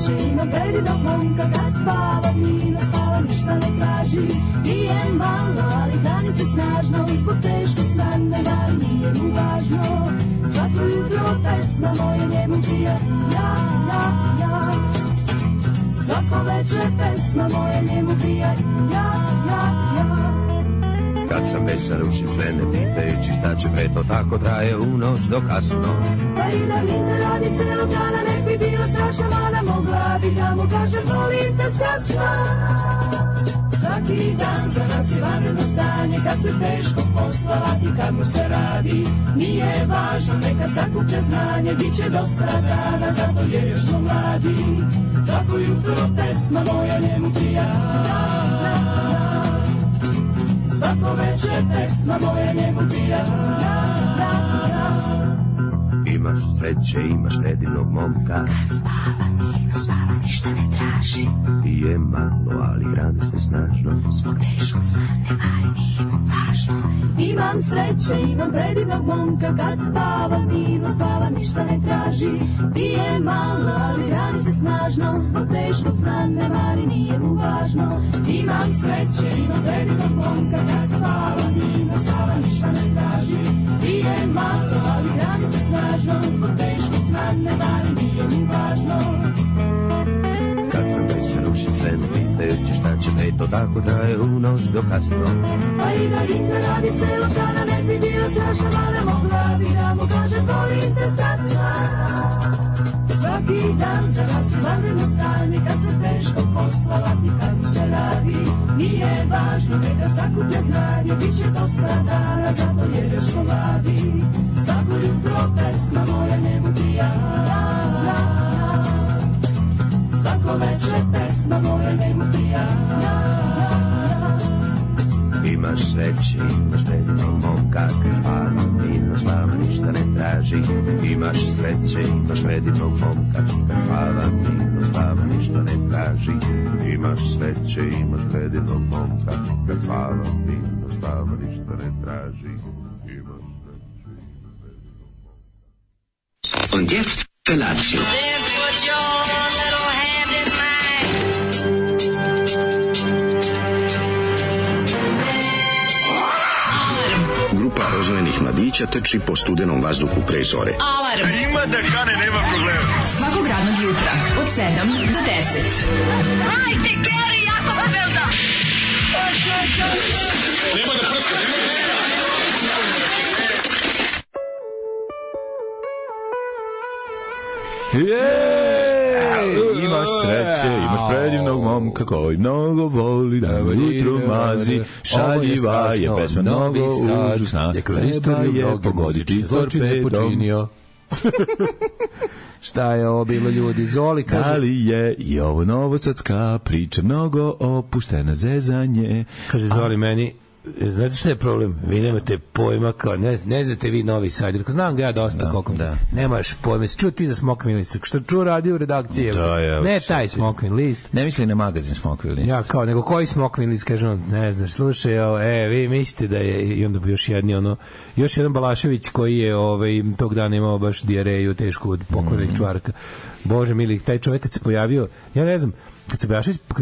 sreće, imam predivnog momka, kad spava mirno, spava ništa ne traži. Pije malo, ali hrani se snažno, zbog teškog sna ne da nije mu važno. Svako jutro pesma moja njemu prija, ja, ja, ja. Svako večer pesma moja njemu prija, ja, ja, ja. Kad sam već sarušim sve ne pitajući šta će pre, to tako traje u noć do kasno. Pa i da mi ne radi celog dana, nek bi bila strašna mana, mogla bi da mu kažem volim te strasna. Svaki dan za nas je vanredno stanje, kad se teško posla lati, kad mu se radi. Nije važno, neka sakuplja znanje, bit će dosta dana, zato jer još smo mladi. Svako jutro pesma moja njemu prija, svako večer pesma moja njemu prija. Imaš sreće, imaš predivnog momka, kad spava mirno, spava ništa ne traži. Pije malo, ali hrani se snažno, zbog teškog sna ne vari, nije mu važno. Imam sreće, imam predivnog momka, kad spava mirno, spava ništa ne traži. Pije malo, ali hrani se snažno, zbog teškog sna ne vari, nije mu važno. Imam sreće, imam predivnog momka, kad spava mirno, spava ništa ne traži. Pije malo, ali hrani se snažno, zbog teškog sna ne vari, nije mu važno. Kad sam već se rušim sve ne pitajući šta će pre, to tako traje u noć do kasno. Pa i da ne radi celog dana, nek bi bila strašna mana, mogla bi da mu kažem volim te strasna. Svaki dan za nas je vanredno stanje, kad se teško posla lati, kad mu se radi. Nije važno, neka sakuplja znanje, bit će dosta dana, zato jer još smo mladi. Svako jutro pesma moja njemu prija, svako večer pesma moja njemu prija. Imaš sreće, imaš predivnog momka, kad spava mirno, spava ništa ne traži. Imaš sreće, imaš predivnog momka, kad spava mirno, spava ništa ne traži. Imaš sreće, imaš predivnog momka, kad spava mirno, spava ništa ne traži. Und jetzt Felatio. Then put your little hand in mine. Grupa rozvojenih mladića trči po studenom vazduhu pre zore. Alarm. Ima da kane, nema problema. Svakog radnog jutra od 7 do 10. Hajde, Geri, jako se velda. Nema da prska, nema da prska. Imaš sreće, imaš predivnog momka koji mnogo voli da jutro mazi, šaljiva je pesma mnogo užasna, treba je pogoditi torpedom. Šta je ovo bilo, ljudi? Zoli kaže... Da li je i ovo novosadska priča mnogo opuštena zezanje? Kaže Zoli meni, znate šta je problem? Vi nemate pojma, kao ne znate vi Novi Sad. Znam ga ja dosta, koliko nemaš pojma. Čuo ti za Smokvin list? Što čuo radio u redakciji? Ne taj Smokvin list. Ne misli na magazin Smokvin list. Ja kao, nego koji Smokvin list? Kaže on, ne znaš, slušaj, vi mislite da je, i onda još jedan Balašević koji je tog dana imao baš dijareju tešku od pokojnog čvarka. Bože mili, taj čovjek kad se pojavio, ja ne znam, kad se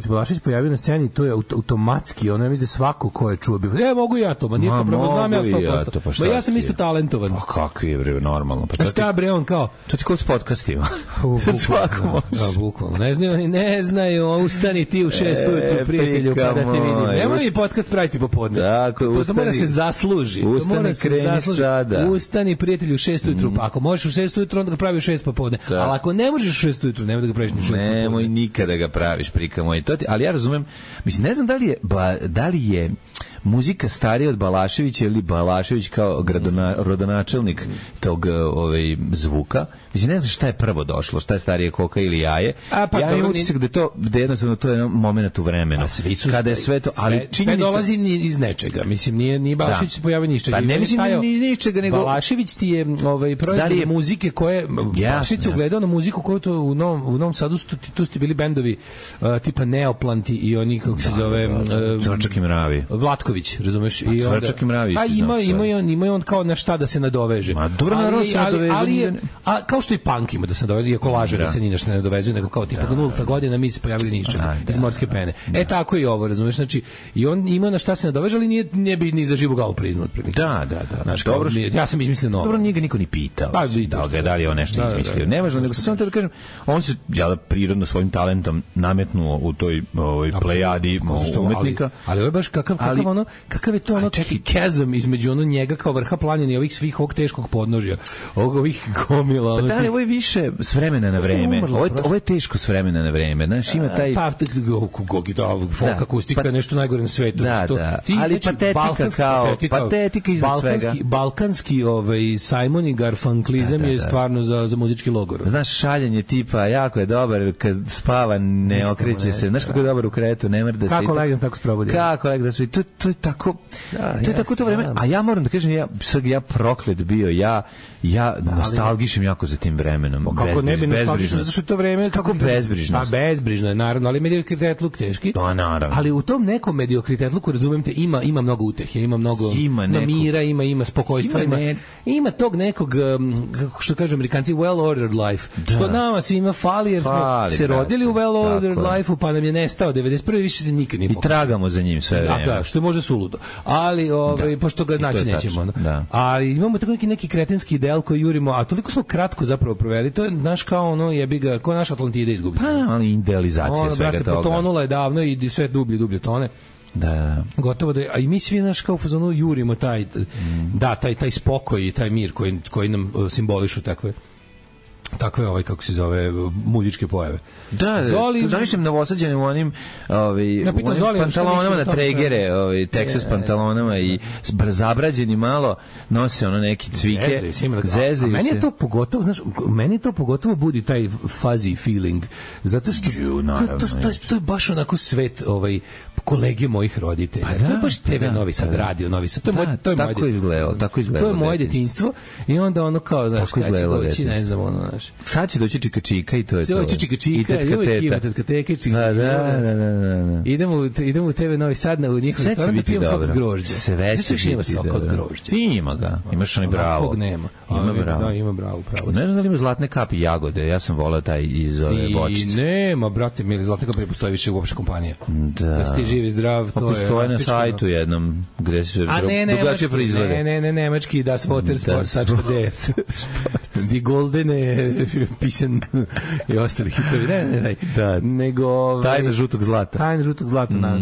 Balašević pojavio na sceni, to je automatski, ono, ja mislim da svako ko je čuo bi, mogu ja to, nije to pravo, znam ja 100%. Ja sam isto talentovan. A kakvi je, bre, normalno. Pa šta, bre, on kao... To ti kao s podcastima. Bukvalno. Ne znaju, ustani ti u 6 ujutru, prijatelju, kada te vidim. Nemoj mi podcast praviti popodne. To mora se zasluži. Ustani, kreni sada. Ustani, prijatelju, u 6 ujutru, pa ako možeš u 6 ujutru, onda ga pravi u 6 popodne. Ali ako ne možeš u 6 ujutru, nemoj da ga praviš ni u 6 popodne. Nemoj nikada ga praviš, prika moj. Ali ja razumem, mislim, ne znam da li je muzika starija od Balaševića ili Balašević kao rodonačelnik tog zvuka. Mislim, ne znam šta je prvo došlo, šta je starije, koka ili jaje. Ja imam utisak da jednostavno to je moment u vremenu. Kada je sve to, ali sve dolazi iz nečega. Mislim, nije Balašević se pojavio ništa. Pa ne mislim ni iz ničega, nego Balašević ti je proizvod muzike koje Balašević se ugledao na muziku koju to u Novom Sadu tu ste bili bendovi tipa Neoplanti i oni, kako se zove, Cvrčak i mravi. Vlatković, razumeš? I onda Cvrčak i mravi. Ima on kao na šta da se nadoveže. Ma dobro, ali kao što i punk ima da se nadovezuje, iako laže da se ni nešto ne nadovezuje, nego kao tipa nulta godina mi se pojavili ni iz čega, iz morske pene. Tako i ovo, razumeš, znači i on ima na šta se nadoveže, ali nije bi ni za živu glavu priznao otprilike. Da. Znači, dobro, ja sam izmislio novo. Dobro, njega niko ni pitao. Da li je on nešto izmislio. Ne važno, nego samo da kažem, on se prirodno svojim talentom nametnuo u toj plejadi umetnika. Ali ovo je baš kakav je to ono chasm između njega kao vrha planine i ovih svih ovog teškog podnožja, ovih gomila. Pa da li ovo je više s vremena na vreme? Ovo je teško s vremena na vreme. Znaš, ima taj... folk akustika je nešto najgore na svetu. Ali patetika iznad svega. Balkanski Simon i Garfunklizam je stvarno za muzički logor. Znaš, šaljenje tipa, jako je dobar, kad spava ne okreće se. Znaš kako je dobar u kretu, ne mrda se. Kako legnem, tako sprobudi. Kako legnem, to je tako... To je tako to vreme. A ja moram da kažem, ja proklet bio, ja nostalgišem jako za tim vremenom. Kako ne bi nostalgišem, zato što to vreme... Kako bezbrižno? Pa bezbrižno je, naravno, ali mediokritetluk teški. Pa naravno. Ali u tom nekom mediokritetluku, razumem te, ima mnogo utehe, ima mnogo mira, ima spokojstva, ima tog nekog, što kažu Amerikanci, well-ordered life. Što nama svima fali, jer smo se rodili u well-ordered life-u, pa nam je nestao 91. više se nikad nije pokazao. I tragamo za njim sve vreme. Da, što je možda suludo. Ali, pošto ga naći nećemo. Ali imamo tako neki kretenski ideal koji jurimo, a toliko smo kratko zapravo proveli, to je naš kao ono jebi ga, kao naš Atlantida izgubio. Pa, ali idealizacija svega toga. Potonula je davno i sve dublje tone. Da. Gotovo da, a i mi svi naš kao u fazonu jurimo taj spokoj i taj mir koji nam simbolišu takve kako se zove, muzičke pojave. Da, zamišljam novosađene u onim pantalonama na tregere, Texas pantalonama i zabrađeni malo, nose ono neki cvike, zezaju se. Meni je to pogotovo budi taj fuzzy feeling, zato što to je baš onako svet kolege mojih roditelja. To je baš TV Novi Sad, radio Novi Sad. To je tako izgledalo. To je moje detinjstvo i onda ono kao, znaš, kada će doći, ne znam, ono, znaš. Sad će doći čika i to je to. Doći čika, uvijek ima tetka teke, čika. Da. Idemo u TV Novi Sad na njihov restoran da pijem sok od grožđa. Sve će biti ima sok od grožđa. Ima ga. Imaš onaj bravo. Nema. Ima bravo. Ne znam da li ima zlatne kapi jagode. Ja sam volao taj iz ove bočice. I nema, brate, mili, zlatne kapi ne postoji više uopšte kompanija. Da ti živi zdrav, to je. Postoje na sajtu jednom gde se drugačije proizvode. Ne, nemački Das Watersport.de. Die Goldene Pisen i ostali hitovi. Ne. Nego tajna žutog zlata.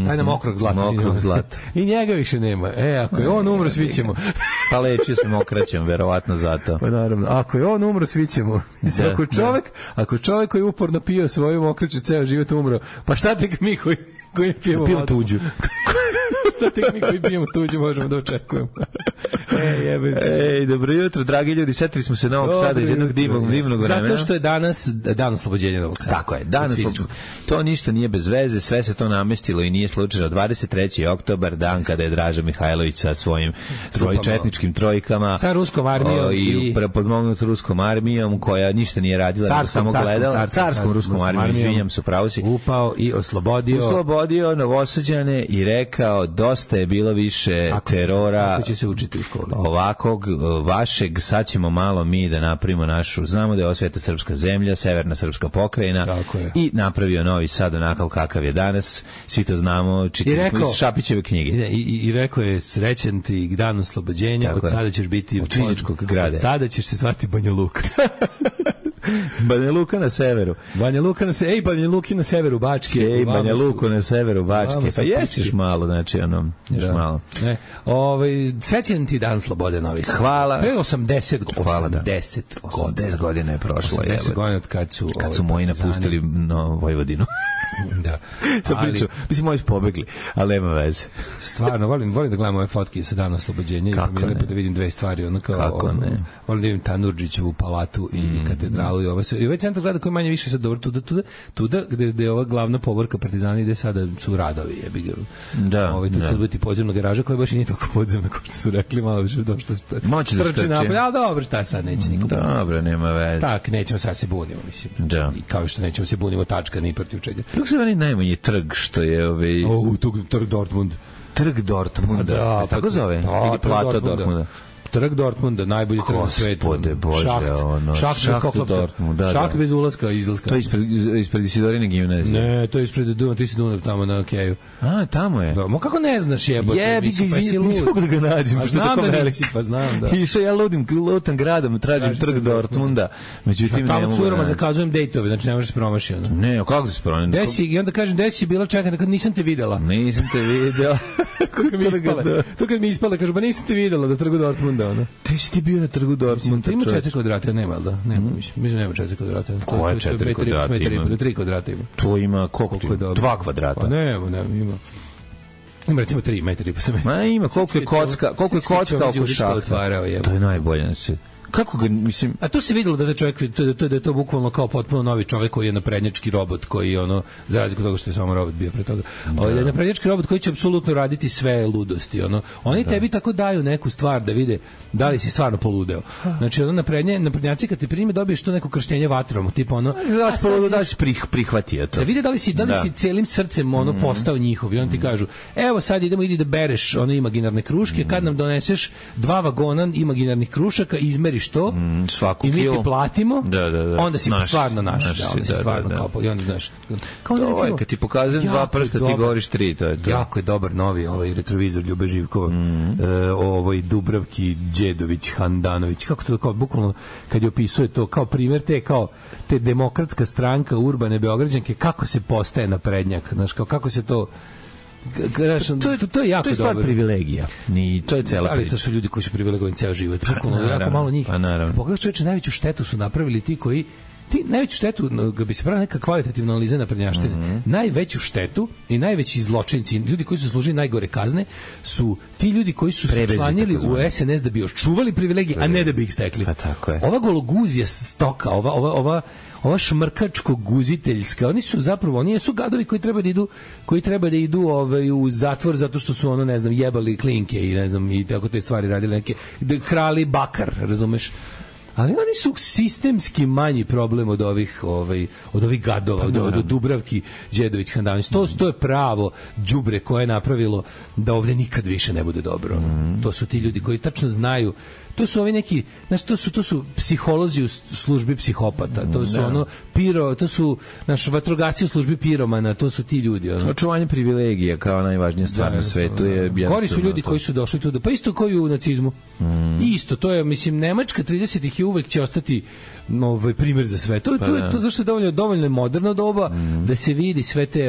Tajna mokrog zlata. I njega više nema. Ako je on umro, svi ćemo. Pa lečio se mokraćem, verovatno zato. Pa naravno. Ako je on umro, svi ćemo. Ako čovjek koji uporno pio svoju mokraću ceo život umro, pa šta tek mi koji pijemo tuđu. Šta tek mi koji pijemo tuđu možemo da očekujemo. Dobro jutro, dragi ljudi, setili smo se Novog Sada iz jednog divnog vremena. Zato što je danas dan oslobođenja Novog Sada. Tako je, danas to ništa nije bez veze, sve se to namestilo i nije slučajno. 23. oktobar, dan kada je Draža Mihajlović sa svojim četničkim trojkama sa ruskom armijom i podmognut ruskom armijom koja ništa nije radila, samo gledala, carskom ruskom armijom, izvinjam se, pravo si, upao i oslobodio Novosađane i rekao dosta je bilo više terora. Ako će se učiti u školi. Ovakvog vašeg, sad ćemo malo mi da napravimo našu, znamo da je ovo sveta srpska zemlja, severna srpska pokrajina i napravio Novi Sad onakav kakav je danas, svi to znamo, čitali smo iz Šapićeve knjige. I rekao je srećan ti dan oslobođenja, od sada ćeš biti od fizičkog grada. Sada ćeš se zvati Banja Luka. Banja Luka na severu. Banja Luki na severu Bačke. Banja Luku na severu Bačke. Pa jestiš malo, znači još malo. Srećan ti dan slobode Novi Sad. Hvala. Pre 80 godina je prošlo. 80 godina od kad su moji napustili Vojvodinu. Da. Mislim, moji su pobegli, ali nema veze. Stvarno, volim da gledam ove fotke sa dana oslobođenja i mi je lepo da vidim dve stvari. Kako ne? Volim da vidim Tanurdžićevu palatu i katedralu i ovo sve. I ovaj centar grada koji manje više sad dobro tuda gde je ova glavna povorka Partizani gde sada su radovi, jebi ga. Da. Tu će biti podzemna garaža koja baš i nije toliko podzemna kao što su rekli, malo više došto strči napolje. Ali dobro, šta sad neće nikom. Dobro, nema veze. Tak, nećemo sad se bunimo, mislim. Da. I kao što nećemo se bunimo tačka ni protiv čega. Kako se meni najmanji trg što je trg Dortmund. Trg Dortmunda. Da, tako zove? Ili Plata Dortmunda. Trg Dortmunda, najbolji trg na svetu. Gospode Bože, Šacht bez ulaska i izlaska. To je ispred Isidorine gimnazije. Ne, to je ispred Dunav tamo na Keju. A, tamo je. Da, kako ne znaš jebote? Nisam da ga nađem, pošto je tako veliki. Pa znam, da. Išao ja lutam gradom, tražim trg Dortmunda, međutim ne mogu. Tamo curama zakazujem dejtove, znači ne možeš se promaši. Ne, kako se promaši? I onda kažem, gde si bila, čekaj, kad nisam te videla. Nisam te videla. To kad mi ispala, kažu, ba nisam te videla na trgu Dortmunda. Te si ti bio na trgu Dortmunda. Ima 4 kvadrata, nema, da? Mislim, nema 4 kvadrata. Koje 4 kvadrata ima? 3 kvadrata ima. To ima, koliko ti? 2 kvadrata. Pa ne, ima. Ima recimo 3 metri pa sam. Ma ima, koliko je kocka oko šahta. To je najbolje, znači. Kako ga, mislim... A to se videlo da je čovjek, da je to bukvalno kao potpuno novi čovjek koji je naprednjački robot, koji je za razliku od toga što je samo robot bio pre toga. Da je naprednjački robot koji će apsolutno raditi sve ludosti. Oni tebi tako daju neku stvar da vide da li si stvarno poludeo. Znači, naprednjaci kad te prime dobiješ to neko krštenje vatrom, tipa da li si prihvatio to. Da vide da li si celim srcem postao njihov i on ti kažu, evo sad idi da bereš one imaginarne kruške, kad nam doneseš 2 vagona imaginarnih krušaka, izmeriš to i mi ti platimo, onda si stvarno naš. Onda si stvarno kao, i onda znaš. Kao da recimo, kad ti pokazujem 2 prsta, ti govoriš 3, to je to. Jako je dobar novi retrovizor Ljube Živkova, Dubravki Đedović, Handanović, kako to kao, bukvalno, kad je opisuje to kao primjer te demokratska stranka urbane Beograđanke, kako se postaje naprednjak, znaš, kako se to... To je jako dobro. To je stvar privilegija. To je cela priča. Ali to su ljudi koji su privilegovani ceo život. Jako malo njih. Pogledaš, čoveče, najveću štetu su napravili ti koji najveću štetu, kad bi se pravila neka kvalitativna analiza naprednjaštine, najveću štetu i najveći zločinci, ljudi koji su služili najgore kazne, su ti ljudi koji su se članili u SNS da bi još čuvali privilegije, a ne da bi ih stekli. Pa tako je. Ova gologuzija stoka, ova šmrkačko-guziteljska, oni su gadovi koji treba da idu u zatvor zato što su jebali klinke i tako te stvari radili, neke krali bakar, razumeš? Ali oni su sistemski manji problem od ovih gadova, od Dubravki Đedović Handanović. To je pravo đubre koje je napravilo da ovdje nikad više ne bude dobro. To su ti ljudi koji tačno znaju. To su ovi neki, znači to su psiholozi u službi psihopata, to su to su vatrogasci u službi piromana, to su ti ljudi. Očuvanje privilegija kao najvažnija stvar na svetu je... Gori su ljudi koji su došli tu, pa isto kao i u nacizmu. Isto, to je, mislim, Nemačka 30-ih i uvek će ostati primjer za sve. To je zašto je dovoljno moderno doba da se vidi sve te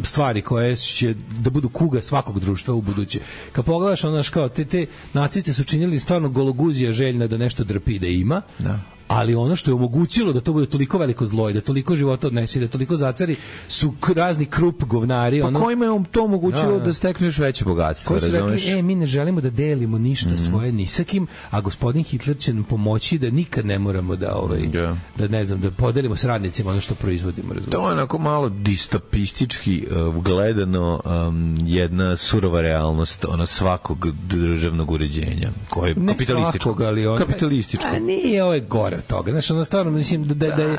stvari koje će da budu kuga svakog društva u buduće. Kad pogledaš, kao te naciste su činili stvarno gologuzija željna da nešto drpi da ima, ali ono što je omogućilo da to bude toliko veliko zlo i da toliko života odnesi, da toliko zacari, su razni krup govnari. Pa kojima je to omogućilo da steknu još veće bogatstvo? Koji su rekli, mi ne želimo da delimo ništa svoje ni sa kim, a gospodin Hitler će nam pomoći da nikad ne moramo da podelimo s radnicima ono što proizvodimo. To je onako malo distopistički gledano jedna surova realnost svakog državnog uređenja. Koje je kapitalističko. A nije, ovo je gore od toga. Znači, stvarno, mislim da je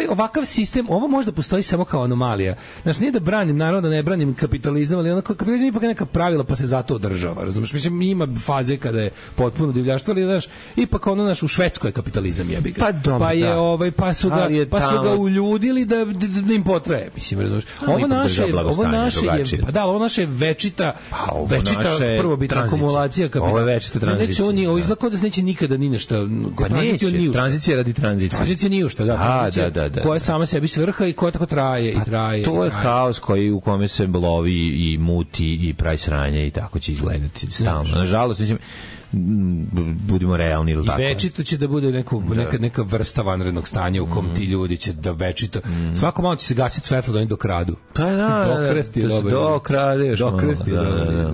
ovakav sistem, ovo možda postoji samo kao anomalija. Znači, nije da branim, naravno da ne branim kapitalizam, ali kapitalizam ipak je neka pravila pa se zato održava, razumiješ? Mislim, ima faze kada je potpuno divljaštvo, ali ipak u Švedskoj je kapitalizam jebi ga. Pa dobro, pa su ga uljudili da im potraje, mislim, razumiješ? Ovo naše je večita prvobitna akumulacija kapitala. Ovo je večita tranzicija. Ovo izlako da se neće nikada ni nešto. Pa neće, tranzicija radi tranzicije. Tranzicija nije ušta, da. Koja sama sebi svrha i koja tako traje i traje. To je haos u kome se lovi i muti i pravi sranje i tako će izgledati stalno. Nažalost, mislim, budimo realni ili tako. I večito će da bude neka vrsta vanrednog stanja u kom ti ljudi će da večito. Svako malo će se gasiti svetlo da oni dokradu. Pa Dokrasti je dobro. Dokradeš. Dokrasti je dobro.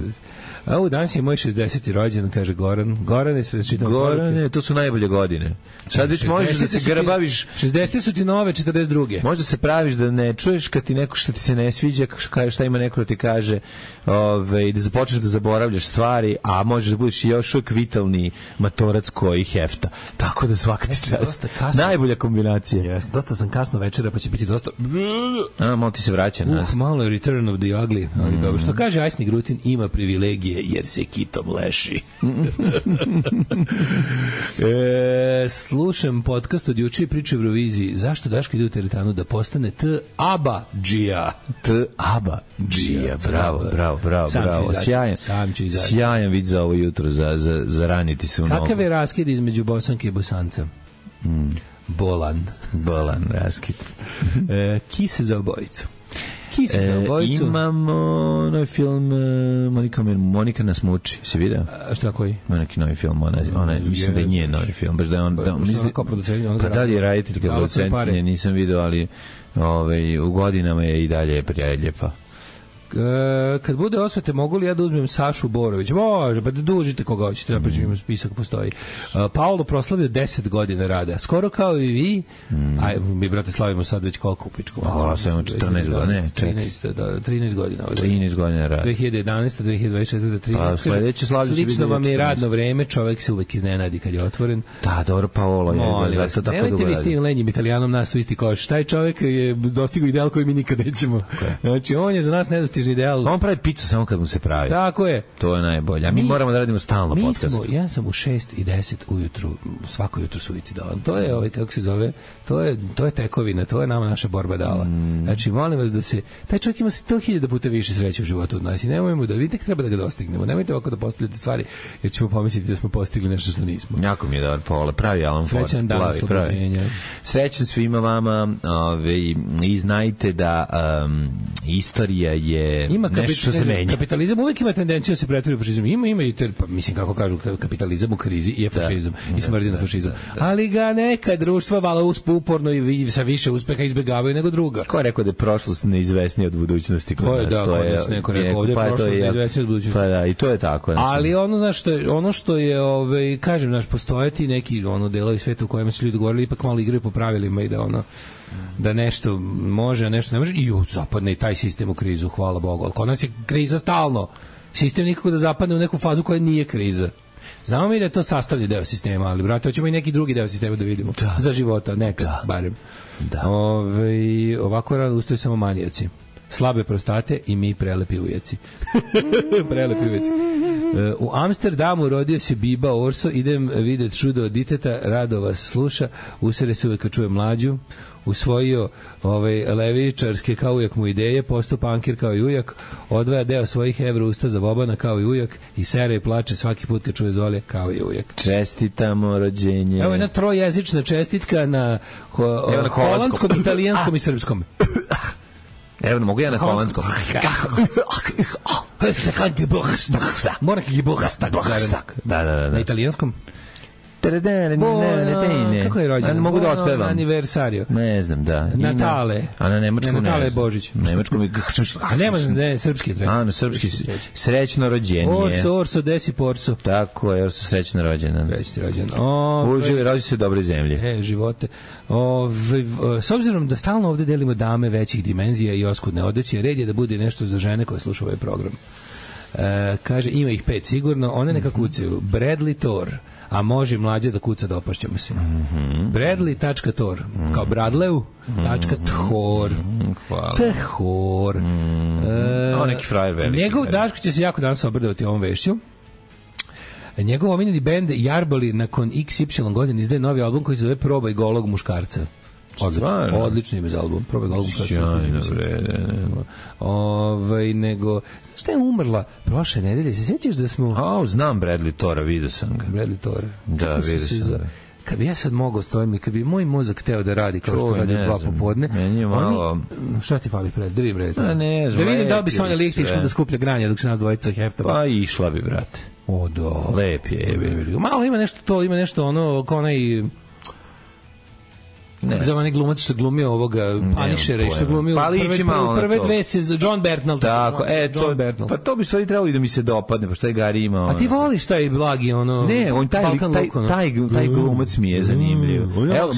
A danas je moj 60. rođendan, kaže Goran. Gorane, se čitam. Gorane, to su najbolje godine. Sad već možeš da se grabaviš. 60. su ti nove, 42. Možda se praviš da ne čuješ kad ti neko što ti se ne sviđa, šta ima neko da ti kaže, da započneš da zaboravljaš stvari, a možeš da budeš još uvijek vitalni matorac koji hefta. Tako da svaka ti čast. Najbolja kombinacija. Dosta sam kasno večera, pa će biti dosta... Malo ti se vraća nas. Malo je Return of the Ugly, ali dobro. Što kaže Ajsni Grutin, ima privilegije pije jer se kitom leši. Slušam podcast od juče i priče o Euroviziji. Zašto Daško ide u teretanu da postane T-Aba-džija? T-Aba-džija, bravo. Sjajan vid za ovo jutro, za raniti se u nogu. Kakav je raskid između Bosanke i Bosanca? Bolan raskid. Kise za obojicu. Imamo novi film Monika nas muči. Se vidio? Šta koji? Ima neki novi film. Ona mislim da je njen novi film. Baš da je on... Pa da li je raditelj kao producent? Nisam vidio, ali u godinama je i dalje prijateljepa. Kad bude osvete, mogu li ja da uzmem Sašu Borović? Može, pa da dužite koga hoćete, napričam, ima spisak, postoji. Paolo proslavio 10 godina rada, skoro kao i vi, a mi, brate, slavimo sad već koliko u pičku. Samo 14 godina, ne, 13 godina. 13 godina rada. 2011, 2024, 13. Sledeće slavlje će biti... Slično vam je radno vreme, čovek se uvek iznenadi kad je otvoren. Da, dobro, Paolo je zato tako dugo radi. Vi s tim lenjim Italijanom nas u isti koš. Taj čovek je dostigao ideal koji mi nikad nećemo. Znači, on je za nas nedostižni ideal. On pravi picu samo kad mu se pravi. Tako je. To je najbolje. A mi moramo da radimo stalno podcast. Ja sam u 6:10 ujutru, svako jutro suicidalan. To je kako se zove, to je tekovina, to je nama naša borba dala. Znači, molim vas da se, taj čovjek ima 100.000 puta više sreće u životu od nas i nemojmo da vidite, treba da ga dostignemo. Nemojte ovako da postavljate stvari, jer ćemo pomisliti da smo postigli nešto što nismo. Jako mi je dobar Paolo, pravi Alan Ford. Srećan dan oslobođenja. Srećan svima vama, i znajte da istorija je nešto što se menja. Kapitalizam uvijek ima tendenciju da se pretvori u fašizam. Ima i mislim kako kažu, kapitalizam u krizi je fašizam i smrdi na fašizam. Ali ga neka društva malo uporno i sa više uspeha izbjegavaju nego druga. Ko je rekao da je prošlost neizvesnija od budućnosti? To je da, neko rekao ovdje je prošlost neizvesnija od budućnosti. Pa da, i to je tako. Ali ono što je kažem, postojati neki delovi sveta u kojem su ljudi govorili ipak malo igraju po pravilima i da nešto može, a nešto ne može, i zapadne i taj sistem u krizu, hvala Bogu. Ali kod nas je kriza stalno. Sistem nikako da zapadne u neku fazu koja nije kriza. Znamo mi da je to sastavljen deo sistema, ali, brate, hoćemo i neki drugi deo sistema da vidimo. Da. Za života, nekad, barem. Da. Ovako rano ustaju samo manijaci. Slabe prostate i mi prelepi ujaci. Prelepi ujaci. U Amsterdamu rodio se Biba Orso, idem vidjeti čudo od diteta, rado vas sluša, usere se uvek kad čuje mlađu, usvojio levičarske kao ujak mu ideje, postao pankir kao i ujak, odvaja deo svojih evra usta za Bobana kao i ujak i sere i plače svaki put kad čuje Zolje kao i ujak. Čestitamo rođenje. Evo jedna trojezična čestitka na holandskom, italijanskom i srpskom. Evo, mogu ja na holandskom. Da. Na italijanskom? Kako je rođen? Mogu da otpevam. Aniversario. Ne znam, da. Natale. A na nemačkom ne. Natale je Božić. Na nemačkom je... A nema, srpski je treći. A, na srpski srećno rođenje. Orso, desi porso. Tako je, Orso srećno rođena. Srećno rođen. Uživi, rođi se dobre zemlje. Živote. S obzirom da stalno ovde delimo dame većih dimenzija i oskudne odeće, red je da bude nešto za žene koje slušaju ovaj program. Kaže, ima ih 5 sigurno, one neka kucaju. Bradley Thor, a može mlađe da kuca da opašćemo se. Bradley.tor, kao Bradleu.tor. Hvala. Thor. Neki frajer veliki. Njegov Daško će se jako danas obradovati ovom vešću. Njegov omiljeni bend Jarboli nakon XY godina izdaje novi album koji se zove Probaj golog muškarca. Odlično ime za album. Probaj golog muškarca. Nego, šta je umrla prošle nedelje? Se sjećaš da smo... Znam Bradley Tora, vidio sam ga. Bradley Tora. Da, vidio sam ga. Kad bi ja sad mogao stojim i kad bi moj mozak hteo da radi kao što radi 2 popodne, meni je malo... Šta ti fali pred? Da vidim, brate. Da vidim da li bi se on električno da skuplja granja dok se nas dvojica heftava. Pa išla bi, brate. O, da. Lep je. Malo ima nešto ono, kao onaj... Za onaj glumac što glumio ovoga Punishera i što glumio prve dve se John Bernal. Tako, pa to bi stvari trebalo i da mi se dopadne, pa što je Gari imao. A ti voliš taj blagi ono? Ne, on taj glumac mi je zanimljiv. Evo,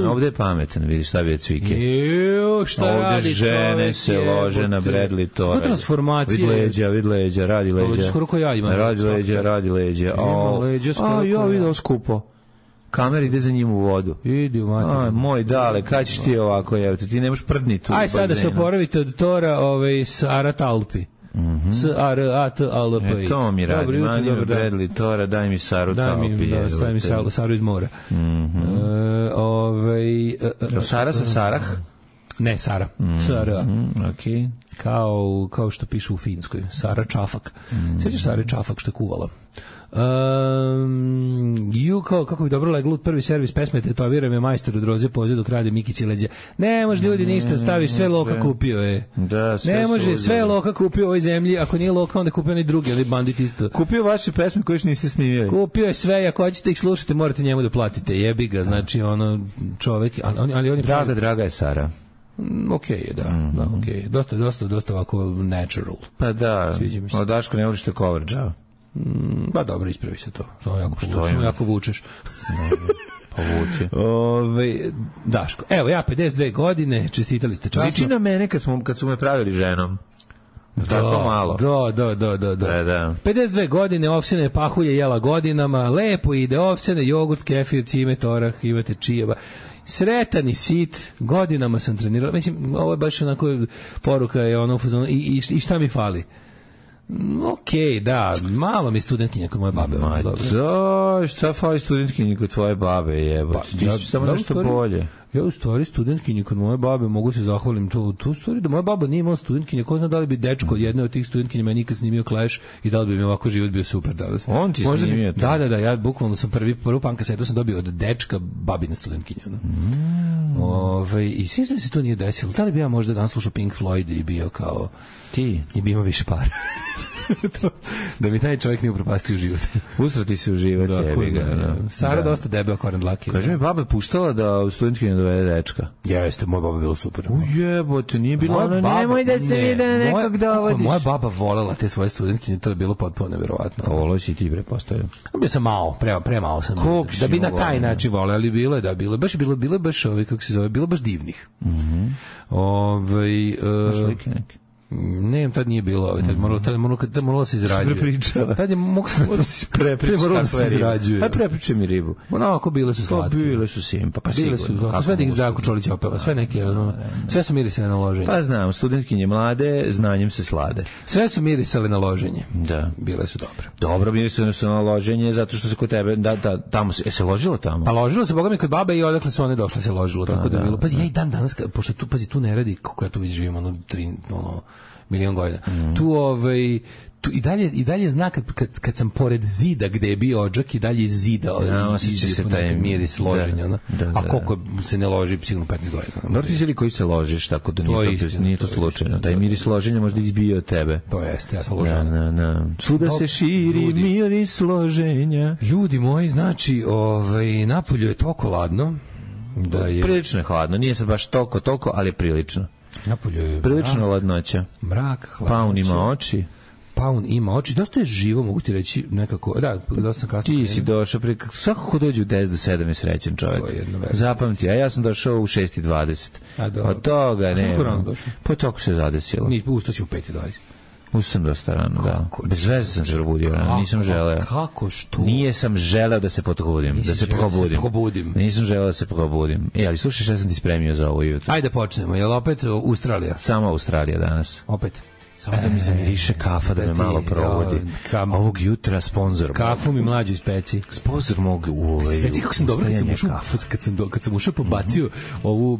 ovde je pametan, vidiš šta bi od Cvike. Šta radi ovde žene se lože na Bradley Tora. To transformacije. Vid leđa, radi leđa. To skoro ko ja imam. Radi leđa. Ja vidio skupo. Kamer ide za njim u vodu. Idi u materiju. Moj dale, kad ćeš ti ovako, ti nemaš prdniti u bazenu. Aj sad da se oporavite od Tora s Arat Alpi. S-A-R-A-T-A-L-P-I. To mi radi. Dobro jutro, Manio dobar dan. Bradley Tora, daj mi Saru Taopije. Daj mi Saru iz mora. Sara sa Sarah? Ne, Sara. S-A-R-A. Okej. Kao što piše u Finskoj. Sara Čafak. Sjećaš Sare Čafak što je kuvala? Kako bi dobro leglo prvi servis pesme Tetoviram je majstor od roze poziv dok radi Mikici leđa. Ne može ljudi ništa, staviš sve Loka kupio je. Da, sve ne može, sve Loka kupio u ovoj zemlji, ako nije Loka onda kupio onaj drugi, ali bandit isto. Kupio vaše pesme koje još niste snimili. Kupio je sve, ako hoćete ih slušati morate njemu da platite, jebi ga, znači ono čovek, ali on je draga je Sara. Okej je, da, okej. Dosta ovako natural. Pa da, od Daško ne voliš te cover džava. Ba dobro, ispravi se to. Samo jako vučeš. Povuče. Daško, evo ja 52 godine, čestitali ste časno. Liči na mene kad su me pravili ženom. Tako malo. Da. 52 godine, ovsene pahulje jela godinama, lepo ide ovsene, jogurt, kefir, cimet, orah, imate čijeva. Sretan i sit, godinama sam trenirala. Mislim, ovo je baš onako poruka je ono i šta mi fali? Okej, da, malo mi studentkinja kod moje babe. Da, šta fali studentkinja kod tvoje babe je? Ti si samo nešto bolje. Ja u stvari studentkinji kod moje babe mogu se zahvalim tu stvari da moja baba nije imala studentkinje, ko zna da li bi dečko od jedne od tih studentkinja me nikad snimio Clash i da li bi mi ovako život bio super danas. On ti snimio to? Da, ja bukvalno sam prvu punk kasetu sam dobio od dečka babine studentkinje. I sviđa se to nije desilo. Da li bi ja možda danas slušao Pink Floyd i bio kao ti i bi imao više para. Da mi taj čovjek nije upropastio život. Usrati se u život. Sara dosta debeo koren dlake. Kaže mi, baba puštala da u studentkinju dovede dečka. Jeste, moja baba bila super. Ujebote, nije bilo ono, nemoj da se vide nekog dovodiš. Moja baba volela te svoje studentkinje, to je bilo potpuno nevjerovatno. Volao si ti, prepostavljam. Bio sam malo, premalo sam. Da bi na taj način voleo, ali bilo je, da, bilo je baš kako se zove, bilo baš divnih. Slike neke. Ne, tad nije bilo, tad moralo se izrađuje. Tad je moglo se izrađuje. Aj prepričaj mi ribu. Onako bile su slatke. Bile su simpa, pa sigurno. Sve da ih Zdravko Čolić opeva, sve neke, sve su mirisale na loženje. Pa znam, studentkinje mlade, znanjem se slade. Sve su mirisale na loženje. Da. Bile su dobre. Dobro, mirisale su na loženje, zato što se kod tebe, tamo se ložilo tamo? Pa ložilo se, boga mi, kod babe i odakle su one došle se ložilo, tako da je bilo. Pazi, ja i dan danas, pošto tu ne radi, kako ja tu već živim, milion godina. Tu i dalje zna kad sam pored zida gde je bio odžak i dalje iz zida osjeća se taj miris loženja. A koliko se ne loži sigurno 15 godina. Dobro ti zeli koji se ložiš, tako da nije to slučajno. Taj miris loženja možda izbio od tebe. To jeste, ja sam ložen. Svuda se širi miris loženja. Ljudi moji, znači napolju je toliko ladno. Prilično je hladno, nije sad baš toliko, ali je prilično. Prilično ladnoća. Mrak, hladnoća. Paun ima oči. Dosta je živo, mogu ti reći nekako. Da sam kasno. Ti si došao svako ko dođe u 10 do 7 je srećen čovjek. Zapamti, a ja sam došao u 6:20. Od toga ne. Po toku se zadesilo. Ustao si u 5:20. Ustao sam dosta rano, da. Bez veze sam se probudio, nisam želeo. Kako što? Nije sam želeo da se probudim. Nisam želeo da se probudim. Ali slušaj šta sam ti spremio za ovo jutro. Ajde počnemo, je li opet Australija? Samo Australija danas. Opet? Samo da mi zamiriše kafa, da me malo provodi. Ovog jutra sponzor. Kafu mi mlađu ispeci. Sponsor mogu u ovaj. Sveci kako sam dobro kad sam ušao pobacio ovu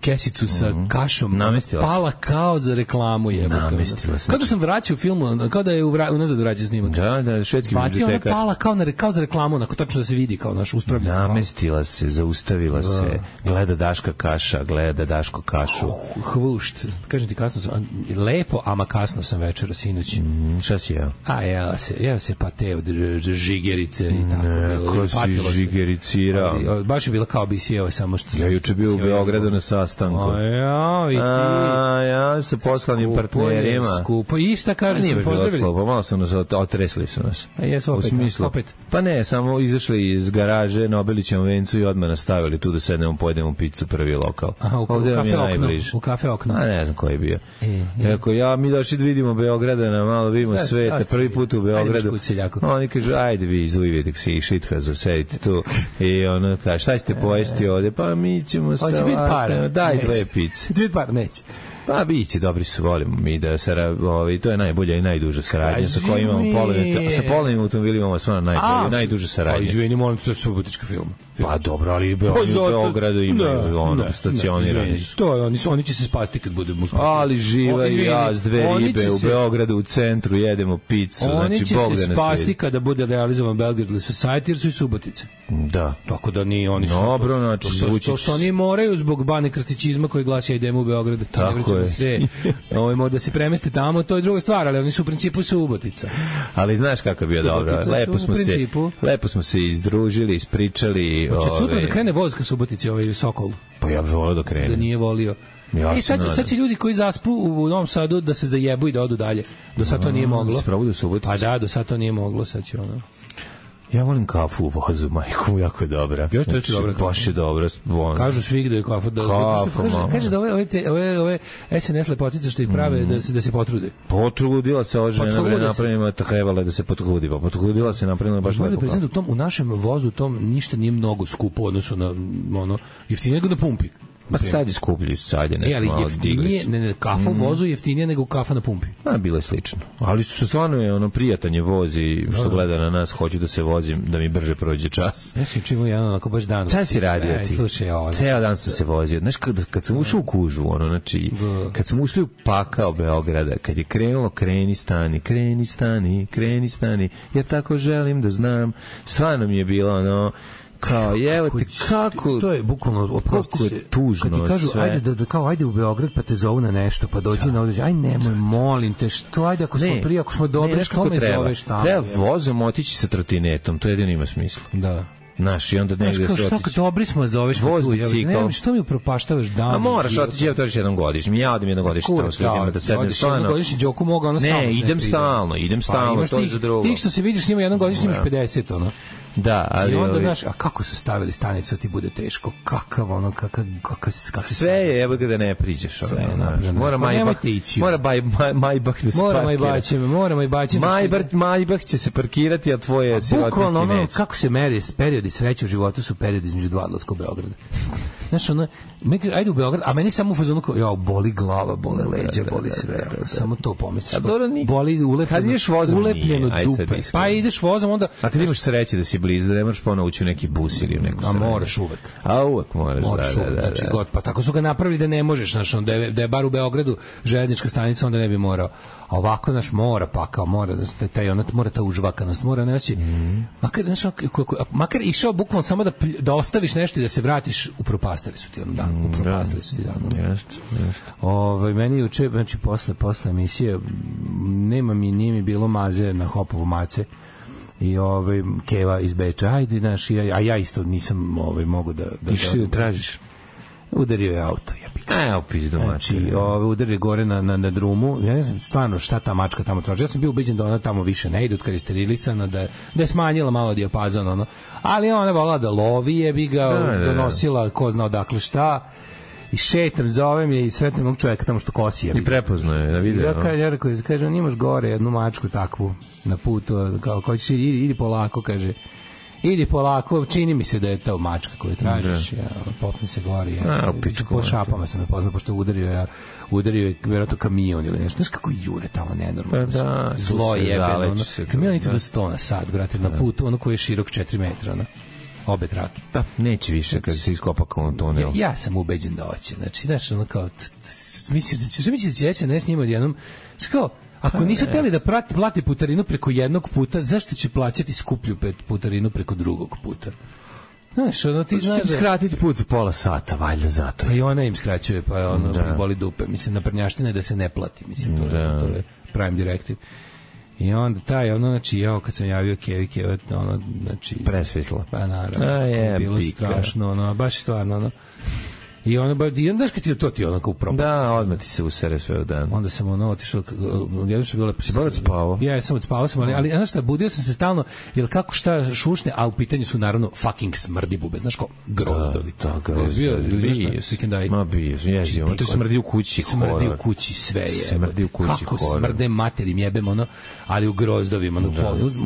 kesicu sa kašom, pala kao za reklamu namestila se. Kao da sam vraćao film, kao da je unazad vraćao snimak. Da, švedski bibliotekar. Pala kao za reklamu, onako tačno da se vidi kao naš uspravljen. Namestila se, zaustavila se, gleda Daška kaša, gleda Daško kašu. Hvušt. Kažem ti, kasno sam, lepo, ama kasno sam večera sinoć. Šta si jeo? Jeo se pate od žigerice i tako. Ko si žigericirao? Baš je bila kao bi si jeo, samo što... Ja juče bio u Beogradu na sastanku. Ja sa poslanim partnerima. Skupo. I šta kažu? Nije baš bilo skupo, malo su nas otresli su nas. Jesu opet. Pa ne, samo izašli iz garaže na Obilićevom vencu i odmah nastavili tu da sednemo, pojedemo picu prvi lokal. Ovdje vam je najbliže. U kafe okno. Ne znam koji je bio. Mi došli da vidimo Beogradana, malo vidimo sveta, prvi put u Beogradu. Oni kažu, ajde vi izujvite si šitha zasedite tu. I ono kaže, šta ćete pojesti ovdje? Pa mi ćemo sa... Daj dve pice. Neće. Pa biće, dobri su, volimo mi da to je najbolja i najduža saradnja sa kojim imamo polovnim automobilima imamo stvarno najduža saradnja. Pa izvini, molim, to je subotička film. Pa dobro, ali u Beogradu imaju stacionirani. To je, oni će se spasti kad budemo spasti. Ali živa i ja s dve ribe u Beogradu, u centru, jedemo picu. Oni znači, će se spasti kada bude realizovan Belgrade Society, jer su i Subotice. Da. Tako da ni oni su. Dobro, znači to što oni moraju zbog Bane Krstićizma koji glasi idemo u Beograd. Tako je. Ovo da se premeste tamo, to je druga stvar, ali oni su u principu Subotica. Ali znaš kako je bio dobro. Lepo smo se izdružili, ispričali. Hoće sutra da krene voz ka Subotici, ovaj Sokol. Pa ja bih volio da krene. Da nije volio. I sad će ljudi koji zaspu u Novom Sadu da se zajebu i da odu dalje. Do sad to nije moglo. Pa da, do sad to nije moglo, sad će ono. Ja volim kafu u vozu, majku, jako je dobra. Još to je dobra. Baš je dobra. Kažu svi da je kafa. Kaže da ove SNS lepotice što ih prave da se potrude. Potrudila se ova žena, napravila trebala da se potrudi. Potrudila se, napravila baš lepo. U našem vozu tom ništa nije mnogo skupo odnosno na ono jeftinije nego na pumpi. Pa sad je skuplji, sad je nešto malo jeftinije, kafa u vozu je jeftinije nego kafa na pumpi. Bilo je slično. Ali su stvarno je ono prijatan je voz i što gleda na nas, hoću da se vozim, da mi brže prođe čas. Ja sam čimao jedan onako baš dan. Šta si radio ti? Ceo dan sam se vozio. Znaš, kad sam ušao u kužu, ono, znači, kad sam ušli u pakao Beograda, kad je krenulo kreni stani, jer tako želim da znam, stvarno mi je bilo ono, kao, evo te, kako... To je bukvalno, kako je tužno kad ti kažu, sve. Ajde u Beograd, pa te zovu na nešto, pa dođi na određenje, aj nemoj, molim te, što, ajde, ako smo prije, ako smo dobri, što me zoveš tamo? Treba vozom otići sa trotinetom, to jedino ima smisla. Da. Naš, i onda negde se otići. Dobri smo, zoveš voz bicikl. Što mi upropaštavaš dan? A moraš otići, evo to još jednom godišnje. Ja odem jednom godišnje tamo s ljudima da sednem stvarno. Jednom godišnje Đoku moga, ono stalno. Ne, idem stalno, to je za drugo. Ti što se vidiš s njima jednom godišnje imaš 50, ono. Da, ali i onda znaš, a kako su stavili stanicu, ti bude teško, kakav sve je, evo ga da ne priđeš, mora Majbach da se parkira. Mora Majbach će se parkirati, a tvoje sirotinski neće. Kako se meri periodi sreće u životu su periodi između dva odlaska u Beograd. Znaš, ono, ajde u Beograd, a meni samo u fazonu kao, boli glava, bole leđa, boli sve, samo to pomisliš. Boli ulepljeno dupe. Pa ideš vozom, onda... A kad imaš sreće da si blizu, da ne moraš ponovo ući u neki bus ili u neku stranu. A moraš uvek. A uvek moraš, da. Znači, pa tako su ga napravili da ne možeš, znaš, da je bar u Beogradu železnička stanica, onda ne bi morao. A ovako, znaš, mora ta užvakanost, mora, znači, makar išao bukvalno samo da ostaviš nešto i da se vratiš, upropastili su ti dan. Meni juče, znači, posle emisije, nije mi bilo maze na Hopovu mace, i Keva iz Beča, ajde, znaš, a ja isto nisam mogu da tražiš. Udario je auto, znači, udario gore na drumu. Ja ne znam stvarno šta ta mačka tamo traži. Ja sam bio ubeđen da ona tamo više ne ide, kad je sterilisana, da je smanjila malo dijapazon, ono. Ali ona volala da lovi, je bi ga donosila ko zna odakle šta. I šetam, zovem je i sretnem ovog čovjeka tamo što kosi. I prepoznao je na video. Ja kažem, imaš gore jednu mačku takvu na putu, kao ko ćeš, idi polako, kaže. Idi polako, čini mi se da je to mačka koju tražiš. Popni se gori. Po šapama sam me poznao, pošto udario je vjerojatno kamion ili nešto. Znaš kako jure tamo nenormalno. Zlo jebeno. Kamion ide do 100 na sat, brate, na putu, ono koji je širok 4 metra, obe trake. Da, neće više kad se iskopa kao tunel. Ja sam ubeđen da hoće. Znači, znaš, ono kao, misliš da će SNS njima odjednom, kao, ako nisu hteli da plati putarinu preko jednog puta, zašto će plaćati skuplju putarinu preko drugog puta? Znaš, ono ti znaš da... skratiti put za pola sata, valjda zato. Pa i ona im skraćuje, pa ono boli dupe. Mislim, naprednjaština je da se ne plati. Mislim, to je prime directive. I onda znači, kad sam javio Keva, znači... Presvisla. Pa naravno, bilo strašno, baš stvarno, I onda daš kad ti to ti onako u propast. Da, odmah ti se usere sve u dan. Onda sam otišao, jedno što je bilo lepo. Si bolje spavao? Ja sam odspavao ali znaš šta, budio sam se stalno, jer kako šta šušne, a u pitanju su naravno fucking smrdi bube, znaš ko? Grozdovi. Da, grozdovi. Ma bio, jezio. On to smrdi u kući. Smrdi u kući sve je. Smrdi u kući. Kako smrde materim jebem, ali u grozdovima.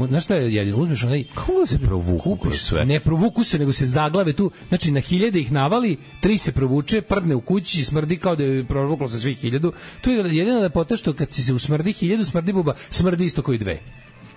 Znaš šta je jedino, uzmeš onaj... Kako se provuku sve? Ne provuku se, nego se zaglave tu, znači na hiljade ih navali, 3 se provuku provuče, prdne u kući, smrdi kao da je provuklo sa svih 1000. To je jedina lepota što kad se usmrdi 1000 smrdi buba, smrdi isto koji 2.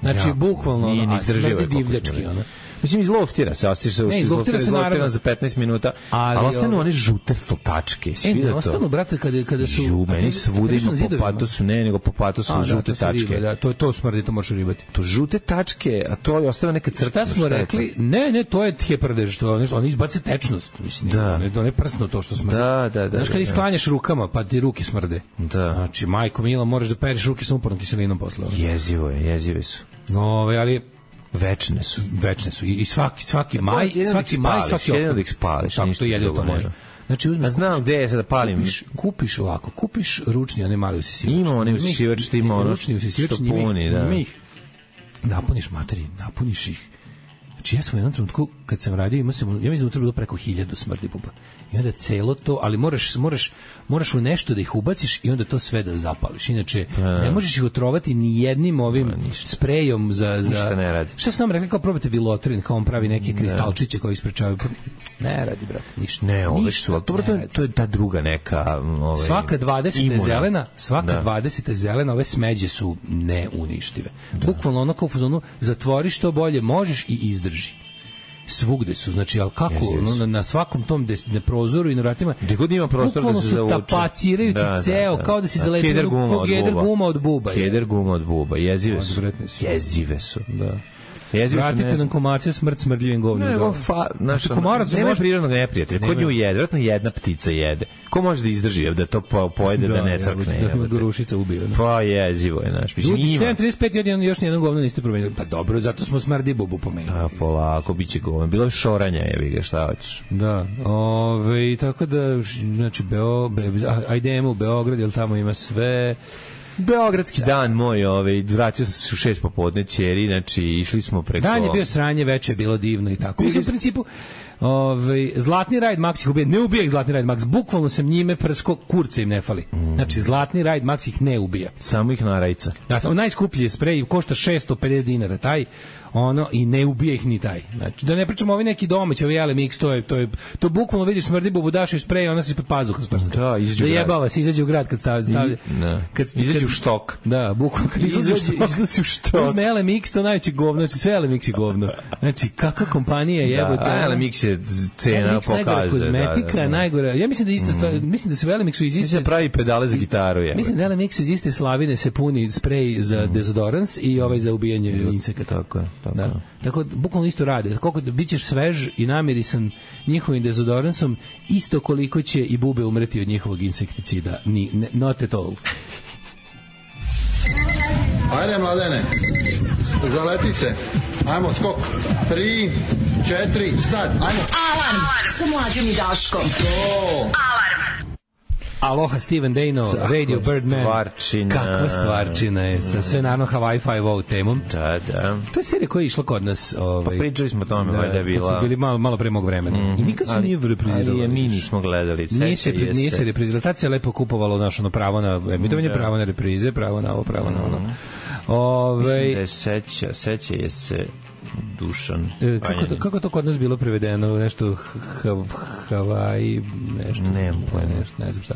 Znači, bukvalno, a smrdi divljački, ono. Mislim, izloftira se, ostiš se, izloftira se naravno za 15 minuta, ali ostanu one žute fltačke. Ne, ostanu, brate, kada su... meni svuda ima po patosu, ne, nego po patosu žute tačke. Da, to smrdi, to možeš ribati. To žute tačke, a to je ostala neka crta. Šta smo rekli? Ne, to je heprdež, to je nešto, oni izbace tečnost, mislim, to ne prsno to što smrdi. Da. Znaš, kad isklanjaš rukama, pa ti ruke smrde. Da. Znači, majko mila, moraš da pereš ruke sa upornom kiselinom posle. Jezive su. No, ali večne su i svaki maj, svaki oktobar. Jedino da ih spališ, tako to jedino to može. Znači uzmeš, znam gde je sad da palim. Kupiš ručni, onaj mali usisivač. Ima onaj usisivač, što ima ono što puni, da. Napuniš ih. Znači ja sam u jednom trenutku, kad sam radio, ja mislim da je bilo preko 1000 smrdi buba. I onda celo to, ali moraš u nešto da ih ubaciš i onda to sve da zapališ. Inače, ne možeš ih otrovati ni jednim ovim sprejom za... Ništa ne radi. Šta su nam rekli, kao probate Vilotrin, kao on pravi neke kristalčiće koji isprečavaju. Ne radi, brate, ništa. Ne, ove su, ali to je ta druga neka... Svaka 20 je zelena, 20 je zelena, ove smeđe su neuništive. Bukvalno ono kao u fazonu, zatvori što bolje možeš i izdrži. Svugde su, znači, ali kako, na svakom tom prozoru i na vratima, gde god ima prostor da se zavuče. Tapaciraju ti ceo, kao da si zalepio keder guma od buba. Keder guma od buba, jezive su. Da. Vratite nam komarce, smrdljivim govnjem. Nema prirodnog neprijatelja. Ko nju jede? Vratno jedna ptica jede. Ko može da izdrži da to pojede, da ne crkne? Da ga rušica ubio. Pa jezivo je, znaš. 7.35 još nijedno govno niste promenili. Pa dobro, zato smo smrdi bubu pomenuli. A polako, bit će govno. Bilo je šoranja, jevi ga, šta hoćeš. Da, tako da, znači, ajdemo u Beograd, jer tamo ima sve... Beogradski dan moj, vratio sam se u 6 popodne ćeri, znači išli smo preko... Dan je bio sranje, veče je bilo divno i tako. Mislim, u principu, Zlatni Rajd Max ih ubija, ne ubija ih Zlatni Rajd Max, bukvalno sam njime prsko, kurca im ne fali. Znači, Zlatni Rajd Max ih ne ubija. Samo ih narajca. Da, samo najskuplji je sprej, košta 650 dinara, taj, i ne ubija ih ni taj. Znači, da ne pričamo ovi neki domaći, ovi LMX, to bukvalno vidiš smrdi bubu, daš i sprej, ona se ispod pazuha sprska. Da, jebava se, izađe u grad kad stavlja. Izađe u štok. Da, bukvalno kad izađe u štok. Uzme LMX, to najveće govno, znači sve LMX je govno. Znači, kakva kompanija jebote. Da, LMX je cena pokazuje. Najgora kozmetika, najgora. Ja mislim da ista stvar, mislim da se u LMX-u iz iste... pravi pedale za gitaru, je. Mislim da LMX iz iste slavine se puni sprej za dezodorans i za ubijanje insekata. Tako je. Tako, bukvalno isto rade. Koliko bićeš svež i namirisan njihovim dezodoransom, isto koliko će i bube umreti od njihovog insekticida. Not at all. Ajde, mladene, zaleti se. Ajmo, skok. 3, 4, sad. Ajmo. Alarm sa Mlađom i Daškom. Alarm. Aloha Steven Dano, Radio Birdman. Kakva stvarčina je, sa sve naravno Hawaii Five-O temom. Da. To je serija koja je išla kod nas. Pa pričali smo o tome, valjda je bila... Kad smo bili malo pre mog vremena. I nikad se nije reprizirala. Ali mi nismo gledali. Nije se reprizirala. Je lepo kupovalo naše pravo na emitovanje, pravo na reprize, pravo na ovo, pravo na ono. Mislim da je seća je se... Dušan. Kako to kod nas bilo prevedeno? Nešto Hawaii, nešto. Nemam pojma. Ne znam šta.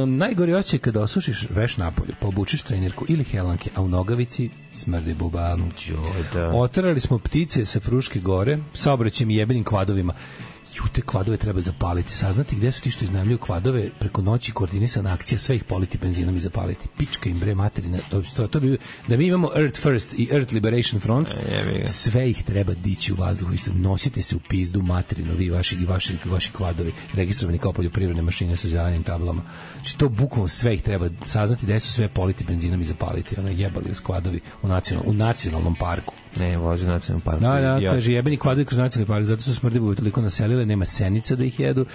Najgori osjećaj kada osušiš veš napolju, pa obučiš trenirku ili helanke, a u nogavici smrdi buba. Oterali smo ptice sa Fruške gore, saobraćajem i jebenim kvadovima. Te kvadove treba zapaliti. Saznati gde su ti što iznajmljuju kvadove, preko noći koordinisana akcija, sve ih politi benzinom i zapaliti. Pička im bre materina. To bi, da mi imamo Earth First i Earth Liberation Front, sve ih treba dići u vazduhu. Nosite se u pizdu materinu, vi vaši kvadovi, registrovani kao poljoprivredne mašine sa zelenim tablama. Znači to bukvalno sve ih treba saznati gde su sve politi benzinom i zapaliti. Ono jebali uz kvadovi u nacionalnom parku. Ne, vozi u nacionalnom parku. Kaže, jebeni kvadovi kroz nacionalni park, zato su smrdibubi toliko naselile, nema senica da ih jedu.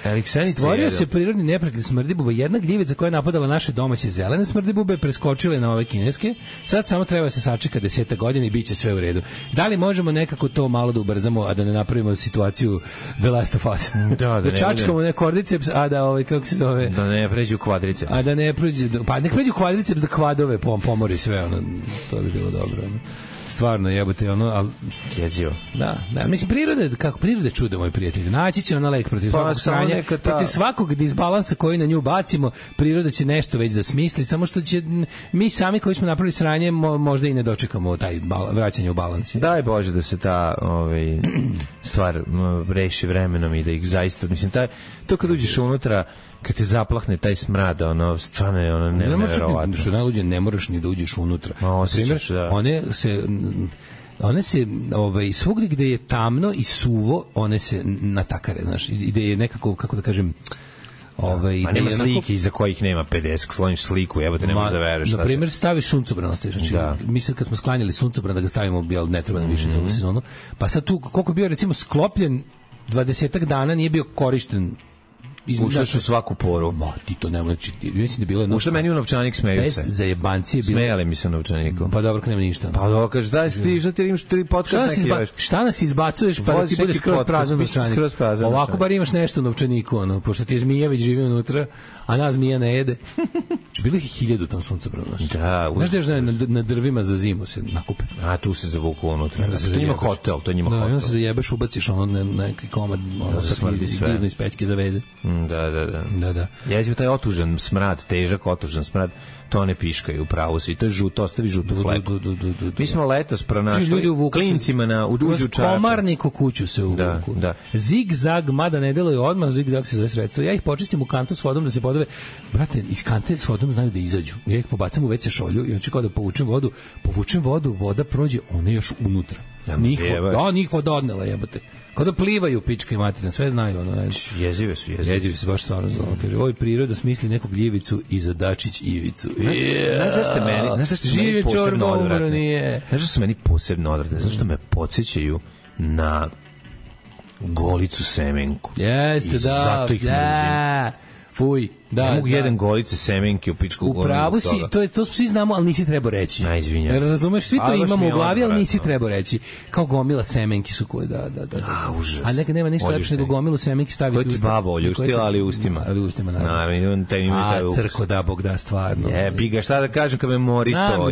Stvorio se prirodni neprijatelj smrdibuba. Jedna gljivica koja je napadala naše domaće zelene smrdibube, preskočile na ove kineske. Sad samo treba se sačeka 10 godina i bit će sve u redu. Da li možemo nekako to malo da ubrzamo, a da ne napravimo situaciju The Last of Us? Da čačkamo ne kordiceps, a da kako se zove? Da ne pređu kvadriceps. A da ne pređu, pa nek pređu kvadriceps da kvadove pomori sve, to bi bilo dobro. Stvarno, jebote, ono, al jezivo. Da, mislim priroda je čudo, moj prijatelj. Naći će ona lek protiv svakog sranja, protiv svakog disbalansa koji na nju bacimo, priroda će nešto već da smisli, samo što će mi sami koji smo napravili sranje možda i ne dočekamo taj vraćanje u balans. Daj Bože da se ta stvar reši vremenom i da ih zaista, mislim, to kad uđeš unutra, kad te zaplahne taj smrad, ono, stvarno je ono neverovatno. Što najluđe, ne moraš ni da uđeš unutra. Osjećaš, da. One se svugdje gde je tamno i suvo, one se natakare, znaš, gde je nekako, kako da kažem, ma nema slike iza kojih nema 50, skloniš sliku, jebote, ne možeš da veruješ. Na primjer, staviš suncobran, ostaviš. Znači, mi sad kad smo sklanjali suncobran da ga stavimo, jel, ne treba nam više za ovu sezonu, pa sad tu, koliko je bio, recimo, sklopljen 20-ak dana, nije bio korišten. Ušli su svaku poru. Ma, ti to nema, mislim da je bilo... Ušli meni u novčanik, smeju se. Bez zajebancije bilo... Smejali mi se u novčaniku. Pa dobro, kad nema ništa. Pa dobro, kažeš, daj ti, što ti imaš 3 podcast neki još. Šta nas izbacuješ, pa da ti bude skroz prazan novčanik? Ovako bar imaš nešto u novčaniku, ono, pošto ti je zmija već živi unutra, a nas zmija ne jede. Bilo ih 1000 u tom suncobranu. Da. Znaš da je na drvima za zimu se nakupe. A tu se zavuku unutra. To njima hotel, to njima hotel. Da, onda se zajebeš, ubaciš ono neki komad, ono sa divno iz pećke za veze. Da. Jezivo taj otužan smrad, težak otužan smrad, to ne piškaju u pravu si. To je žuto, ostavi žutu fleku. Mi smo letos pronašli klincima na uđu čarapa. Komarnik u kuću se uvuku. Da. Zig-zag, mada ne deluje odmah, zig-zag se zove sredstvo. Ja ih počistim u kantu s vodom da se podove. Brate, iz kante s vodom znaju da izađu. Ja ih pobacam u WC šolju i hoću kao da povučem vodu, voda prođe, ona je još unutra. Njih voda odnela, jebote. Kao da plivaju pička i materina, sve znaju. Ono, jezive su, baš stvarno znamo. Kaže, ovoj priroda smisli neku gljivicu i za Dačić Ivicu. Znaš zašto su meni posebno odvratne? Znaš zašto su meni posebno odvratne? Zašto me podsjećaju na Golicu Semenku. Jeste, da. Fuj. Da, ne mogu jedan Golice Semenke u pičku u pravu si, to svi znamo, ali nisi trebao reći. Najizvinjam. Razumeš, svi to imamo u glavi, ali nisi trebao reći. Kao gomila semenki su koje, da. Užas. A nekad nema ništa lepše nego gomilu semenki staviti u usta. To ti baba oljuštila, ali ustima. Naravno. Crko da, Bog da, stvarno. Biga, šta da kažem kad me mori to?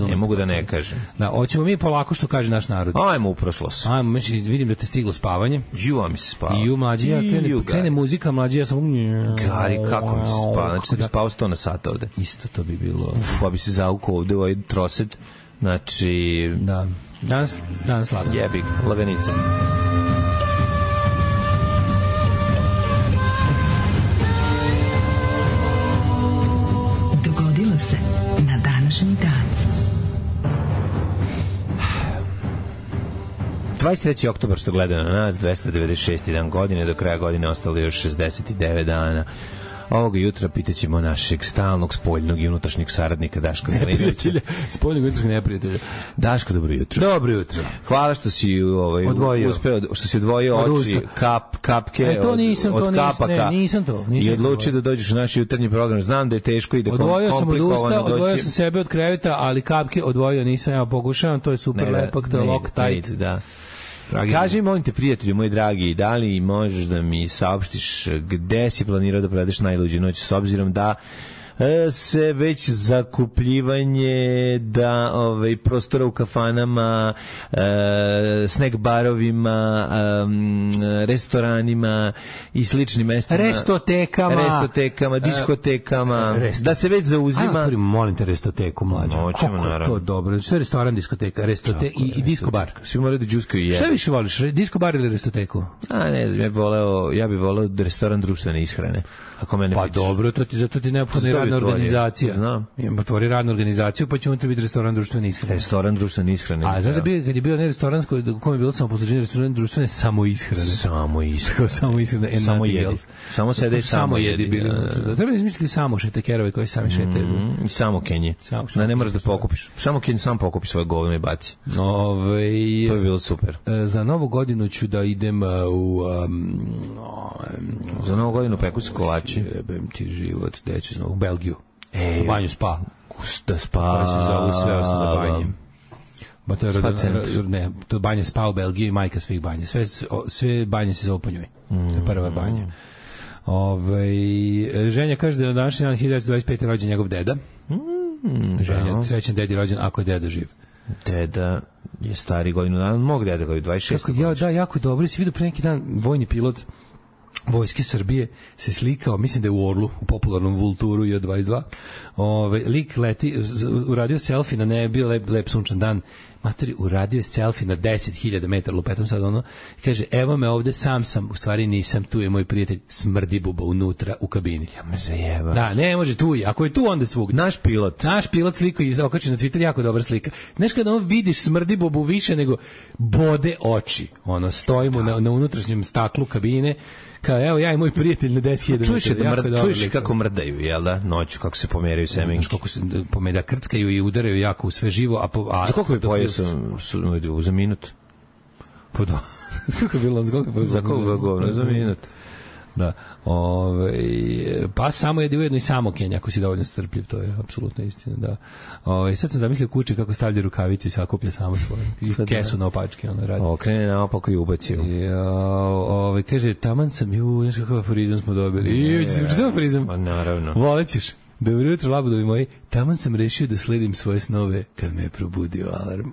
Ne mogu da ne kažem. Da, hoćemo mi polako što kaže naš narod. Ajmo u prošlost. Ajmo, vidim da te stiglo spavanje. Juva mi se spava. I u mlađija, krene muzika, mlađija sam... Gari, kako mi se spava? Znači, bi spao 100 na sat ovde. Isto to bi bilo... Pa bi se zaukao ovde u ovaj trosed. Znači... Da. Danas lagan. Jebik, laganica. Dogodilo se na današnji dan. 23. oktobar što gleda na nas, 296. dan godine, do kraja godine ostalo još 69 dana. Ovoga jutra pitaćemo našeg stalnog spoljnog i unutrašnjeg saradnika Daška Milinovića. Spoljnog i unutrašnjeg neprijatelja. Daško, dobro jutro. Dobro jutro. Hvala što si uspeo, što si odvojio oči, kapke od kapaka. Nisam to. I odlučio da dođeš u naš jutarnji program. Znam da je teško i da komplikovano doći. Odvojio sam sebe od kreveta, ali kapke odvojio nisam, ja pokušavam, to je super lepak, to je Loctite. Da. Kaži, molim te, prijatelju moj dragi, da li možeš da mi saopštiš gde si planirao da provedeš najluđu noć, s obzirom da se već zakupljivanje prostora u kafanama, snack barovima, restoranima i sličnim mestima, restotekama, diskotekama, da se već zauzima. Ajde, otvorimo, molim te, restoteku, mlađo. Kako je to dobro? Što je restoran, diskoteka, i disko bar? Svi moraju da džuskaju jede. Šta više voliš, disko bar ili restoteku? Ne znam, ja bih voleo restoran društvene ishrane. Pa dobro, zato ti neophodna je radna organizacija. Znam. Otvori radnu organizaciju, pa će unutra biti restoran društvene ishrane. Restoran društvene ishrane. A znaš da kad je bio ne restoran u kojem je bilo samo posluženje, restoran društvene samoishrane. Samoishrane. Samo jedi. Samo sede i samo jedi. Treba da izmisliti samo šetekerove koji sami šetaju. I samo kenje. Da ne moraš da pokupiš. Samo kenje sam pokupi svoje govno i baci. To je bilo super. Za novu godinu ću da idem u... Za novu godinu peku se kolači. Jebem ti život, deću u Belgiju. U banju Spa. Da Spa. Pa se zovu sve ostalo banje. Ba to je to je banja Spa u Belgiji, majka svih banja. Sve banje se zovu po njoj. Prva banja. Ženja kaže da je na današnji dan 1925. rođen njegov deda. Ženja, srećan dedi rođen ako je deda živ. Deda je stari godinu dana, mog deda koji 26. Kako, ja, da, jako dobro. Si vidio pre neki dan vojni pilot Vojske Srbije se slikao, mislim da je u Orlu, u popularnom Vulturu J22. Lik leti, uradio selfie na nebi, lep sunčan dan. Matori, uradio je selfie na 10.000 metara, lupetom sad ono, kaže, evo me ovde, sam, u stvari nisam, tu je moj prijatelj, smrdi buba unutra u kabini. Ja me zajeba. Da, ne može, tu je, ako je tu, onda svugde. Naš pilot sliko i okači na Twitter, jako dobra slika. Znaš kada on vidiš smrdi bubu više nego bode oči, ono, stojimo na unutrašnjem staklu kabine, kao evo ja i moj prijatelj na 10.000 metara. Čuješ kako mrdaju, jel da? Noću, kako se pomeraju semenke. Kako se pomeda krckaju i udaraju jako u sve živo. Za koliko bi pojeo za minut? Pa da. Kako je bilo? Za koliko govno? Za minut. Da. Pa samo jedi ujedno i samo Kenja, ako si dovoljno strpljiv, to je apsolutno istina, da. Sad sam zamislio kuće kako stavlja rukavice i sakuplja samo svoje. I kesu na opačke, ono radi. Okrene na opako i ubacio. Kaže, taman sam, znaš kakav aforizam smo dobili. Čitav aforizam? Naravno. Volećeš. Dobro jutro, labudovi moji. Taman sam rešio da sledim svoje snove kad me je probudio alarm.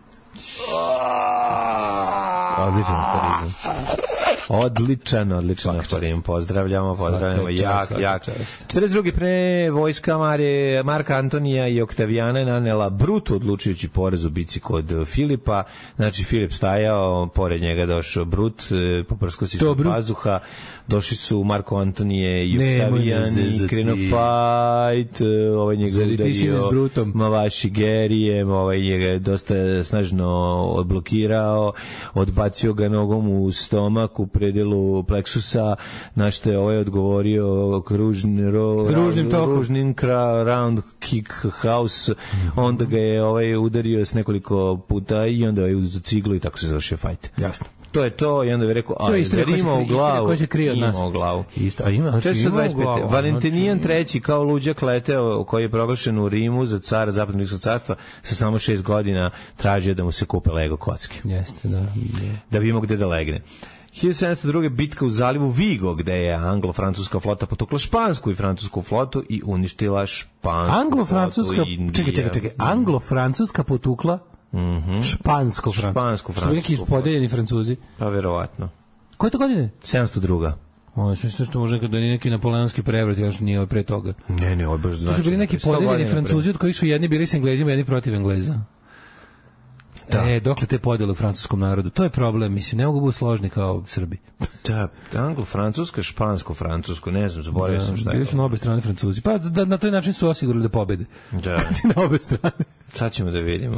Odličan aforizam. Odličan aforizam. Pozdravljamo. Jak. 42. pre vojska Marka Antonija i Oktavijana je nanela brutu odlučujući porez u bici kod Filipa. Znači, Filip stajao, pored njega došao Brut, poprsko si su pazuha, došli su Marko Antonije i Oktavijan i krenuo fight, ovaj njega udario Mavaši Gerijem, ovaj njega dosta snažno odblokirao, odbacio ga nogom u stomak u predelu pleksusa, na što je ovaj odgovorio ružnim round kick house, onda ga je ovaj udario s nekoliko puta i onda je uzeo ciglu i tako se završio fight. Jasno. To je to i onda je rekao, a ima u glavu. Koja se krije od nas. Ima u glavu. Isto, a ima, znači ima u glavu. Valentinijan III kao luđak leteo, koji je proglašen u Rimu za cara Zapadnog Rimskog carstva, sa samo 6 godina tražio da mu se kupe Lego kocke. Jeste, da. Da bi imao gde da legne. 1702. bitka u zalivu Vigo, gde je anglo-francuska flota potukla špansku i francusku flotu i uništila špansku flotu. Čekaj. Anglo-francuska potukla špansko-francusku. Su neki podeljeni Francuzi? Pa verovatno. Koje to godine? 702. Mislim što može da nije neki napoleonski prevrat, još nije pre toga. Ne, ovo baš znači. To su bili neki podeljeni Francuzi od kojih su jedni bili s Englezima, jedni protiv Engleza. Da. Dokle te podele u francuskom narodu? To je problem, mislim, ne mogu biti složni kao Srbi. Da, anglo-francuska, špansko-francusko, ne znam, zaboravio sam šta je. Bili su na obe strane Francuzi. Pa na taj način su osigurali da pobede. Da. Kad si na obe strane. Sad ćemo da vidimo.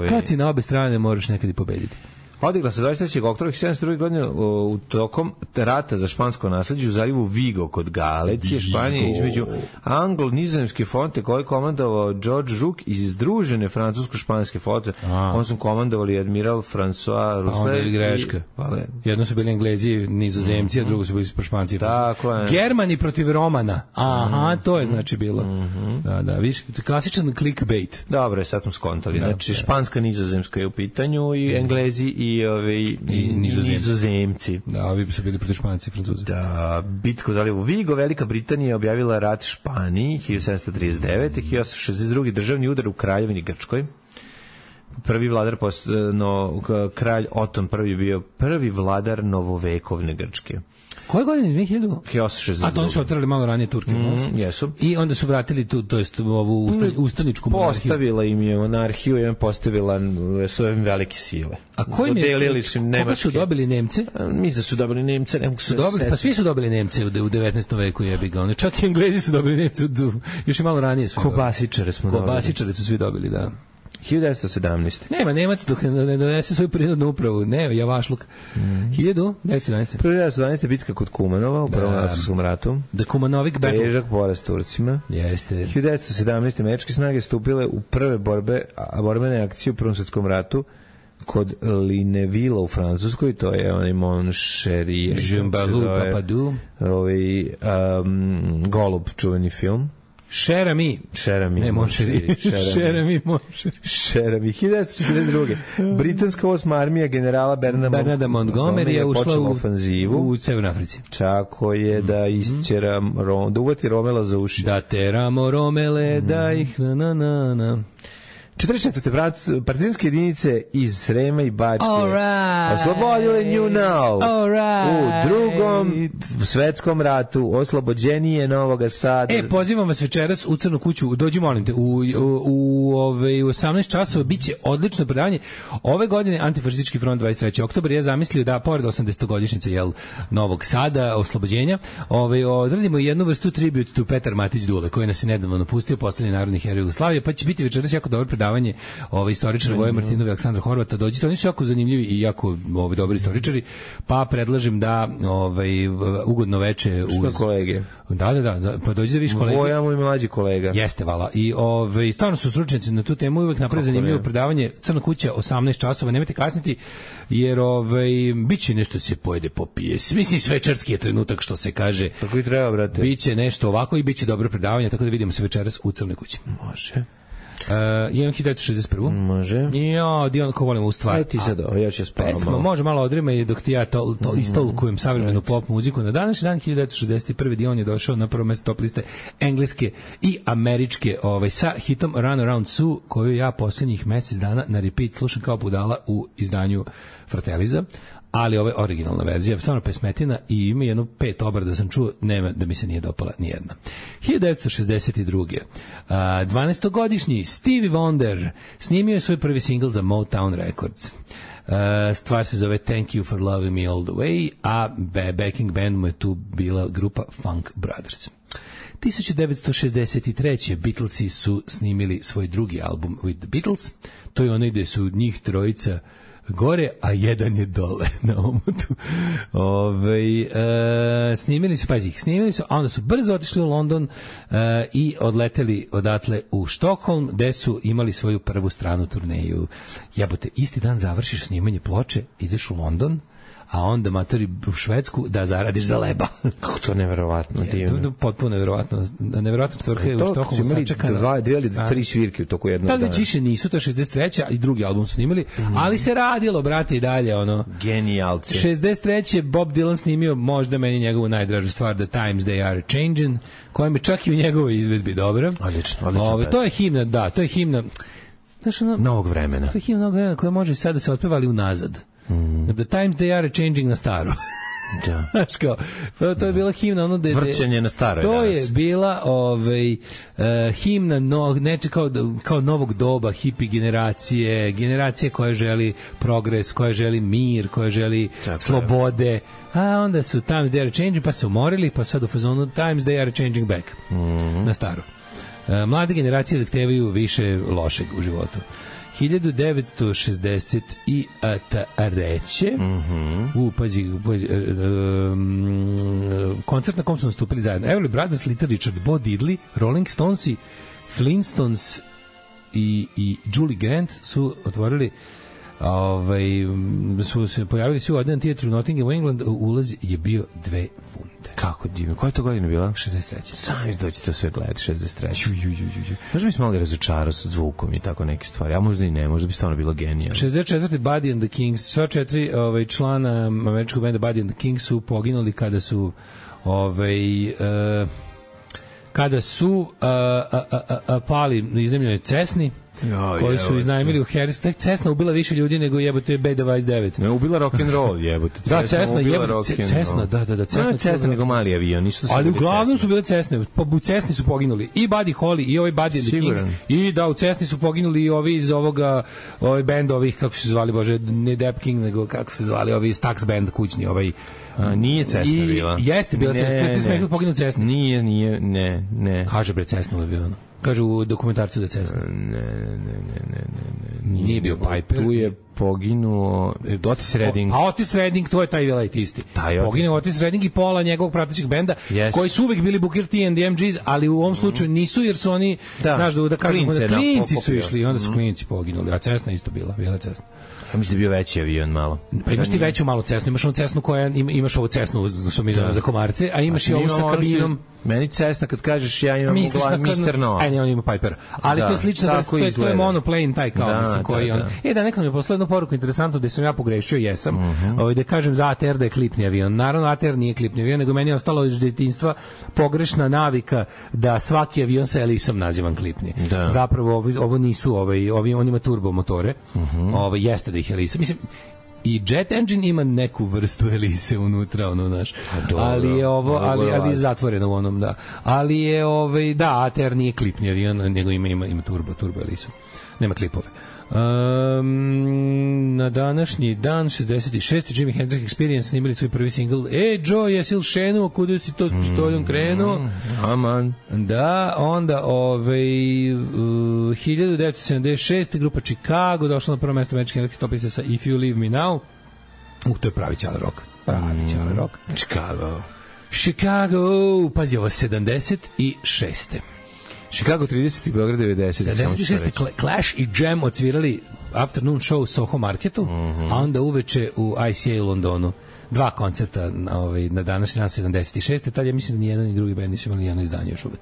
Kad si na obe strane, moraš nekad i pobediti. Odigla se 23. oktobra 1702. godine u tokom rata za špansko nasleđe u zalivu Vigo kod Galicije, Španije, između anglo-nizozemske flote koje je komandovao George Rook iz združene francusko-španske flote. On su komandovali admiral François Rousseau. Onda je greška. Jedno su bili Englezi, Nizozemci, a drugo su bili Španci i Francuzi. Germani protiv Romana. Aha, to je znači bilo. Da, viš, klasičan clickbait. Dobro, sad smo skontali. Znači, španska, nizozemska je u pitanju i Englezi i nizozemci. Da, ovi su bili protiv Španci i Francuzi. Da, bitka u zalivu Vigo, Velika Britanija objavila rat Španiji 1739. 1862. državni udar u Kraljevini Grčkoj. Prvi vladar, kralj Oton prvi bio prvi vladar novovekovne Grčke. Koje godine iz 1862? A to oni su otrali malo ranije Turke. Jesu. I onda su vratili tu, to jest ovu ustaničku monarhiju. Postavila im je monarhiju i postavila svoje velike sile. A koga su dobili Nemce? Mislim da su dobili Nemce. Pa svi su dobili Nemce u 19. veku, jebi ga. Čak i Englezi su dobili Nemce, još i malo ranije su. Kobasičare smo dobili. Kobasičare su svi dobili, da. 1917. Nema Nemac dok ne donese svoju prinudnu upravu. Ne, javašluk. 1917. 1917. bitka kod Kumanova u Prvom svjetskom ratu. The Kumanovik battle. Težak poraz Turcima. Jeste. 1917. američke snage stupile u prve borbene akcije u Prvom svjetskom ratu kod Linevilla u Francuskoj, to je onaj Monšerije. Jean-Balou Papadou. Golub, čuveni film. Šerami. Ne, Monšeri. Šerami. 1942. Britanska 8. armija generala Bernarda Montgomery je ušla u ofanzivu u Severnoj Africi. Čako je da isćera da uvati Romela za uši. Da teramo Romele, da ih na. 44. partizanske jedinice iz Srema i Bačke oslobodile New Now. U Drugom svetskom ratu oslobođenije Novog Sada. Pozivam vas večeras u Crnu kuću, dođi molim te, u 18 časova biće odlično predavanje. Ove godine Antifašistički front 23. oktobar je zamislio da pored 80-godišnjice Novog Sada, oslobođenja, odradimo jednu vrstu tribute to Petar Matić Dule, koji nas je nedavno napustio, poslednji narodni heroj Jugoslavije, pa će biti večeras jako dobro predavanje istoričara Voje Martinova i Aleksandra Horvata. Dođite, oni su jako zanimljivi i jako dobri istoričari, pa predlažem da ugodno veče uz kolege. Da, pa dođi da vidiš kolege. Voja moj mlađi kolega. Jeste, vala. I stvarno su stručnjaci na tu temu, uvek naprave zanimljivo predavanje. Crna kuća 18 časova, nemojte kasniti, jer biće nešto se pojede, popije. Mislim, svečarski je trenutak, što se kaže. Tako i treba, brate. Biće nešto ovako i biće dobro predavanje, tako da vidimo se večeras u Crnoj kući. Može. Imam 1961. Može. Dion, ko volimo u stvar. Ajde ti sad, ja ću spavam. Pesma, može malo odrema i dok ti ja istolkujem savremenu pop muziku. Na današnji dan 1961. Dion je došao na prvo mesto top liste engleske i američke sa hitom Run Around Sue, koju ja posljednjih mesec dana na repeat slušam kao budala u izdanju Frateliza. Ali ovo je originalna verzija, stvarno pesmetina i ima jedno 5 obrada sam čuo, nema da mi se nije dopala nijedna. 1962. 12-godišnji Stevie Wonder snimio je svoj prvi singl za Motown Records. Stvar se zove Thank You for Loving Me All the Way, a backing band mu je tu bila grupa Funk Brothers. 1963. Beatlesi su snimili svoj drugi album With the Beatles. To je onaj gde su njih trojica gore, a jedan je dole na omotu. Snimili su, a onda su brzo otišli u London i odleteli odatle u Štokholm, gde su imali svoju prvu stranu turneju. Jebote, isti dan završiš snimanje ploče, ideš u London, a onda matori u Švedsku da zaradiš za leba. Kako to neverovatno divno. To potpuno neverovatno. Neverovatna stvarka je u Štokholmu sačekana. Dve ili tri svirke u toku jednog dana. Tad već više nisu, to je 63. i drugi album su snimili, ali se radilo, brate, i dalje. Genijalci. 63. Bob Dylan snimio možda meni njegovu najdražu stvar, The Times They Are Changin', koja mi čak i u njegovoj izvedbi dobra. Odlično. To je himna, da, to je himna novog vremena. To je himna novog vremena koja može sad da se otpeva ali unazad. The Times They Are Changing na staro. Da. Znaš kao, to je bila himna vrćenje na staro. To je bila himna kao novog doba, hipi generacije koja želi progres, koja želi mir, koja želi slobode. A onda su Times They Are Changing, pa se umorili, pa sad u fazonu Times They Are Changing back na staro. Mlade generacije zahtevaju više lošeg u životu. 1963. Pazi, koncert na kom su nastupili zajedno Everly Brothers, Little Richard, Bo Diddley, Rolling Stones, Flintstones i Julie Grant su otvorili su se pojavili svi u Odeon Theatre u Nottingham, England. Ulaz je bio 2 funte. Kako divno. Koja je to godina bila? 63. Sami doći to sve gledati, 63. Možda mi se malo razočarao sa zvukom i tako neke stvari, a možda i ne, možda bi stvarno bilo genijalno. 64. Buddy and the Kings, sva 4 člana američkog benda Buddy and the Kings su poginuli kada su pali na iznemljenoj Cessni, koji su iznajmili u Harris. Cessna ubila više ljudi nego jebote B-29. Ne, ubila rock'n'roll, jebote. Da, Cessna, Cessna, da. Cessna nego mali avion, ništa su. Ali uglavnom su bile Cessne, u Cessni su poginuli i Buddy Holly i ovaj Buddy and the Kings. I da, u Cessni su poginuli i ovi iz ovoga, benda ovih, kako se zvali, bože, ne Depp King, nego kako se zvali, ovi Stax band kućni, nije Cessna bila. Jeste bila Cessna, ti smekli poginuo Cessna. Nije, ne. Kaže bre, Cessna je bio. Kaže u dokumentarcu da je Cessna. Ne. Nije bio Piper. Tu je poginuo Otis Redding. A Otis Redding, to je taj velit isti. Poginuo Otis Redding i pola njegovog pratećeg benda, koji su uvek bili Booker T and the MGs, ali u ovom slučaju nisu, jer su oni, znaš, da kažemo da klinci su išli i onda su klinci poginuli. A Cessna isto bila Cessna. Ja mislim da je bio veći avion malo. Pa imaš ti veću malu Cessnu, imaš onu Cessnu koja, imaš ovu Cessnu što mi zove za komarce, a imaš i ovu sa kabinom. Meni Cessna kad kažeš ja imam Mr. No. Ne, on ima Piper. Ali to je slično, to je monoplane taj kao, mislim, koji on. Da nekad mi je poslao jedno poruku interesantno da sam ja pogrešio, jesam. Da kažem za ATR da je klipni avion. Naravno, ATR nije klipni avion, nego meni je ostalo iz detinjstva pogrešna navika da svaki avion sa elisom nazivam klipni. Da. Zapravo, ovo nisu, on ima turbo motore. Jeste da ih elisa. Mislim, i jet engine ima neku vrstu elise unutra, naš. Ali je ali je zatvoreno u onom, da. Ali je da, ATR nije klipni avion, nego ima turbo elisu. Nema klipove. Na današnji dan 66. Jimi Hendrix Experience snimili svoj prvi singl. Joe, jesi li šenuo, kuda si to s pištoljom krenuo? Aman. Da, onda 1976. grupa Chicago došla na prvo mesto američke električne top liste sa If You Leave Me Now. To je pravi ćale rock. Chicago, pazi ovo, 76. Chicago 30 i Beograd 90. 76. Clash i Jam odsvirali afternoon show u Soho Marketu, a onda uveče u ICA u Londonu. 2 koncerta na današnji dan 76. Tad ja mislim da nijedan ni drugi band nisu imali jedno izdanje još uvek.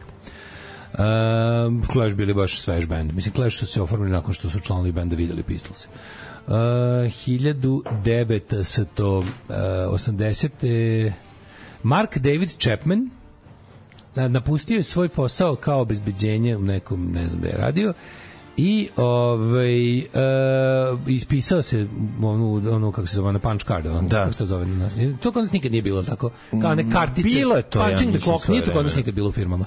Clash bili baš svež band. Mislim, Clash su se oformili nakon što su članovi benda videli Pistolse. 1980. Mark David Chapman napustio je svoj posao kao obezbeđenje u nekom, ne znam da je radio, i ispisao se onu kako se zove, na punch card, kako se to zove na nas. To kod nas nikad nije bilo tako, kao ne kartice. Bilo je to, punching the clock, nije to kod nas nikad bilo u firmama.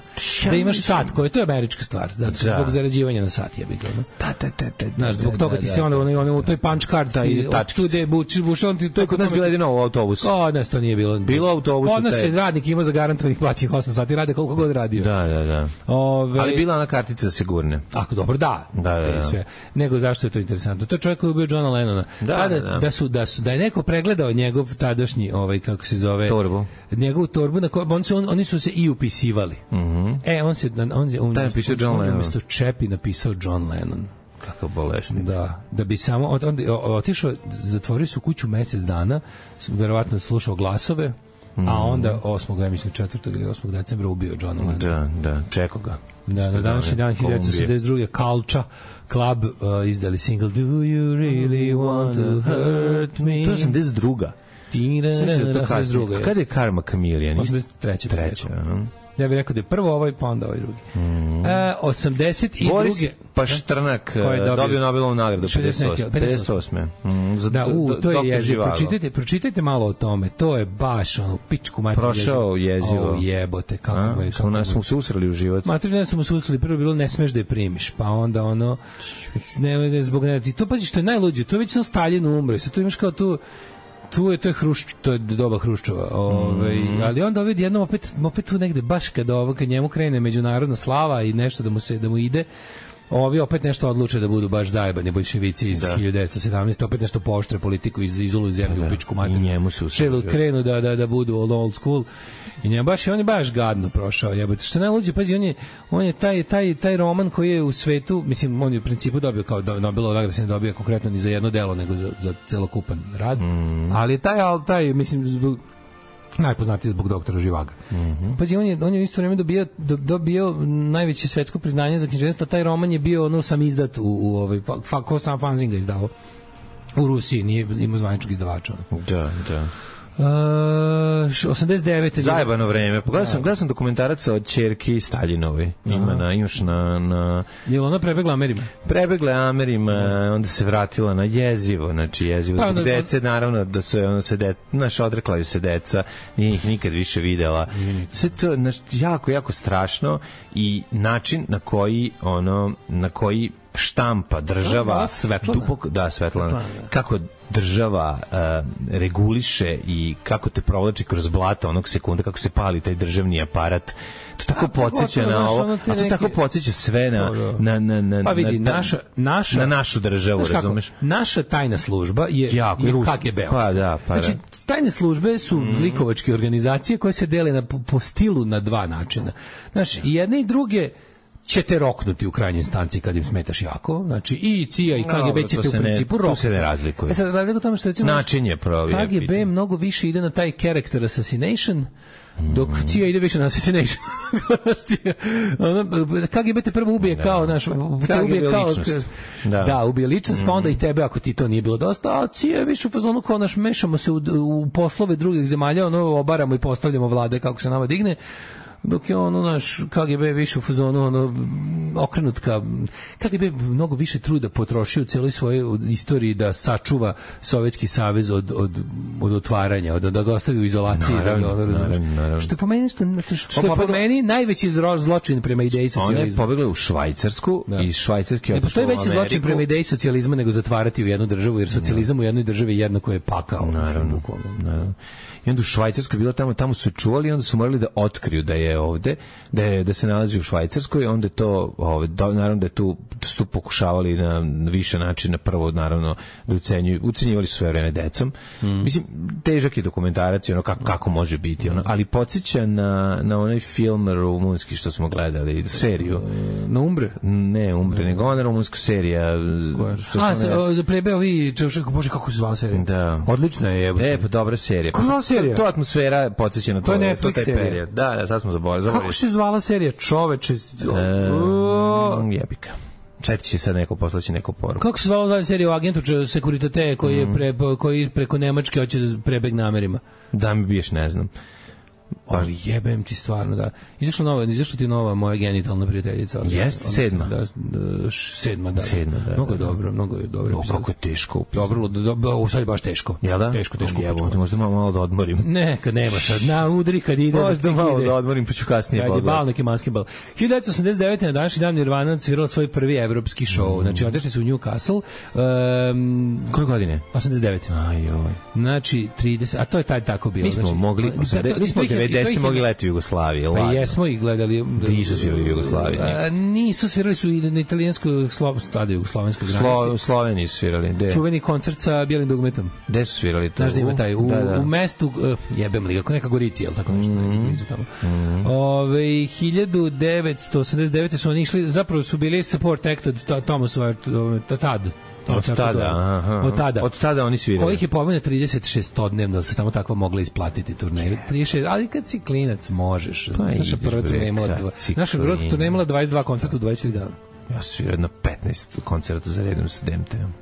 Da imaš sat, to je američka stvar, zato što zbog zarađivanja na sat je bilo. Znaš, zbog toga ti se onda u toj punch card tu gde buš on ti to kod nas bilo jedino u autobusu. Kod nas to nije bilo. Bilo u autobusu. Kod nas je radnik ima zagarantovanih plaćenih 8 sati, rade koliko god radio. Da. Ali bila ona kartica za sigurne. Ako dobro, da. Sve. Nego zašto je to interesantno? To je čovjek koji je ubio Johna Lennona. Da je neko pregledao njegov tadašnji, kako se zove, torbu. Njegovu torbu, na kojoj oni su se i upisivali. On napisao John Lennon. Umesto Čepi napisao John Lennon. Kakav bolesnik. Da bi samo otišao, zatvorio su kuću mesec dana, verovatno slušao glasove, a onda 4. ili 8. decembra ubio John Lennon. Da, čekao ga. Da, na današnji dan 1972. Culture Club izdali single Do You Really Want To Hurt Me? To je 82. Kada je Karma Chameleon? 83. Ja bih rekao da je prvo ovaj, pa onda ovaj drugi. 82. Boris Paštrnak dobio Nobelovu nagradu 58. To je jezivo. Pročitajte malo o tome. To je baš pičku materiju. Prošao jezivo. Jebote, kako je. Nas smo se usrali u život. Materiju smo se usrali. Prvo bilo ne smeš da je primiš, pa onda zbog to pazi što je najluđe. To je već sam Stalin umro. Sad to imaš kao tu to je to je doba Hruščova. Ali onda jednom opet tu negde baš kad njemu krene međunarodna slava i nešto da mu ide, ovi opet nešto odluče da budu baš zajebani boljševici iz 1917. opet nešto pooštre politiku izoluju zemlju u pičku materiju. I njemu su krenu da budu old school. I on je baš gadno prošao, jebote. Što najluđe, pazi, on je taj roman koji je u svetu, mislim, on je u principu dobio kao Nobelova nagrada, se ne dobija konkretno ni za jedno delo, nego za celokupan rad. Ali taj mislim, najpoznatiji zbog doktora Živaga. Pazi, on je u isto vrijeme dobio najveće svetsko priznanje za književnost, taj roman je bio sam izdat ko sam Fanzin ga izdao u Rusiji, nije imao zvaničnog izdavača. Da. 89. Zajebano vreme. Gledao sam dokumentarac o ćerki Staljinovoj. Imaš na... Je li ona prebegla Amerima? Prebegla Amerima, onda se vratila na jezivo. Znači jezivo. Dece, naravno, da su odrekla se deca, nije ih nikad više videla. Sve to jako strašno i način na koji štampa država Svetlana kako država reguliše i kako te provlači kroz blato onog sekunda kako se pali taj državni aparat. To tako podsjeća na ovo, a to tako podsjeća sve na našu državu, razumeš? Naša tajna služba je KGB. Znači, tajne službe su zlikovačke organizacije koje se dele po stilu na dva načina. Znaš, jedne i druge ćete roknuti u krajnjoj instanciji kad im smetaš jako. Znači i CIA i KGB ćete u principu roknuti. Tu se ne razlikuje. Sad razlika u tome što recimo način je KGB mnogo više ide na taj character assassination, dok CIA ide više na assassination. KGB te prvo ubije kao naš, ubije kao ličnost. Da, ubije ličnost, pa onda i tebe ako ti to nije bilo dosta, a CIA je više u fazonu kao naš, mešamo se u poslove drugih zemalja, obaramo i postavljamo vlade kako se nama digne. Dok je naš KGB više u fazonu okrenut ka KGB mnogo više truda potrošio u celoj svojoj istoriji da sačuva Sovjetski savez od otvaranja, da ga ostavi u izolaciji. Naravno. Što je po meni, što je po meni najveći zločin prema ideji socijalizma. Ona je pobegla u Švajcarsku i iz Švajcarske ne postoji veći zločin prema ideji socijalizma nego zatvarati u jednu državu, jer socijalizam u jednoj državi jednako je pakao. Naravno. I onda u Švajcarskoj bila tamo su čuvali i onda su morali da otkriju da je ovde, da se nalazi u Švajcarskoj, onda je to, naravno da je su tu pokušavali na više načina, prvo naravno da ucenjivali su sve vreme decom. Mislim, težak je dokumentarac, kako može biti, ali podsjeća na onaj film rumunski što smo gledali, seriju. Na Umbre? Ne Umbre, nego ona rumunska serija. Za plebe ovi, bože, kako se zvala serija? Da. Odlična je. Pa dobra serija. To atmosfera podsjeća na to. To je Netflix serija. Da, sad smo zaboravili. Kako se zvala serija? Čoveče. Jebika. Četi će sad neko poslaći neku poruku. Kako se zvala serija o agentu Securitate koji preko Nemačke hoće da prebegne Amerima? Da mi biješ, ne znam. Ali jebem ti stvarno, da. Izašla ti nova moja genitalna prijateljica. Jeste, 7. 7, da. Mnogo je dobro. Kako je teško. Dobro, sad je baš teško. Jel da? Teško. Možda malo da odmorim. Ne, kad nema sad. Na udri kad ide. Možda malo da odmorim, pa ću kasnije pogledati. Kad je bal, neki manski bal. 1989. na današnji dan Nirvana odsvirala svoj prvi evropski show. Znači, otišli su u Newcastle. Koje godine? 89. Ajoj. Znači, 30, a to je tako bilo. Mi smo mogli, mi smo 90. mogli leti u Jugoslaviji. Pa jesmo ih gledali. Nisu svirali u Jugoslaviji. Nisu, svirali su i na italijanskoj stadionu, jugoslovenskoj granici. Sloveniji su svirali. Čuveni koncert sa bijelim dugmetom. Gde su svirali to? Znaš da ima taj, u mestu, jebem li, kako neka Gorici, jel tako nešto, blizu tamo. 1989. su oni išli, zapravo su bili support act od Thomas tad. Od tada oni sviraju. Kojih je pomenio 36-odnevno, da se tamo takva mogla isplatiti turneju. 36, ali kad si klinac možeš. Naša prva turneja imala 22 koncerta u 23 dana. Ja svirao na 15 koncerta za redom sa DMT-om.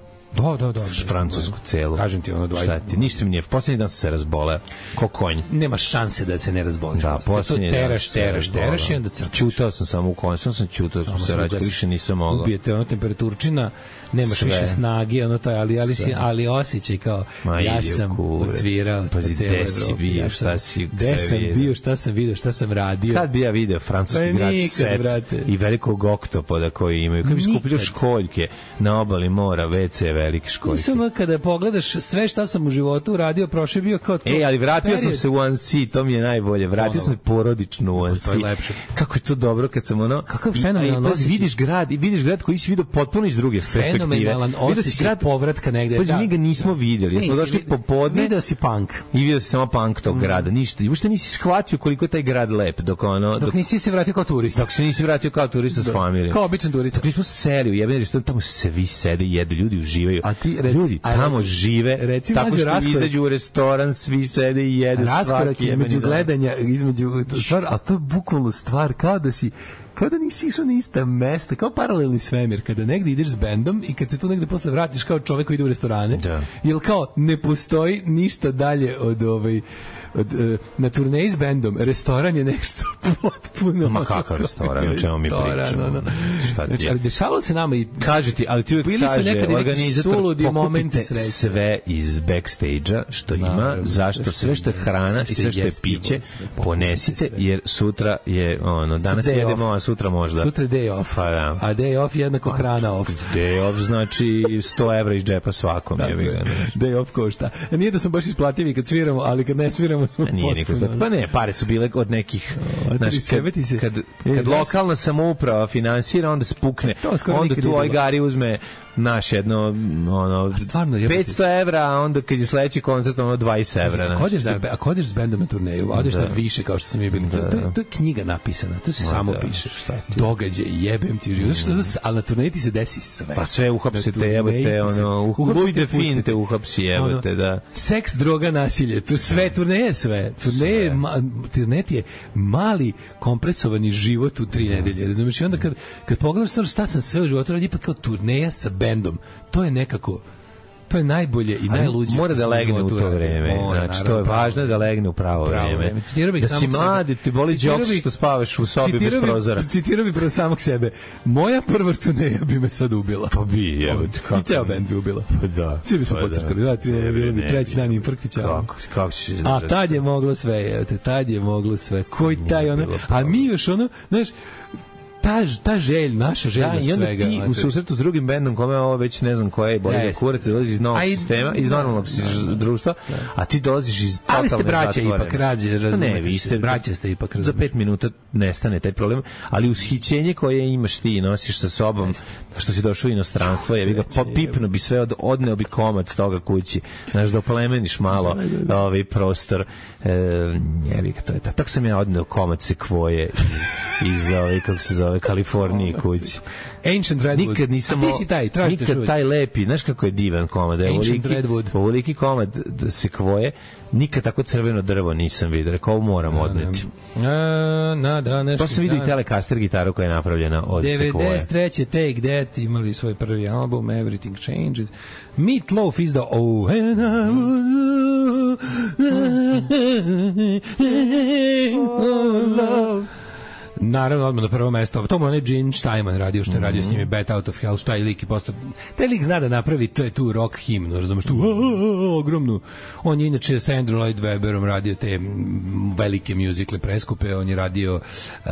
Da. Francusku celu. Kažem ti, 20. Šta ti? Ništa mi nije. Posljednji dan sam se razboleo. Ko konj. Nema šanse da se ne razboliš. Da, posljednji dan teraš i onda crkaš. Čutao sam samo u konj. Sam čutao, više nisam mogao. Ubijete temperaturčina, nemaš više snage, ali osjećaj kao ja sam odsvirao. Pazi, gde si bio, šta si bio, šta sam vidio, šta sam radio. Kad bi ja video francuski grad Set i velikog oktopoda koji imaju. Kad bi skupio školjke na obali mora, WC velike školjke. Nisam, kada pogledaš sve šta sam u životu uradio, prošle bio kao to. Ali vratio sam se u Annecy, to mi je najbolje. Vratio sam se porodično u Annecy. Kako je to dobro kad sam Kakav fenomenalan osjećaj. Vidiš grad koji si vidio potpuno iz druge perspektive. Fenomenalan osjećaj povratka negde. Pa mi ga nismo vidjeli. Ja smo došli popodne. Video si punk. I vidio si samo punk tog grada. Ništa. Uopšte nisi shvatio koliko je taj grad lep. Dok nisi se vratio kao turista. Dok se nisi vratio kao turista s familijom. Kao običan turista. Dok nismo seli u jebeni restoran, tamo svi sede i jedu. Ljudi uživaju. Ljudi tamo žive. Tako što izađu u restoran, svi sede i jedu. Raskorak između gledanja, ali to je bukvalno stvar kao da nisi išao na ista mesta, kao paralelni svemir, kada negde ideš s bendom i kad se tu negde posle vratiš kao čovek koji ide u restorane, jer kao ne postoji ništa dalje od na turneji s bendom, restoran je nešto potpuno... Ma kakav restoran, o čemu mi pričamo? Znači, ali dešavalo se nama i... Kaži ti, ali ti uvijek kaže, organizator, pokupite sve iz backstage-a što ima, zašto sve što je hrana i sve što je piće, ponesite, jer sutra je, danas jedemo, a sutra možda... Sutra je day off, a day off je jednako hrana off. Day off znači 100 evra iz džepa svakom. Day off košta. Nije da smo baš isplativi kad sviramo, ali kad ne sviramo pa ne, pare su bile od nekih kad lokalna samouprava finansira, onda spukne, onda tu Ojgari uzme naš jedno 500 evra, a onda kad je sledeći koncert 20 evra. A kodeš s bendom na turneju, odeš na više kao što smo mi bili. To je knjiga napisana, to se samo piše. događaj, jebem ti život. Ali na turneji ti se desi sve. Pa sve uhapsite, jebote, ono, Louis de Fin te uhapsi, jebote, da. Seks, droga, nasilje, turneje sve. Turneje je mali kompresovani život u 3 nedelje, razumiješ? I onda kad pogledaš šta sam sve u životu radio, ipak kao turneja sa bendom, to je nekako, to je najbolje i najluđe. Mora da legne u to vreme. Znači, to je važno da legne u pravo vreme. Da si mladi, ti boli džoks što spavaš u sobi bez prozora. Citirao bi prvo samog sebe. Moja prva turneja bi me sad ubila. Pa bi, jebote, kako. I ceo bend bi ubila. Pa da. Svi bi smo pocrkali. Da, ti je bilo bi treći dan infarktića. Kako ćeš izdržati? A tad je moglo sve, jebote, tad je moglo sve. Koji taj ono, a mi još ono, znaš, ta želj, naša želja svega. I onda ti u susretu s drugim bendom kome ovo već ne znam koje je bolje kurac, dolaziš iz novog sistema, iz normalnog društva, a ti dolaziš iz totalne zatvorene. Ali ste braća ipak, razumete. Ne, vi ste braća ste ipak, za 5 minuta nestane taj problem, ali ushićenje koje imaš ti i nosiš sa sobom, što si došao u inostranstvo, je ga popipno bi sve, odneo bi komad toga kući, znaš, da oplemeniš malo ovaj prostor. Jebi ga, to je tako sam ja odneo komad sekvoje iz ove, kako se zove, Kaliforniji kući. Ancient Redwood. Nikad nisam, nikad taj lepi, znaš kako je divan komad, Ancient Redwood. Ovoliki komad sekvoje, nikad tako crveno drvo nisam vidio, rekao ovo moram odneti. To sam vidio i Telecaster gitaru koja je napravljena od sekvoje. 93. Take That imali svoj prvi album Everything Changes. Meat Loaf izdao Oh and I would love. Naravno, odmah na prvo mesto. To mu onaj Gene Steinman radio, što je radio s njimi Bat Out of Hell, što taj lik i postao. Taj lik zna da napravi, to je tu rock himnu, razumiješ, tu ogromnu. On je inače sa Andrew Lloyd Webberom radio te velike muzikle preskupe, on je radio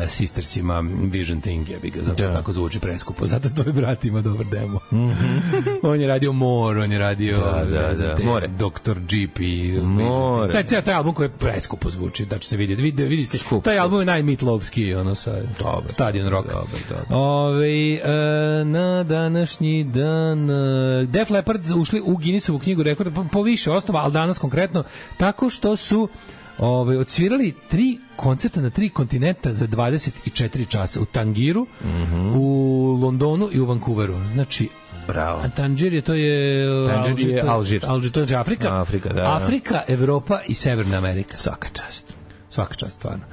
Sistersima Vision Thing, jebi ga, zato tako zvuči preskupo, zato to je brat ima dobar demo. On je radio More, on je radio Dr. Jeep i taj album koji je preskupo zvuči, da će se vidjeti. Vidi se, taj album je najmitlovski, ono sa Stadion Rock. Na današnji dan Def Leppard ušli u Guinnessovu knjigu rekorda po više osnova, ali danas konkretno tako što su odsvirali 3 koncerta na 3 kontinenta za 24 časa u Tangiru, u Londonu i u Vancouveru. Znači, bravo. Tangier to je Alžir. Alžir, to je Afrika. Da. Afrika, Evropa i Severna Amerika. Svaka čast, stvarno.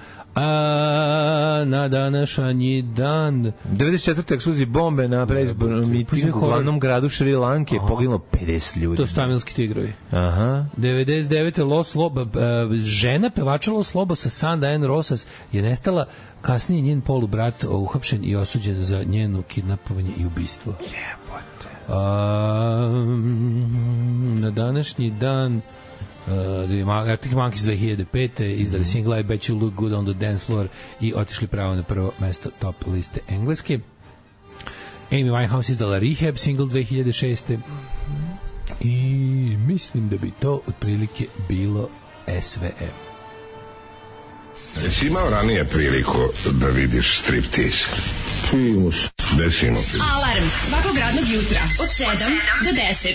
Na današnji dan 94. eksploziji bombe na predizbornom mitingu u glavnom gradu Šri Lanke, poginulo 50 ljudi. To su tamilski tigrovi. Aha. 99. Los Lobo, žena pevača Los Lobo sa Sanda N. Rosas je nestala, kasnije njen polubrat uhapšen i osuđen za njeno kidnapovanje i ubistvo. Jebote. Na današnji dan Arctic Monkeys 2005. izdali single I Bet You Look Good on the Dance Floor i otišli pravo na prvo mesto top liste engleske. Amy Winehouse izdala Rehab single 2006. I mislim da bi to otprilike bilo sve. Jesi imao ranije priliku da vidiš striptease? Primus. Desimo. Alarm svakog radnog jutra od 7 do 10.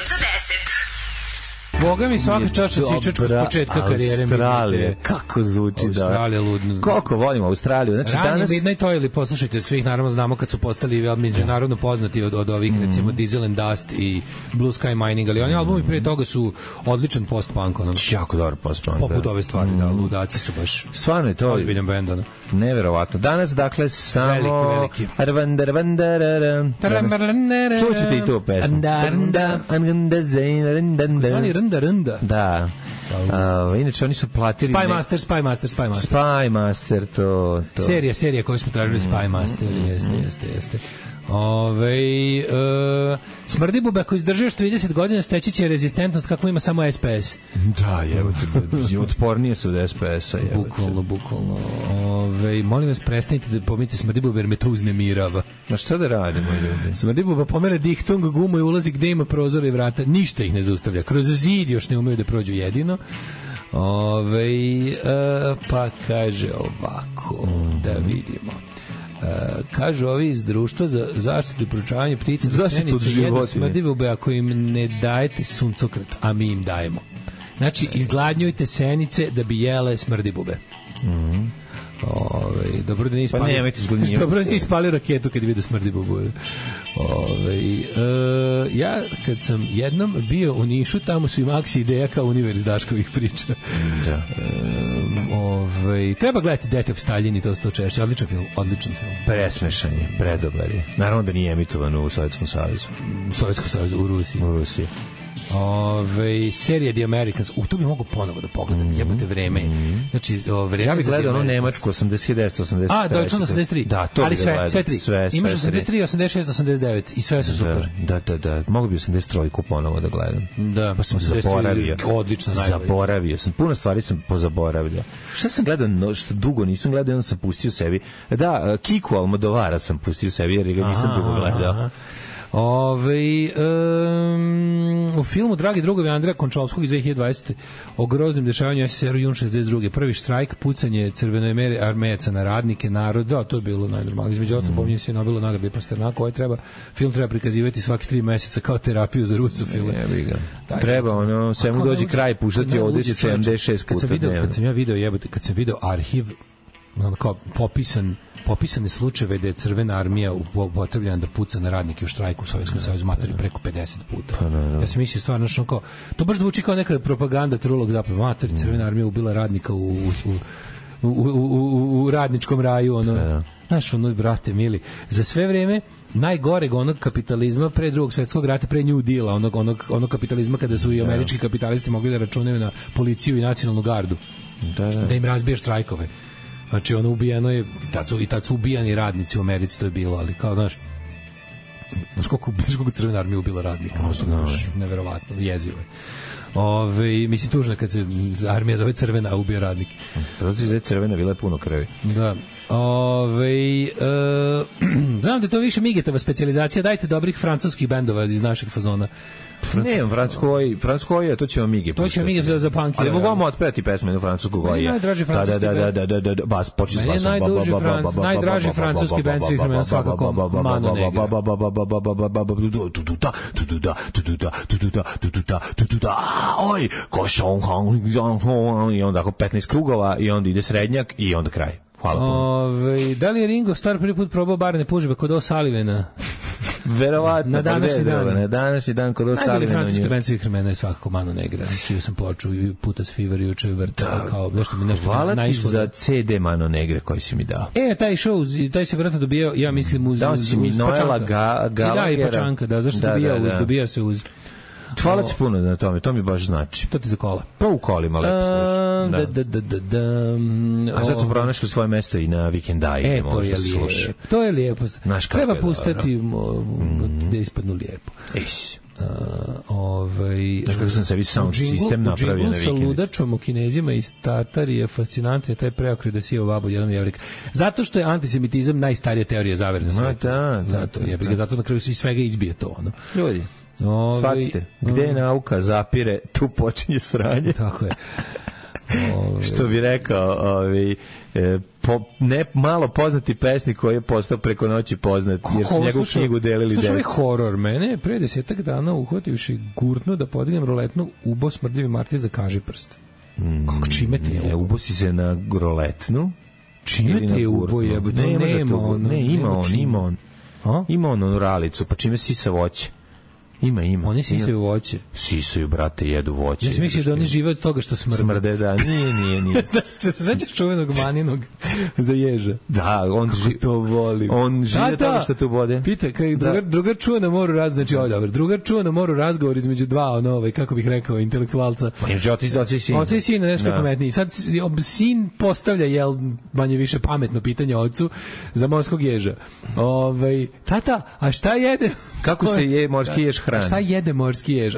Boga mi svaka čača sičačku s početka karijere. Australija, kako zvuči. Australija ludno. Koliko volimo Australiju. Znači, danas Midnight Oil, poslušajte, svih naravno znamo kad su postali međunarodno poznati od ovih recimo Diesel and Dust i Blue Sky Mining, ali oni albumi prije toga su odličan post-punk. Jako dobar post-punk. Poput ove stvari, da, ludaci su baš stvarno je to ozbiljan bend. Neverovatno. Danas, dakle, samo veliki. Čućete i tu pesmu. Rnda. Da. Inače oni su platili Spy Master, to. Serija koju smo tražili, Spy Master, jeste. Smrdi bube, ako izdržuješ 30 godina, steći će rezistentnost kakvu ima samo SPS. Da, otpornije su od SPS-a. Bukvalno. Molim vas, prestanite da pominjete smrdi bube, jer me to uznemirava. Ma šta da radimo, ljudi? Smrdi buba pomere dihtung gumu i ulazi gde ima prozora i vrata. Ništa ih ne zaustavlja. Kroz zid još ne umeju da prođu jedino. Pa kaže ovako, da vidimo. Kažu ovi iz društva za zaštitu i proučavanje ptica da senice jedu smrdi bube ako im ne dajete suncokret, a mi im dajemo. Znači, izgladnjujte senice da bi jele smrdi bube. Dobro da nije ispalio. Pa nemojte zgodnije. Dobro da nije ispalio raketu kad je vidio smrdi bubuju. Ja kad sam jednom bio u Nišu, tamo su i Maksi ideja kao univerz Daškovih priča. Da. Treba gledati Death of Stalin i to češće. Odličan film. Presmešan je, predobar je. Naravno da nije emitovan u Sovjetskom savezu. U Rusiji. Serija The Americans, to bi mogu ponovo da pogledam, jebote vreme. Znači, vreme ja bih gledao ono Nemačku 1980. Deutschland 83. Da, to ali bi gledao. sve tri. Imaš 83, 86, 89 i sve su super. Da. Mogu bi 83-ku ponovo da gledam. Da. Pa sam zaboravio. Odlično, najbolje. Zaboravio sam. Puno stvari sam pozaboravljao. Šta sam gledao, što dugo nisam gledao, onda sam pustio sebi. Da, Kiku Almodovara sam pustio sebi, jer ga nisam dugo gledao. U filmu Dragi drugovi Andreja Končalovskog iz 2020. o groznim dešavanju SSR-u jun 62. Prvi štrajk, pucanje crvene armejaca na radnike, narod, da, to je bilo najnormalnije. Između ostalog pominje se Nobelovu nagradu i Pasternaku, film treba prikazivati svaki 3 meseca kao terapiju za rusofile. Treba, sve mu dođe kraj puštati ovdje 76 puta dnevno. Kad sam video arhiv, kao popisane slučajeve da je Crvena armija upotrebljena da puca na radnike u štrajku u Sovjetskom savezu matori preko 50 puta. Ja sam mislio stvarno kao, to baš zvuči kao neka propaganda trulog zapravo. Matori, Crvena armija ubila radnika u radničkom raju. Znaš, brate mili, za sve vreme najgoreg onog kapitalizma pre drugog svjetskog rata, pre New Deala, onog kapitalizma kada su i američki kapitalisti mogli da računaju na policiju i nacionalnu gardu. Da im razbije štrajkove. Znači, ubijeno je, i tad su ubijani radnici u Americi, to je bilo, ali kao, znaš koliko Crvena armija ubila radnika, neverovatno, jezivo je. Mislim, tužno kad se armija zove Crvena, a ubija radnike. Zato je Crvena, bila je puno krvi. Da. Znam da je to više Migetova specijalizacija, dajte dobrih francuskih bendova iz našeg fazona. Ne, francuskoj, to ćemo Mige. To ćemo Mige za punk. Ali mogu vam otpevati pesme u francusku koji je. Najdraži francuski bend. Da, bas, počne s basom. Najdraži francuski bend svih vremena svakako Mano Negra. Oj, košon, i onda 15 krugova i onda ide srednjak i onda kraj. Hvala puno. Da li je Ringo Starr prvi put probao barne puževe kod O'Sullivana? Verovatno. Na današnji dan kod O'Sullivana. Najbolji francuski band svih vremena je svakako Mano Negra. Čio sam ploču i Putas Fever juče vrta. Hvala ti za CD Mano Negre koji si mi dao. Taj se vratno dobijao, ja mislim, uz Noela Gallaghera. Da, i Pačanka, da, zašto dobija se uz... Hvala ti puno na tome, to mi baš znači. To ti za kola. Pa u kolima lepo slušaš. A sad su pronašli svoje mesto i na vikendaju. To je lijepo. Treba pustati da ispadnu lijepo. Znaš kako sam sebi sound sistem napravio na vikendu. Sa ludačom u Kinezima i Tatar je fascinantno taj preokret da si babu jedan jevrik. Zato što je antisemitizam najstarija teorija zavere na svijetu. Zato na kraju se iz svega izbije to. Ljudi, shvatite, gde je nauka zapire, tu počinje sranje. Tako je. Što bi rekao, ne malo poznati pesnik koji je postao preko noći poznat, jer su njegovu knjigu delili deci. Slušaj, horor. Mene je pre 10 dana uhvativši gurtno da podignem roletnu, ubo smrdljivi martir za kaži prst. Kako čime te je ubo? Ubo si se na roletnu. Čime te je ubo jebote? Ima on ralicu, pa čime sisa voće? Ima. Oni sisaju voće. Sisaju, brate, jedu voće. Ja mislim da oni žive od toga što smrde. Smrde, da. Nije. Znaš, se sećaš čuvenog Maninog za ježa? Da, to volim. On žive od toga što te ubode. Pita, drugar čuva na moru razgovor, znači ovo dobro, drugar čuva na moru razgovor između dva, kako bih rekao, intelektualca. Oci i sin. Oci i sin, nešto pametniji. Sad sin postavlja, manje više pametno pitanje ocu za morskog ježa. Tata, a šta jede? Kako se je morski jež hrani? A šta jede morski jež?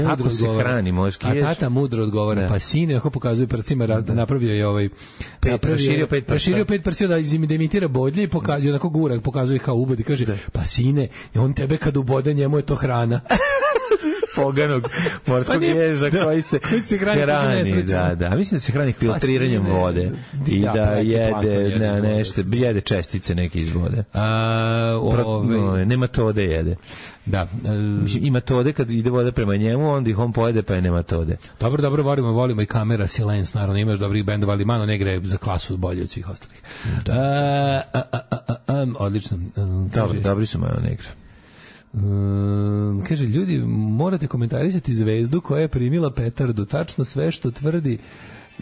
Kako se hrani morski jež? A tata mudro odgovara, pa sine, ako pokazuje prstima, napravio je raširio 5 prstiju da imitira bodlje i pokazuje, onako gura, pokazuje kao ubod i kaže, pa sine, on tebe kad ubode, njemu je to hrana. poganog morskog ježa koji se hrani, da. Mislim da se hrani filtriranjem vode i da jede nešto, jede čestice neke iz vode. Nematode jede. Da. I metode kad ide voda prema njemu, onda ih on pojede, pa je nematode. Dobro, volimo i Kamera, Silence, naravno, imaš dobrih bendova, ali Mano Negra je za klasu bolje od svih ostalih. Odlično. Dobri su Mano Negra. Kaže, ljudi, morate komentarisati Zvezdu koja je primila petardu. Tačno sve što tvrdi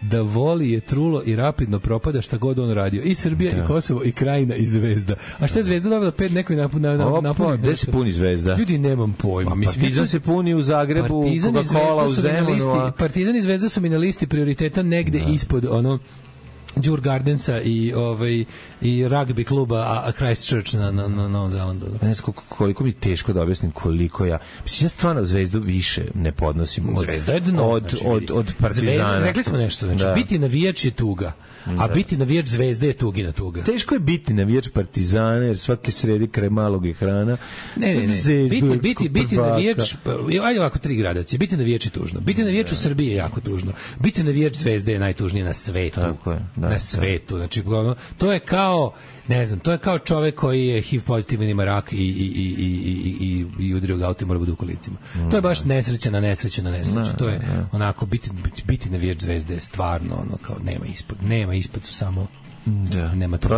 da voli je trulo i rapidno propada šta god on radio. I Srbija, i Kosovo, i Krajina, i Zvezda. A šta je Zvezda dobila 5 nekoj napuni? Gde se puni Zvezda? Ljudi, nemam pojma. Partizan se puni u Zagrebu, Coca-Cola u Zemunu. Partizan i Zvezda su mi na listi prioriteta negde ispod Djur Gardensa i rugby kluba a Christchurch na Novom Zelandu. Ne znam koliko mi teško da objasnim koliko ja. Mislim, ja stvarno Zvezdu više ne podnosim Zvezda je dno, od Partizana. Rekli smo nešto, biti navijač je tuga, a biti navijač Zvezde je tugina tuga. Teško je biti navijač Partizana jer svake sredi kraj malog ekrana. Ne. Biti navijač, ajde ovako 3 gradacije. Biti navijač je tužno. Biti navijač u Srbiji je jako tužno. Biti navijač Zvezde je najtužnije na svetu. Tako je. Na svetu, znači to je kao, ne znam, to je kao čovek koji je HIV pozitivan, ima rak i udario ga auto i mora bude u kolicima. To je baš nesreća na nesreću. To je onako biti navijač Zvezde je stvarno ono kao nema ispod su samo nema to.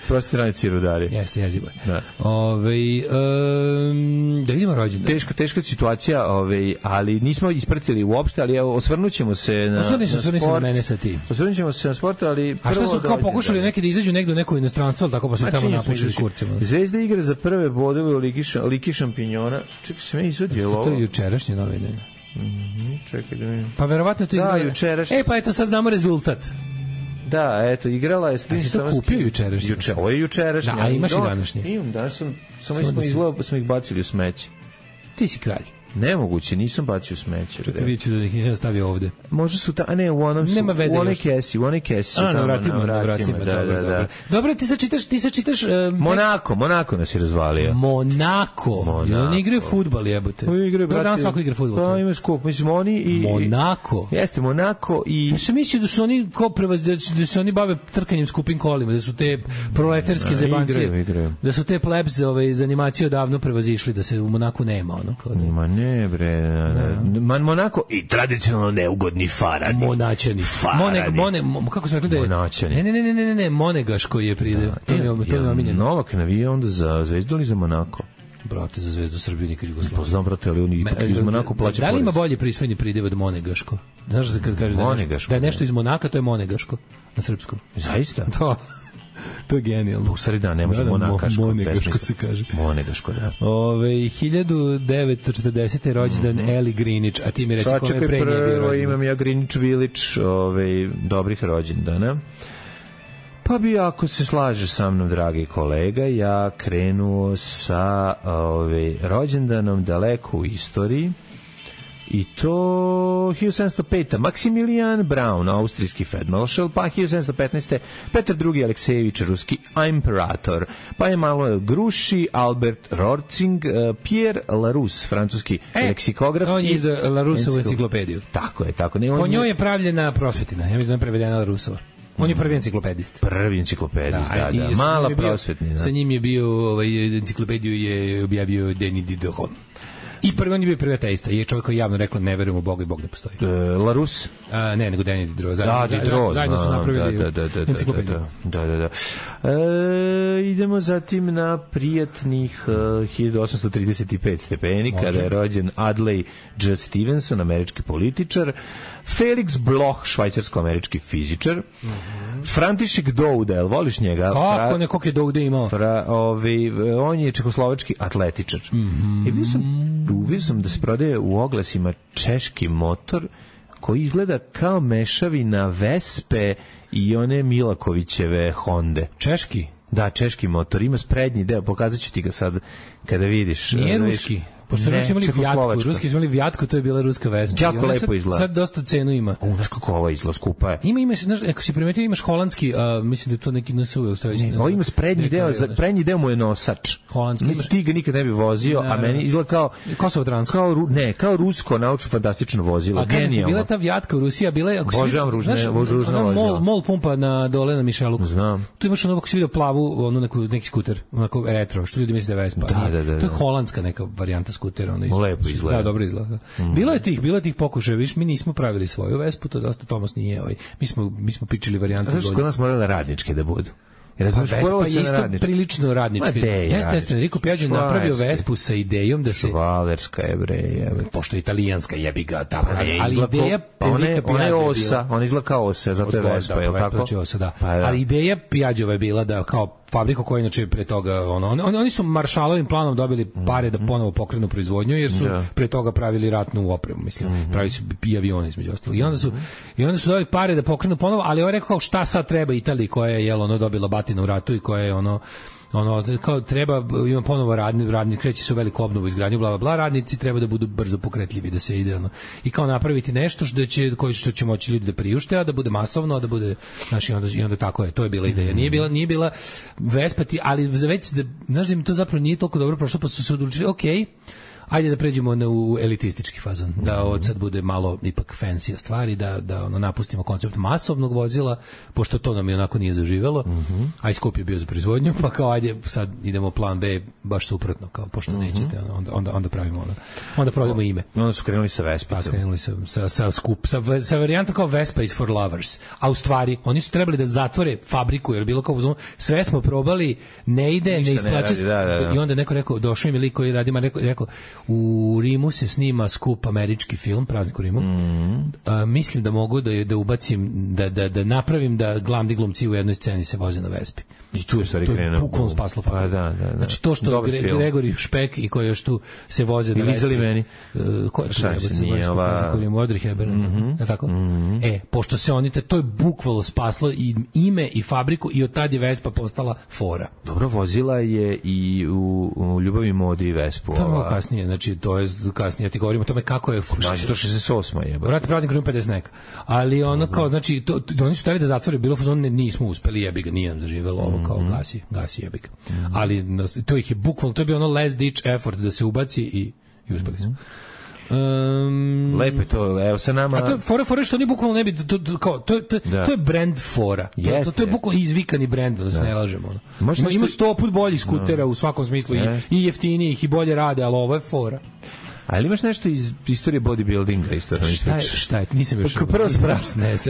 Prosječni radnici rudari. Jeste, jezivo. Da vidimo rođendan. Teška situacija, ali nismo ispratili uopšte, ali osvrnućemo se na sport. Osvrnućemo se na sport, ali a šta su kao pokušali neki da izađu negde u neko inostranstvo, ali tako pa su tamo napušili kurcima. Zvezda igra za prve bodove u Ligi šampiona. Čekaj, se meni izvadio ovo. To je jučerašnje novine. Čekaj da vidim. Pa verovatno to igra. Jučerašnje. Pa eto sad znamo rezultat. Da, eto, igrala je... A si to kupio jučerašnje? Ovo je jučerašnje. Da, a imaš i današnje? Imam, danas smo ih bacili u smeće. Ti si kralj. Nemoguće, nisam bacio u smeće. Čekaj, vidjet ću da ih nisam stavio ovde. Možda su a ne, u onom su... Nema veze. U onoj kesi su tamo. Na vratima. Dobro, ti sad čitaš... Monako nas je razvalio. Monako. Oni igraju fudbal, jebote. Dobro, danas svako igra fudbal. Pa ima skup, mislim, oni i... Monako. Jeste, Monako i... Ja sam mislio da su oni da se oni bave trkanjem skupim kolima, da su te proletarske zebancije. Da su te plebs za animaciju davno prevazišli, da se u Monaku nema, ono, kao da... Ma ne, bre, Monako i tradicionalno neugodni farani. Monačani. Kako smo rekli da je... Monačani. Ne, Monegaško je pride. To je omiljeno. Novak navije onda za Zvezdu ili za Monako? Brate, za Zvezdu Srbije nikad Jugoslavije. Poznam, brate, ali oni ipak iz Monako plaća porez. Da li ima bolji prisvojni pridev od Monegaško? Znaš da se kad kaže da je nešto iz Monaka, to je Monegaško na srpskom. Zaista? Da. To je genijalno. U stvari da, ne može Monakaško. Monegaško se kaže. Monegaško, da. 1940. rođendan Eli Greenwich, a ti mi reci kome je pre nje bio rođendan. Imam ja Greenwich Village dobrih rođendana. Pa bi, ako se slažeš sa mnom, dragi kolega, ja krenuo sa rođendanom daleko u istoriji. I to 1705. Maximilian Braun, austrijski feldmaršal, pa 1715. Petar II. Aleksejević, ruski imperator, pa Emanuel Grouchy, Albert Rorzing, Pierre Larousse, francuski leksikograf. On je iz Larousseovu enciklopediju. Tako je. Po njoj je pravljena prosvetina, ja mislim da je prevedena Laroussova. On je prvi enciklopedist. Prvi enciklopedist, da. Mala prosvetnina. Sa njim je bio, enciklopediju je objavio Denis Diderot. I prvi on je bio prvi ateista. Je čovjek koji javno rekao ne verujem u Boga i Bog ne postoji. Larousse? Ne, nego Denis Diderot. Zajedno su napravili enciklopediju. Da. Idemo zatim na prijatnih 1835 stepeni, kada je rođen Adlai J. Stevenson, američki političar, Felix Bloch, švajcarsko-američki fizičar, František Douda, jel voliš njega? Kako nekog je Douda imao? On je čehoslovački atletičar. Uvio sam da se prodaje u oglasima češki motor koji izgleda kao mešavina Vespe i one Milakovićeve Honde. Češki? Da, češki motor, ima sprednji deo, pokazat ću ti ga sad kada vidiš. Nije ruski? Pošto Rusi imali Vjatku, Ruski su imali Vjatku, to je bila ruska Vespa. Jako lepo izgleda. Sad dosta cenu ima. Znaš kako ovo izgleda, skupa je. Ima, znaš, ako si primetio, imaš holandski, mislim da je to neki NSU ili što već. Ovo ima prednji deo mu je nosač. Holandski. Mislim, ti ga nikad ne bi vozio, a meni izgleda kao... Kosovo Trans. Kao rusko naučno-fantastično vozilo. A kažem ti, bila ta Vjatka u Rusiji, a bila je... Božavam ružna vozila. Mol pumpa na dole na Mišeluku. Znam. Tu imaš ono, ako si vidio plavu, neki skuter, onako retro, što ljudi misle da je Vespa. Da. To je holandska neka varijanta skutera. Lepo izgleda. Da, dobro izgleda. Bilo je tih pokušaja, viš, mi nismo pravili svoju Vespu, to dosta Tomas nije, mi smo pičili varijante. Zašto kod nas morale radničke da budu? Vespa je isto prilično radnički. Jeste, Enrico Piaggio napravio Vespu sa idejom da se... Švalerska je, bre. Pošto je italijanska, jebi ga, tako. Ali ideja Enrico Piaggio... Ona izgleda kao ose, zato je Vespa, je li tako? Ali ideja Piaggiova je bila da kao fabriku koja inače pre toga oni su Maršalovim planom dobili pare da ponovo pokrenu proizvodnju jer su pre toga pravili ratnu opremu, mislim, pravili su i avione između ostalog. I onda su dobili pare da pokrenu ponovo, ali on rekao šta sad treba Italiji koja je dobila batina u ratu i koja je kao treba, ima ponovo radnik kreće se u veliku obnovu, izgradnju, bla bla bla, radnici treba da budu brzo pokretljivi, da se ide i kao napraviti nešto što će moći ljudi da priušte, a da bude masovno, a da bude, znaš, i onda tako je, to je bila ideja. Nije bila Vespa, ali već da, znaš da mi to zapravo nije toliko dobro prošlo, pa su se odlučili, okej, ajde da pređemo u elitistički fazon, da od sad bude malo ipak fancy stvari, da napustimo koncept masovnog vozila, pošto to nam je onako nije zaživelo, a i skup je bio za proizvodnju, pa kao ajde sad idemo plan B, baš suprotno, kao pošto nećete, onda pravimo onda prodamo ime. Onda su krenuli sa Vespicom. Pa krenuli sa varijantom kao Vespa is for lovers, a u stvari oni su trebali da zatvore fabriku, jer bilo kao sve smo probali, ne ide, ne isplaćuje se, i onda neko rekao, došao im je lik koji radi, rekao u Rimu se snima skup američki film, Praznik u Rimu. Mislim da mogu da ubacim, da napravim da glavni glumci u jednoj sceni se voze na Vespi. I tu je stvari krenuo. To je bukvalno spaslo fabriku. Da. Znači to što Gregori Špek i koji još tu se voze na Vespi. Lizali meni. Ko je tu nije ova... Audrey Hepburn. Je tako? Pošto se oni, to je bukvalno spaslo i ime i fabriku i od tad je Vespa postala fora. Dobro, vozila je i u Ljubavi modi Vespu. To je malo kasnije, znači to je kasnije, ti govorimo o tome kako je... Znači to 68. je. Vrati Praznik u Rimu 50 neka. Ali ono kao, znači, oni su hteli da zatvore, bilo fazon, nismo uspeli, jebi ga, nije nam zaživelo ovo, kao gasi jebi ga. Ali to ih je bukvalno, to je bio ono last ditch effort da se ubaci i uspeli su. Lepo je to, evo sa nama. A to je fora što oni bukvalno ne bi to je brand fora. To je bukvalno izvikani brend, da se ne lažemo. Ima 100 put boljih skutera u svakom smislu i jeftinijih i bolje rade, ali ovo je fora. Ali imaš nešto iz istorije bodybuildinga isto? Šta je? Nisam još...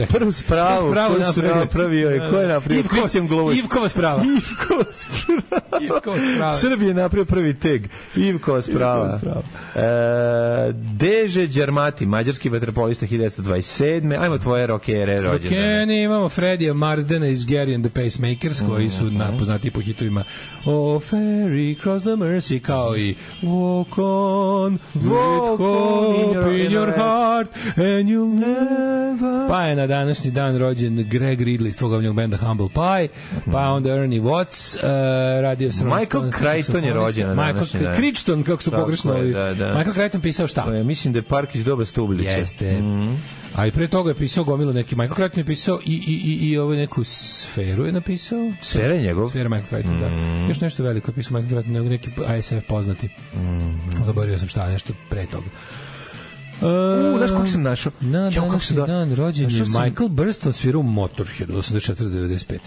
Prvu spravu koju su napravio je... Ko je napravio? Kristijan Glovoš. Ivkova sprava. Srbije je napravio prvi teg. Ivkova sprava. Deže Đarmati, mađarski vaterpolista 1927. Ajmo tvoje rockere rođendane. Rockene, imamo Fredija Marsdena iz Gary and the Pacemakers, koji su poznati po hitovima Oh, Ferry, Cross the Mersey, kao i Walk on, with hope in your heart and you'll never... Pa je na današnji dan rođen Greg Ridley iz tvog omljenog benda Humble Pie, pa onda Ernie Watts, radio sam... Michael Crichton je rođen na današnji dan. Crichton, kako su pogrešno... Michael Crichton pisao šta? Mislim da je Park iz doba Stublića. Jeste. A i pre toga je pisao gomilu neki Michael Crichton je pisao i ovaj neku Sferu je napisao. Sfera je njegov? Sfera Michael Crichton, da. Još nešto veliko je pisao Michael Crichton, neki ASF poznati. Zaboravio sam šta, nešto pre toga. Znaš kako sam našao? Na današnji dan rođen je Michael Burston, svirao Motorhead 84-95.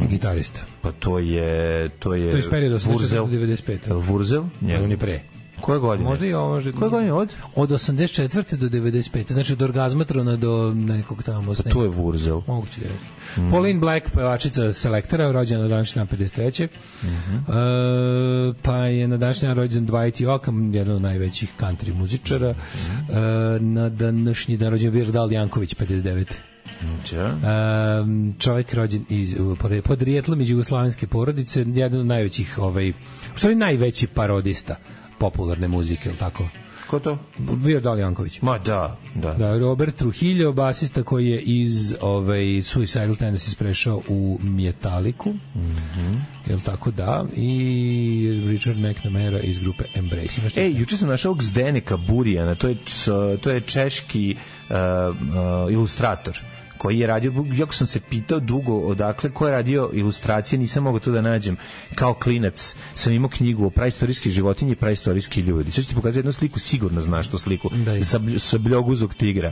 Gitarista. Pa to je iz perioda 84-95. Wurzel? On je pre. Koje godine? Možda i ovo, možda... Koje godine od 84. do 95. Znači od Orgazmatrona do nekog tamo... Pa to je Wurzel. Moguće da je. Pauline Black, pevačica Selektora, rođena na današnji dan 53. Pa je na današnji dan rođen Dwight Yoakam, jedan od najvećih country muzičara. Na današnji dan rođen Virdal Janković, 59. Čovjek rođen podrijetlom iz jugoslavenske porodice, jedan od najvećih, u stvari najveći parodista popularne muzike, ili tako? Ko to? Virdal Janković. Ma da. Robert Trujillo, basista koji je iz Suicidal Tendencies prešao u Metalliku. Jel tako, da. I Richard McNamara iz grupe Embrace. Juče sam našao Zdeneka Burijana, to je češki ilustrator koji je radio, jako sam se pitao dugo odakle, ko je radio ilustracije, nisam mogao to da nađem. Kao klinac sam imao knjigu o praistorijskih životinji i praistorijski ljudi. Sad ću ti pokazati jednu sliku, sigurno znaš tu sliku. Sabljoguzog tigra.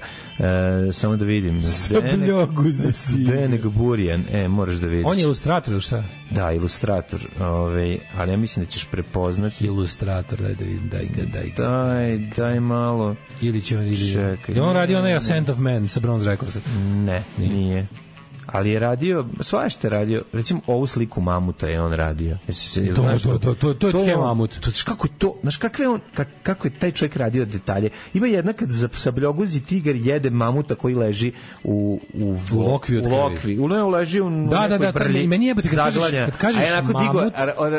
Samo da vidim. Sabljoguzog Zdenek Burijan. Moraš da vidiš. On je ilustrator ili šta? Da, ilustrator. Ali ja mislim da ćeš prepoznati. Ilustrator, daj da vidim, daj malo. Ili će on, čekaj. On radi onaj Ascent of Man sa Bronze Records. Ne, nije. Ali je radio, svašta je radio, recimo ovu sliku mamuta je on radio. To je tje mamut. Kako je to, znaš kako je taj čovjek radio detalje. Ima jedna kad Sabljoguzi tigar jede mamuta koji leži u lokvi. Leži u nekoj brlji. Meni je kad kažeš mamut,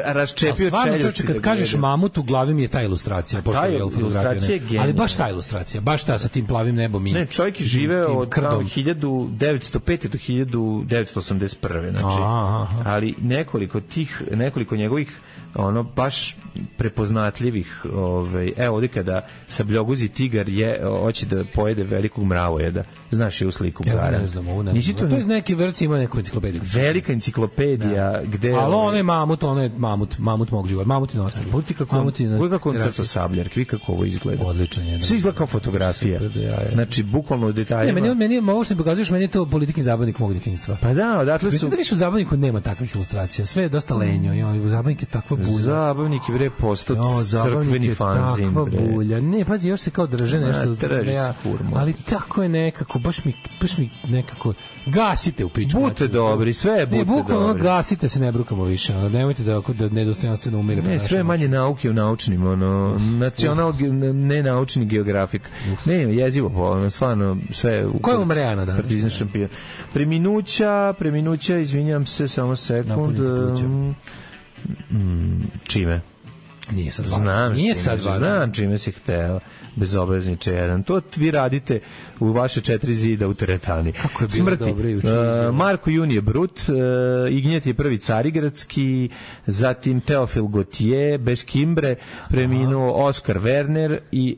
raščepio čeljusti. Kad kažeš mamut, u glavi mi je ta ilustracija. Ta ilustracija je genijalna. Ali baš ta ilustracija, baš ta sa tim plavim nebom. Ne, čovjek je živeo od 1905. do 1981. Znači, ali nekoliko njegovih baš prepoznatljivih evo ovdje kada Sabljoguzi tigar hoće da pojede velikog mravojeda, znaš je u sliku gara. Ne znam, to je neki vrci, ima neku enciklopediju. Velika enciklopedija gde... Ali on je mamut mog života, mamut i nostali. Budite kako on crta sabljark, vi kako ovo izgleda. Odličan je. Sve izgleda kao fotografija. Znači, bukvalno u detaljima. Ovo što mi pokazuješ, meni je to politički zabavnik mog djetinjstva. Pa da, odatle su... Da više u zabavniku nema takvih ilustracija, sve je dosta lenjo, zabavnik je takva bulja. Zabavnik je bre postao crkveni fanzin. Takva bulja. Ne, pazi, još se kao drže nešto. Ali tako je nekako, baš mi nekako, gasite u pičku. Bute dobri, sve je bute dobri. Bukvalno gasite se, ne brukamo više. Nemojte da nedostojanstveno umire. Ne, sve manje nauke u naučnim, nenaučni geografik. Ne, jezivo, stvarno, sve... Ko je umrejana danas? Preminuća, izvinjam se, samo sekund. Čime? Nije sad Znam čime si hteo. Bezobrazniče jedan. To vi radite u vaše 4 zida u teretani. Kako je bilo dobro i Marko Junije Brut, Ignjet je prvi carigradski, zatim Teofil Gautier, bez Kimbre, preminuo Oskar Werner i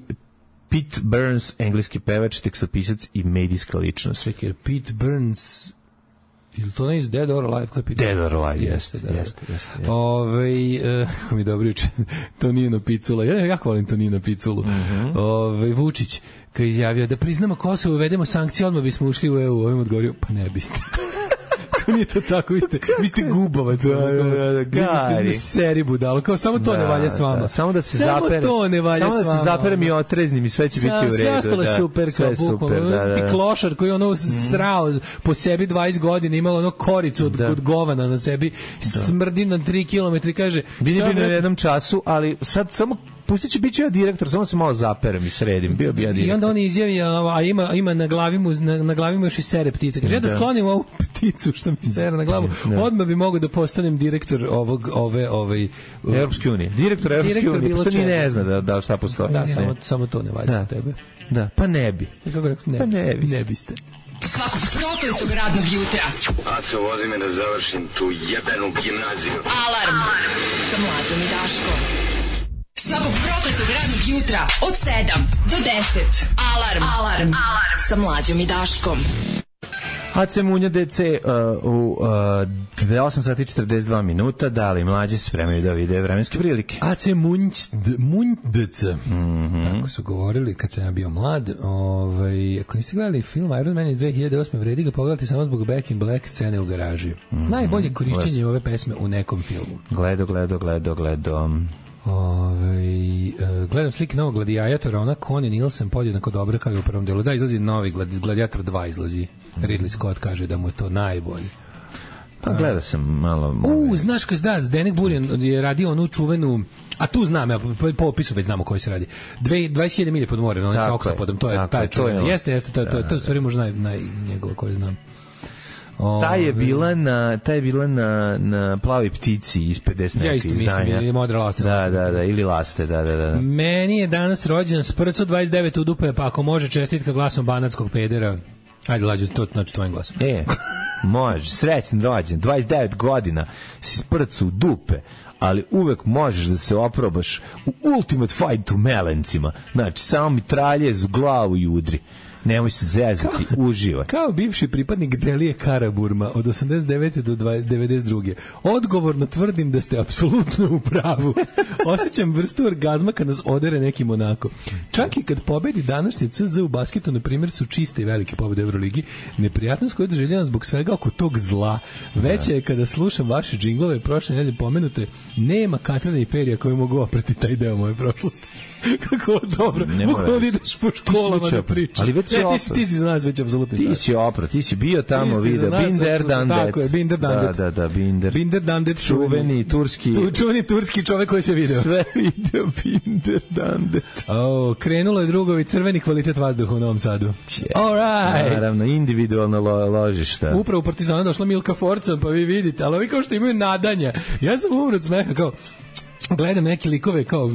Pete Burns, engleski pevač, tekstopisac i medijska ličnost. Čekaj, Pete Burns... Ili to ne iz Dead or Alive? Dead or Alive, jeste. Kako mi dobro uče, Tonino Picula. Ja jako volim Tonino Piculu. Vučić, kad je izjavio da priznamo Kosovo, uvedemo sankcije, odmah bismo ušli u EU. Ovim odgovorio, pa ne biste. Nije to tako, vi ste gubovac. Gari. Seri budalo, kao samo to ne valja s vama. Samo da se zapere. Samo to ne valja s vama. Samo da se zaperem i otreznim i sve će biti u redu. Sve ostalo je super, kao bukvalno. Ti klošar koji ono srao po sebi 20 godina, imao ono koricu od govana na sebi, smrdi na 3 km, kaže... Bili bi na jednom času, ali sad samo pustit ću, bit ću ja direktor, samo se malo zaperem i sredim, bio bi ja direktor. I onda on izjavi, a ima na glavi mu još i sere ptice. Kaže, ja da sklonim ovu pticu što mi sere na glavu, odmah bi mogao da postanem direktor Europske unije. Direktor Europske unije, pa to ni ne zna da šta postoji. Da, samo to ne valja od tebe. Da, pa ne bi. Pa ne biste. Svakog prokletog radnog jutra. Aco, vozi me da završim tu jebenu gimnaziju. Alarm sa Mlađom i Daškom. Svakog prokletog radnog jutra od 7 do 10. Alarm sa Mlađom i Daškom. AC Munja DC u 8 sati 42 minuta. Da li mlađi se spremaju da vide vremenske prilike? AC Munj DC. Tako su govorili kad sam ja bio mlad. Ako niste gledali film Iron Man iz 2008. vredi ga pogledati samo zbog Back in Black scene u garaži. Najbolje korišćenje ove pesme u nekom filmu. Gledo. Gledam slike novog Gladiatora, ona Connie Nielsen podjednako dobra kao i u prvom delu. Da, izlazi novi Gladiator 2 izlazi. Ridley Scott kaže da mu je to najbolje. Pa gleda sam malo... Znaš koji da, Zdenek Burijan je radio onu čuvenu, a tu znam, ja, po opisu već znamo koji se radi. 20.000 milje pod morem, on sa oktopodom, to je taj čuvena. Jeste, to je stvari možda njegova koju znam. Ta je bila na Plavoj ptici iz 50 ja isto mislim, ili Modra laste. Da, ili laste, da. Meni je danas rođen Sprco 29 u dupe, pa ako može čestitka glasom banatskog pedera. Ajde, Lađe, to znači tvojim glasom. Može, srećan rođen, 29 godina, si Sprcu u dupe. ali uvek možeš da se oprobaš u Ultimate Fight u Melencima. Znači, samo mitraljez u glavu i udri. Nemoj se zezati, uživaj. Kao bivši pripadnik Delije Karaburma od 89. do 92. Odgovorno tvrdim da ste apsolutno u pravu. Osjećam vrstu orgazma kad nas odere neki Monako. Čak i kad pobedi današnje CZ u basketu, na primjer, su čiste i velike pobede u Euroligi, neprijatnost koju doživljavam zbog svega oko tog zla. Veće je kada slušam vaše džinglove, prošle nedelje pomenute, nema Katrina i Perija koji mogu oprati taj deo moje prošlosti. Kako dobro. Bukvalno ideš po školama da pričaš. Ali već ti si za nas već apsolutno. Ti si opro, ti si bio tamo, vidio. Binder Dandet. Tako je, Binder Dandet. Da, Binder. Binder Dandet. Čuveni turski čovek koji sve video. Sve video Binder Dandet. Krenulo je drugovi crveni kvalitet vazduha u Novom Sadu. All right. Naravno, individualno ložišta. Upravo u Partizanu došla Milka Forca, pa vi vidite, ali ovi kao što imaju nadanja. Ja sam umro od smeha, kao gledam neke likove kao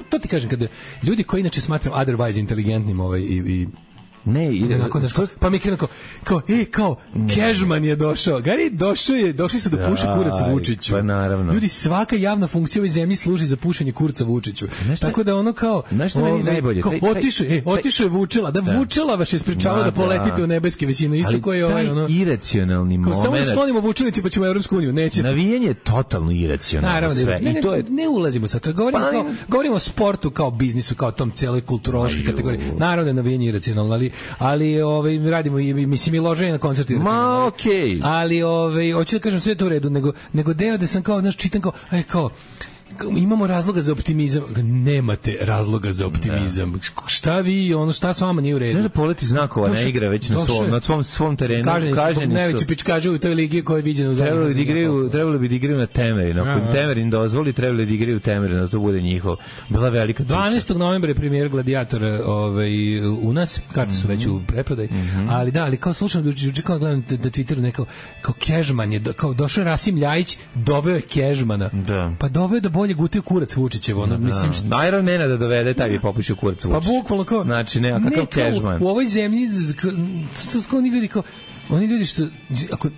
to ti kažem, kada ljudi koji inače smatram otherwise inteligentnim i ne, ide pa mi krenu kao Kežman je došao. Gari došli su da puše kurac Vučiću. Pa naravno. Ljudi, svaka javna funkcija u ovoj zemlji služi za pušenje kurca Vučiću. Tako da ono kao najbolje. Otišao je Vučela, Vučela vas je sprečavao da poletite u nebeske visine, isto koji je ovaj ono iracionalni moment. Samo da sklonimo Vučelici pa ćemo u Evropsku uniju, neće. Navijanje je totalno iracionalno sve. Ne ulazimo sad, govorimo o sportu kao biznisu, kao tom celoj kulturološkoj kategoriji. Naravno je navijanje iracionalno, ali radimo i loženje na koncertu. Ma okej. Ali hoću da kažem sve to u redu, nego deo da sam kao čitam kao imamo razloga za optimizam. Nemate razloga za optimizam. Šta vi, šta s vama nije u redu? Ne da poleti znakova, ne igra već na svom terenu. Kaženi su. Najveći pičkaže u toj ligi koja je viđena u zemlji. Trebalo bi da igraju na Temerin. Ako Temerin dozvoli, trebalo da igraju u Temerin, da to bude njihov. Bila velika priča. 12. novembra je premijer Gladiatora u nas, karte su već u preprodaj. Ali kao slušam, kao gledam da Twitteru nekao, kao Kežman je, kao došao Rasim Ljajić, doveo je Kežmana. Pa doveo da bolje gutio kurac Vučićev, mislim što Iron Mana da dovede taj bi popušio kurac Vučić. Pa bukvalno kao znači kakav Kežman. U ovoj zemlji to oni ljudi što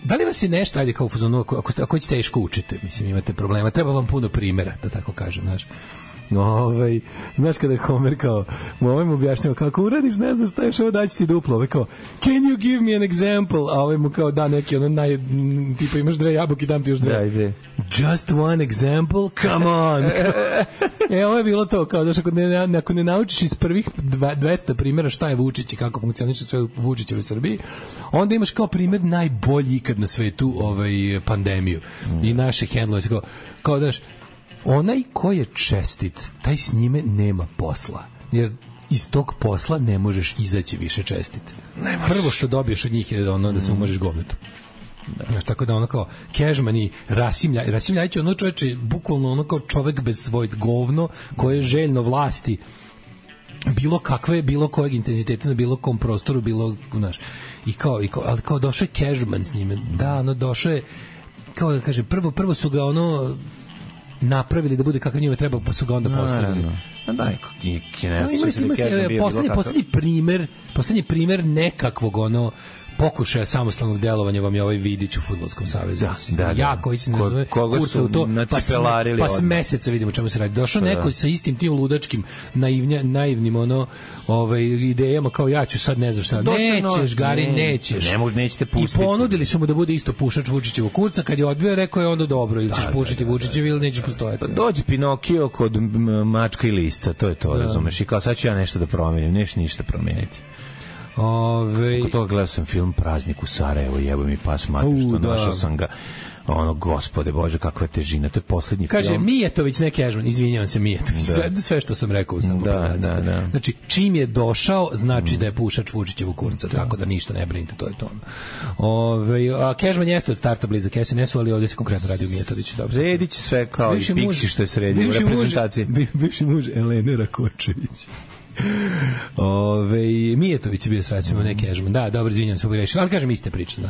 da li vas je nešto, ajde kao u fazonu, ako će teško učite, mislim imate problema, treba vam puno primjera, da tako kažem, znaš. Znaš kada je Homer kao mu objašnjava kako uradiš, ne znaš šta je ovo, daći ti duplo, kao can you give me an example, a mu kao da neki tipa imaš 2 jabuke, dam ti još 2. Just one example, come on. Ovo je bilo to, kao daš, ako ne naučiš iz prvih 200 primjera šta je Vučić i kako funkcioniše sve u Vučićevoj Srbiji, onda imaš kao primjer najbolji ikad na svetu pandemiju i naše hendlove, kao daš, onaj ko je čestit, taj s njime nema posla. Jer iz tog posla ne možeš izaći više čestit. Prvo što dobiješ od njih je da se umažeš govnetom. Tako da kao Kežman i Rasim Ljajić je čoveče, bukvalno kao čovek bez svojeg govno, koje je željno vlasti bilo kojeg intenziteta na bilo kom prostoru, ali kao došao je Kežman s njime. Da, došao je, kao da kaže, prvo su ga napravili da bude kakav njima treba, pa su ga onda postavili. Poslednji primer nekakvog pokušaja samostalnog delovanja vam je ovaj Vidić u Fudbalskom savezu. Ja koji se ne zove kurca u to, pa s meseca vidimo čemu se radi. Došao neko sa istim tim ludačkim naivnim idejama, kao ja ću sad ne znam šta. Nećeš, Gari, nećeš. Nećete pustiti. I ponudili su mu da bude isto pušač Vučićevog kurca, kad je odbio, rekao je onda dobro, ili ćeš pušiti Vučićev ili nećeš postojati. Dođe Pinokio kod mačka i lisca, to je to, razumeš. I kao sad ću ja nešto da promenim, neš ništa promeniti. Zbog toga gledao sam film Praznik u Sarajevo, jebo mi pas mater, što našao sam ga, gospode Bože, kakva je težina, to je poslednji film. Kaže, Mijetović, ne Kežman, izvinjavam se, Mijetović, sve što sam rekao sam da. Znači, čim je došao, znači da je pušač Vučićevu kurca, tako da ništa ne brinite, to je to. A Kežman jeste od starta blizak SNS-u, ali ovdje se konkretno radi u Mijetoviću. Sredit će sve kao i Pixi što je sredio u reprezentaciji. Bivši muž Elene Rakočević. Mijetović je bio srećemo, ne Kežman. Da, dobro, izvinjam se, pogrešio. Ali kažem, iste priče.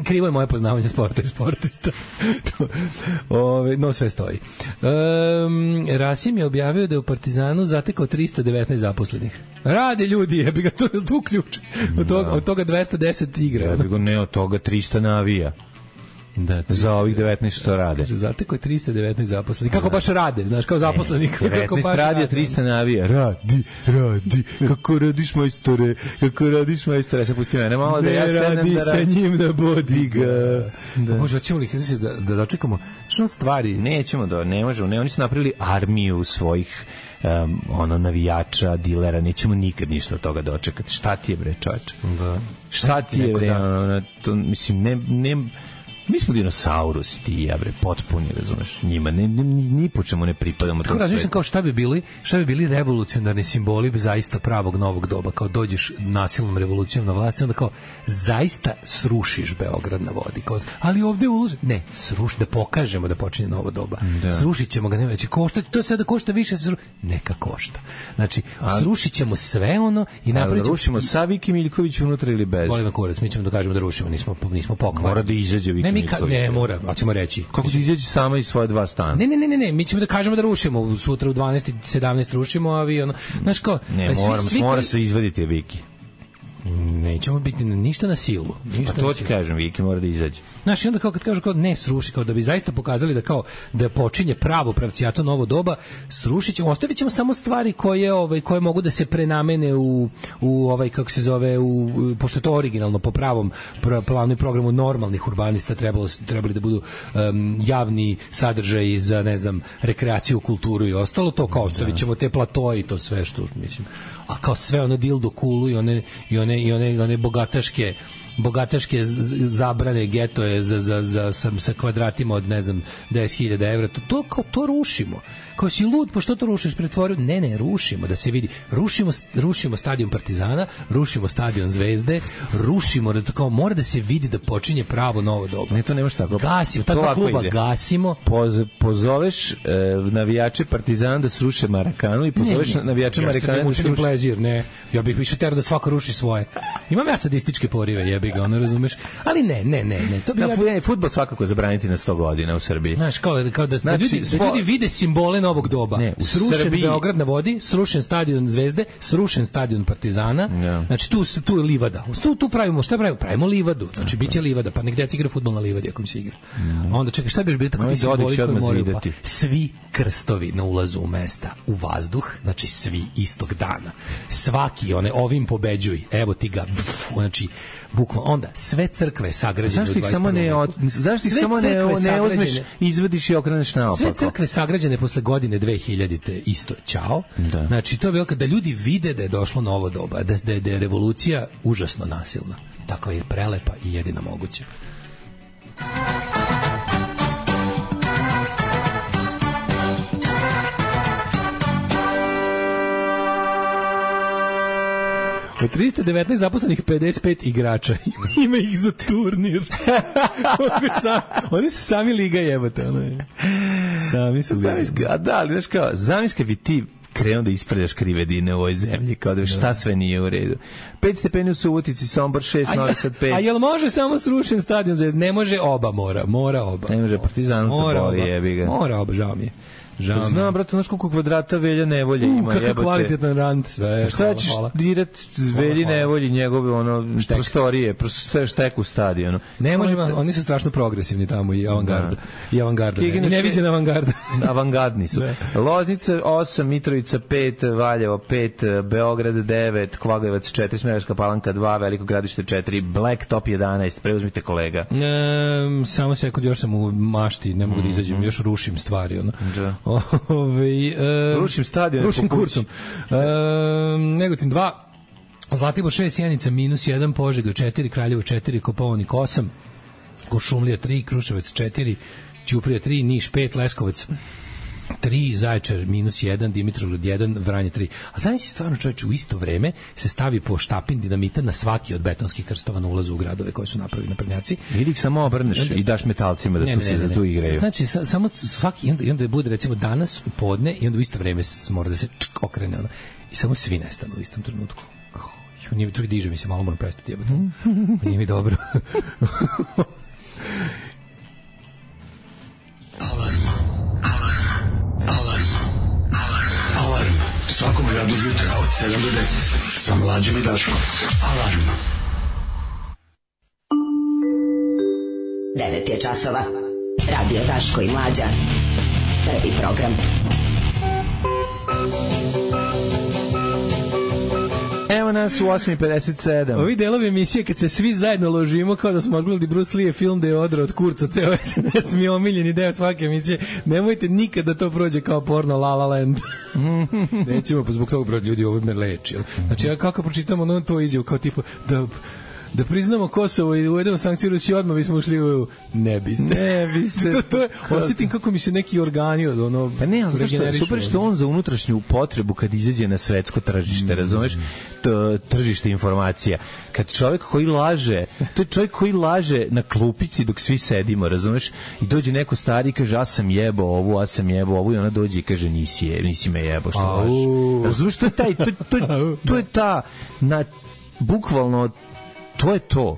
Krivo je moje poznavanje sporta i sportista. No, sve stoji. Rasim je objavio da je u Partizanu zatekao 319 zaposlenih. Rade ljudi, jebi ga, to ključ. Od toga 210 igra. Jebi ga, ne, od toga 300 navija. za ovih 19 što rade. Zateko je 319 zaposlenih. Kako baš rade, znaš, kao zaposleni. 19 radi, 300 navija. Radi, kako radiš majstore, Ja se pusti mene malo da ja sedem da sa njim da bodi ga. Da. Može, hoćemo li da dočekamo što stvari? Nećemo ne možemo, oni su napravili armiju svojih navijača, dilera, nećemo nikad ništa od toga dočekati. Šta ti je, bre, čoveče? Da. Šta ti je, bre, mislim, ne mi smo dinosaurusi, ti ja, bre, potpuni, razumeš, njima ni po čemu ne pripadamo. Tako razmišljam kao šta bi bili revolucionarni simboli zaista pravog novog doba, kao dođeš nasilnom revolucijom na vlast i onda kao zaista srušiš Beograd na vodi, kao, ali ovde uloži, ne, sruši, da pokažemo da počinje novo doba. Da. Srušit ćemo ga, neće koštati, to sada košta više, neka košta. Znači, srušit ćemo sve ono i napravit ćemo... Rušimo sa Viki Miljković unutra ili bez? Volim kurac, mi ćemo da kažemo da rušimo, nismo pokvarni. Mora da izađe Viki. Ne mora, a ćemo reći. Kako se izađe sama iz svoje 2 stana? Ne, mi ćemo da kažemo da rušimo, sutra u 12 17 rušimo, a vi ono, znaš kao, mora se izvaditi Viki. Nećemo biti ništa na silu. Ništa to ti kažem, Viki mora da izađe. Znaš, i onda kao kad kažu kao ne sruši, kao da bi zaista pokazali da kao da počinje pravo pravcijato novo doba, srušit ćemo, ostavit ćemo samo stvari koje mogu da se prenamene u kako se zove, pošto je to originalno po pravom planu i programu normalnih urbanista trebali da budu javni sadržaji za, ne znam, rekreaciju, kulturu i ostalo, to kao ostavit ćemo te platoje i to sve što, mislim, a kao sve ono dildo kulu i one bogataške zabrane, getoje sa kvadratima od, ne znam, 10.000 evra, to rušimo. Kao si lud, pa što to rušiš, pretvorio? Ne, rušimo, da se vidi. Rušimo stadion Partizana, rušimo stadion Zvezde, rušimo, kao mora da se vidi da počinje pravo novo doba. Ne, to nemaš tako. Gasimo, ta dva kluba gasimo. Pozoveš navijače Partizana da sruše Marakanu i pozoveš navijače Marakana da sruše... plezir, ne. Ja bih više terao da svako ruši svoje. Imam ja sadističke porive, jebi ga, ono, razumeš? Ali ne. To bi fudbal svakako zabraniti na 100 godina u Srbiji. Znaš, kao da ljudi vide simbole novog doba. Srušen Beograd na vodi, srušen stadion Zvezde, srušen stadion Partizana. Znači tu je livada. Tu pravimo, šta pravimo? Pravimo livadu. Znači biće livada, pa nek deca igra fudbal na livadi ako mi se igra. Onda čekaj, šta bi bilo tako ti simboli koji moraju pa? Svi krstovi na ulazu u mesta u vazduh, znači svi istog dana. Svaki ovim pobeđuj. Evo ti ga. Znači bukvalno onda sve crkve sagrađene u 21. Zašto ih samo ne uzmeš, izvadiš i okreneš naopako? Sve crkve sagrađene posle godine 2000-te isto ćao. Da. Znači to je bilo da ljudi vide da je došlo novo doba, da je revolucija užasno nasilna. Tako je prelepa i jedina moguća. Od 319 zaposlenih 55 igrača. Ima ih za turnir. Oni su sami liga jebate. Sami su liga. A da, ali znaš kao, zamiska bi ti krenuo da ispredaš krivedine u ovoj zemlji, kao da šta sve nije u redu. 5 stepeni u Subotici, Sombor 6, Novi Sad 5. A jel može samo srušen stadion Zvezde? Ne može oba, mora oba. Ne može Partizanac boli, jebi ga. Mora oba, žao mi je. Znam, brate, znaš koliko kvadrata Velja Nevolje ima, jebate. Kakav kvalitetan rand. Šta ćeš dirat Velji Nevolji, njegove prostorije, sve štek u stadionu. Ne možemo, oni su strašno progresivni tamo i avangarda. I neviđena avangarda. Avangardni su. Loznica 8, Mitrovica 5, Valjevo 5, Beograd 9, Kvagojevac 4, Smederevska Palanka 2, Veliko Gradište 4, Blacktop 11, preuzmite kolega. Samo sekund, još sam u mašti, ne mogu da izađem, još rušim stvari, ono. Rušim stadion, rušim kursom. Negotin 2, Zlatibor 6, Sjenica -1, Požega 4, Kraljevo 4, Kopaonik 8, Kuršumlija 3, Kruševac 4, Ćuprija 3, Niš 5, Leskovac 3, Zaječar -1, Dimitrovgrad 1, Vranje 3. A zamisli stvarno, čovječe, u isto vreme se stavi po štapin dinamita na svaki od betonskih krstova na ulazu u gradove koje su napravili naprednjaci. Ili ih samo obrneš i daš metalcima da tu igraju. Znači, samo svaki, i onda bude recimo danas u podne i onda u isto vreme mora da se okrene ono. I samo svi nestanu u istom trenutku. Nije mi čak diže mi se, malo moram prestati jebati. Nije mi dobro. Svakog radnog jutra od 7 do 10 sa Mlađom i Daškom. Alarm. 9 je časova. Radio Daško i Mlađa. Prvi program. Evo nas u 8:57. Ovi delovi emisije kad se svi zajedno ložimo kao da smo odgledali Bruce Lee film da je odrao od kurca ceo SNS mi je omiljeni deo svake emisije. Nemojte nikad da to prođe kao porno La La Land. Nećemo, pa zbog toga broj ljudi ovo me leči. Znači ja kako pročitam ono to izjavu kao tipa da priznamo Kosovo i uvedemo sankcije Rusiji, odmah bismo ušli u ne biste. to je, osjetim kako mi se neki organi od ono... Pa ne, ali super što on za unutrašnju potrebu kad izađe na svetsko tržište, razumeš? Tržište informacija. Kad čovjek koji laže, to je čovjek koji laže na klupici dok svi sedimo, razumeš? I dođe neko stari i kaže, ja sam jebao ovu i ona dođe i kaže, nisi me jebao, što lažeš. Razumeš, to je ta, bukvalno, to je to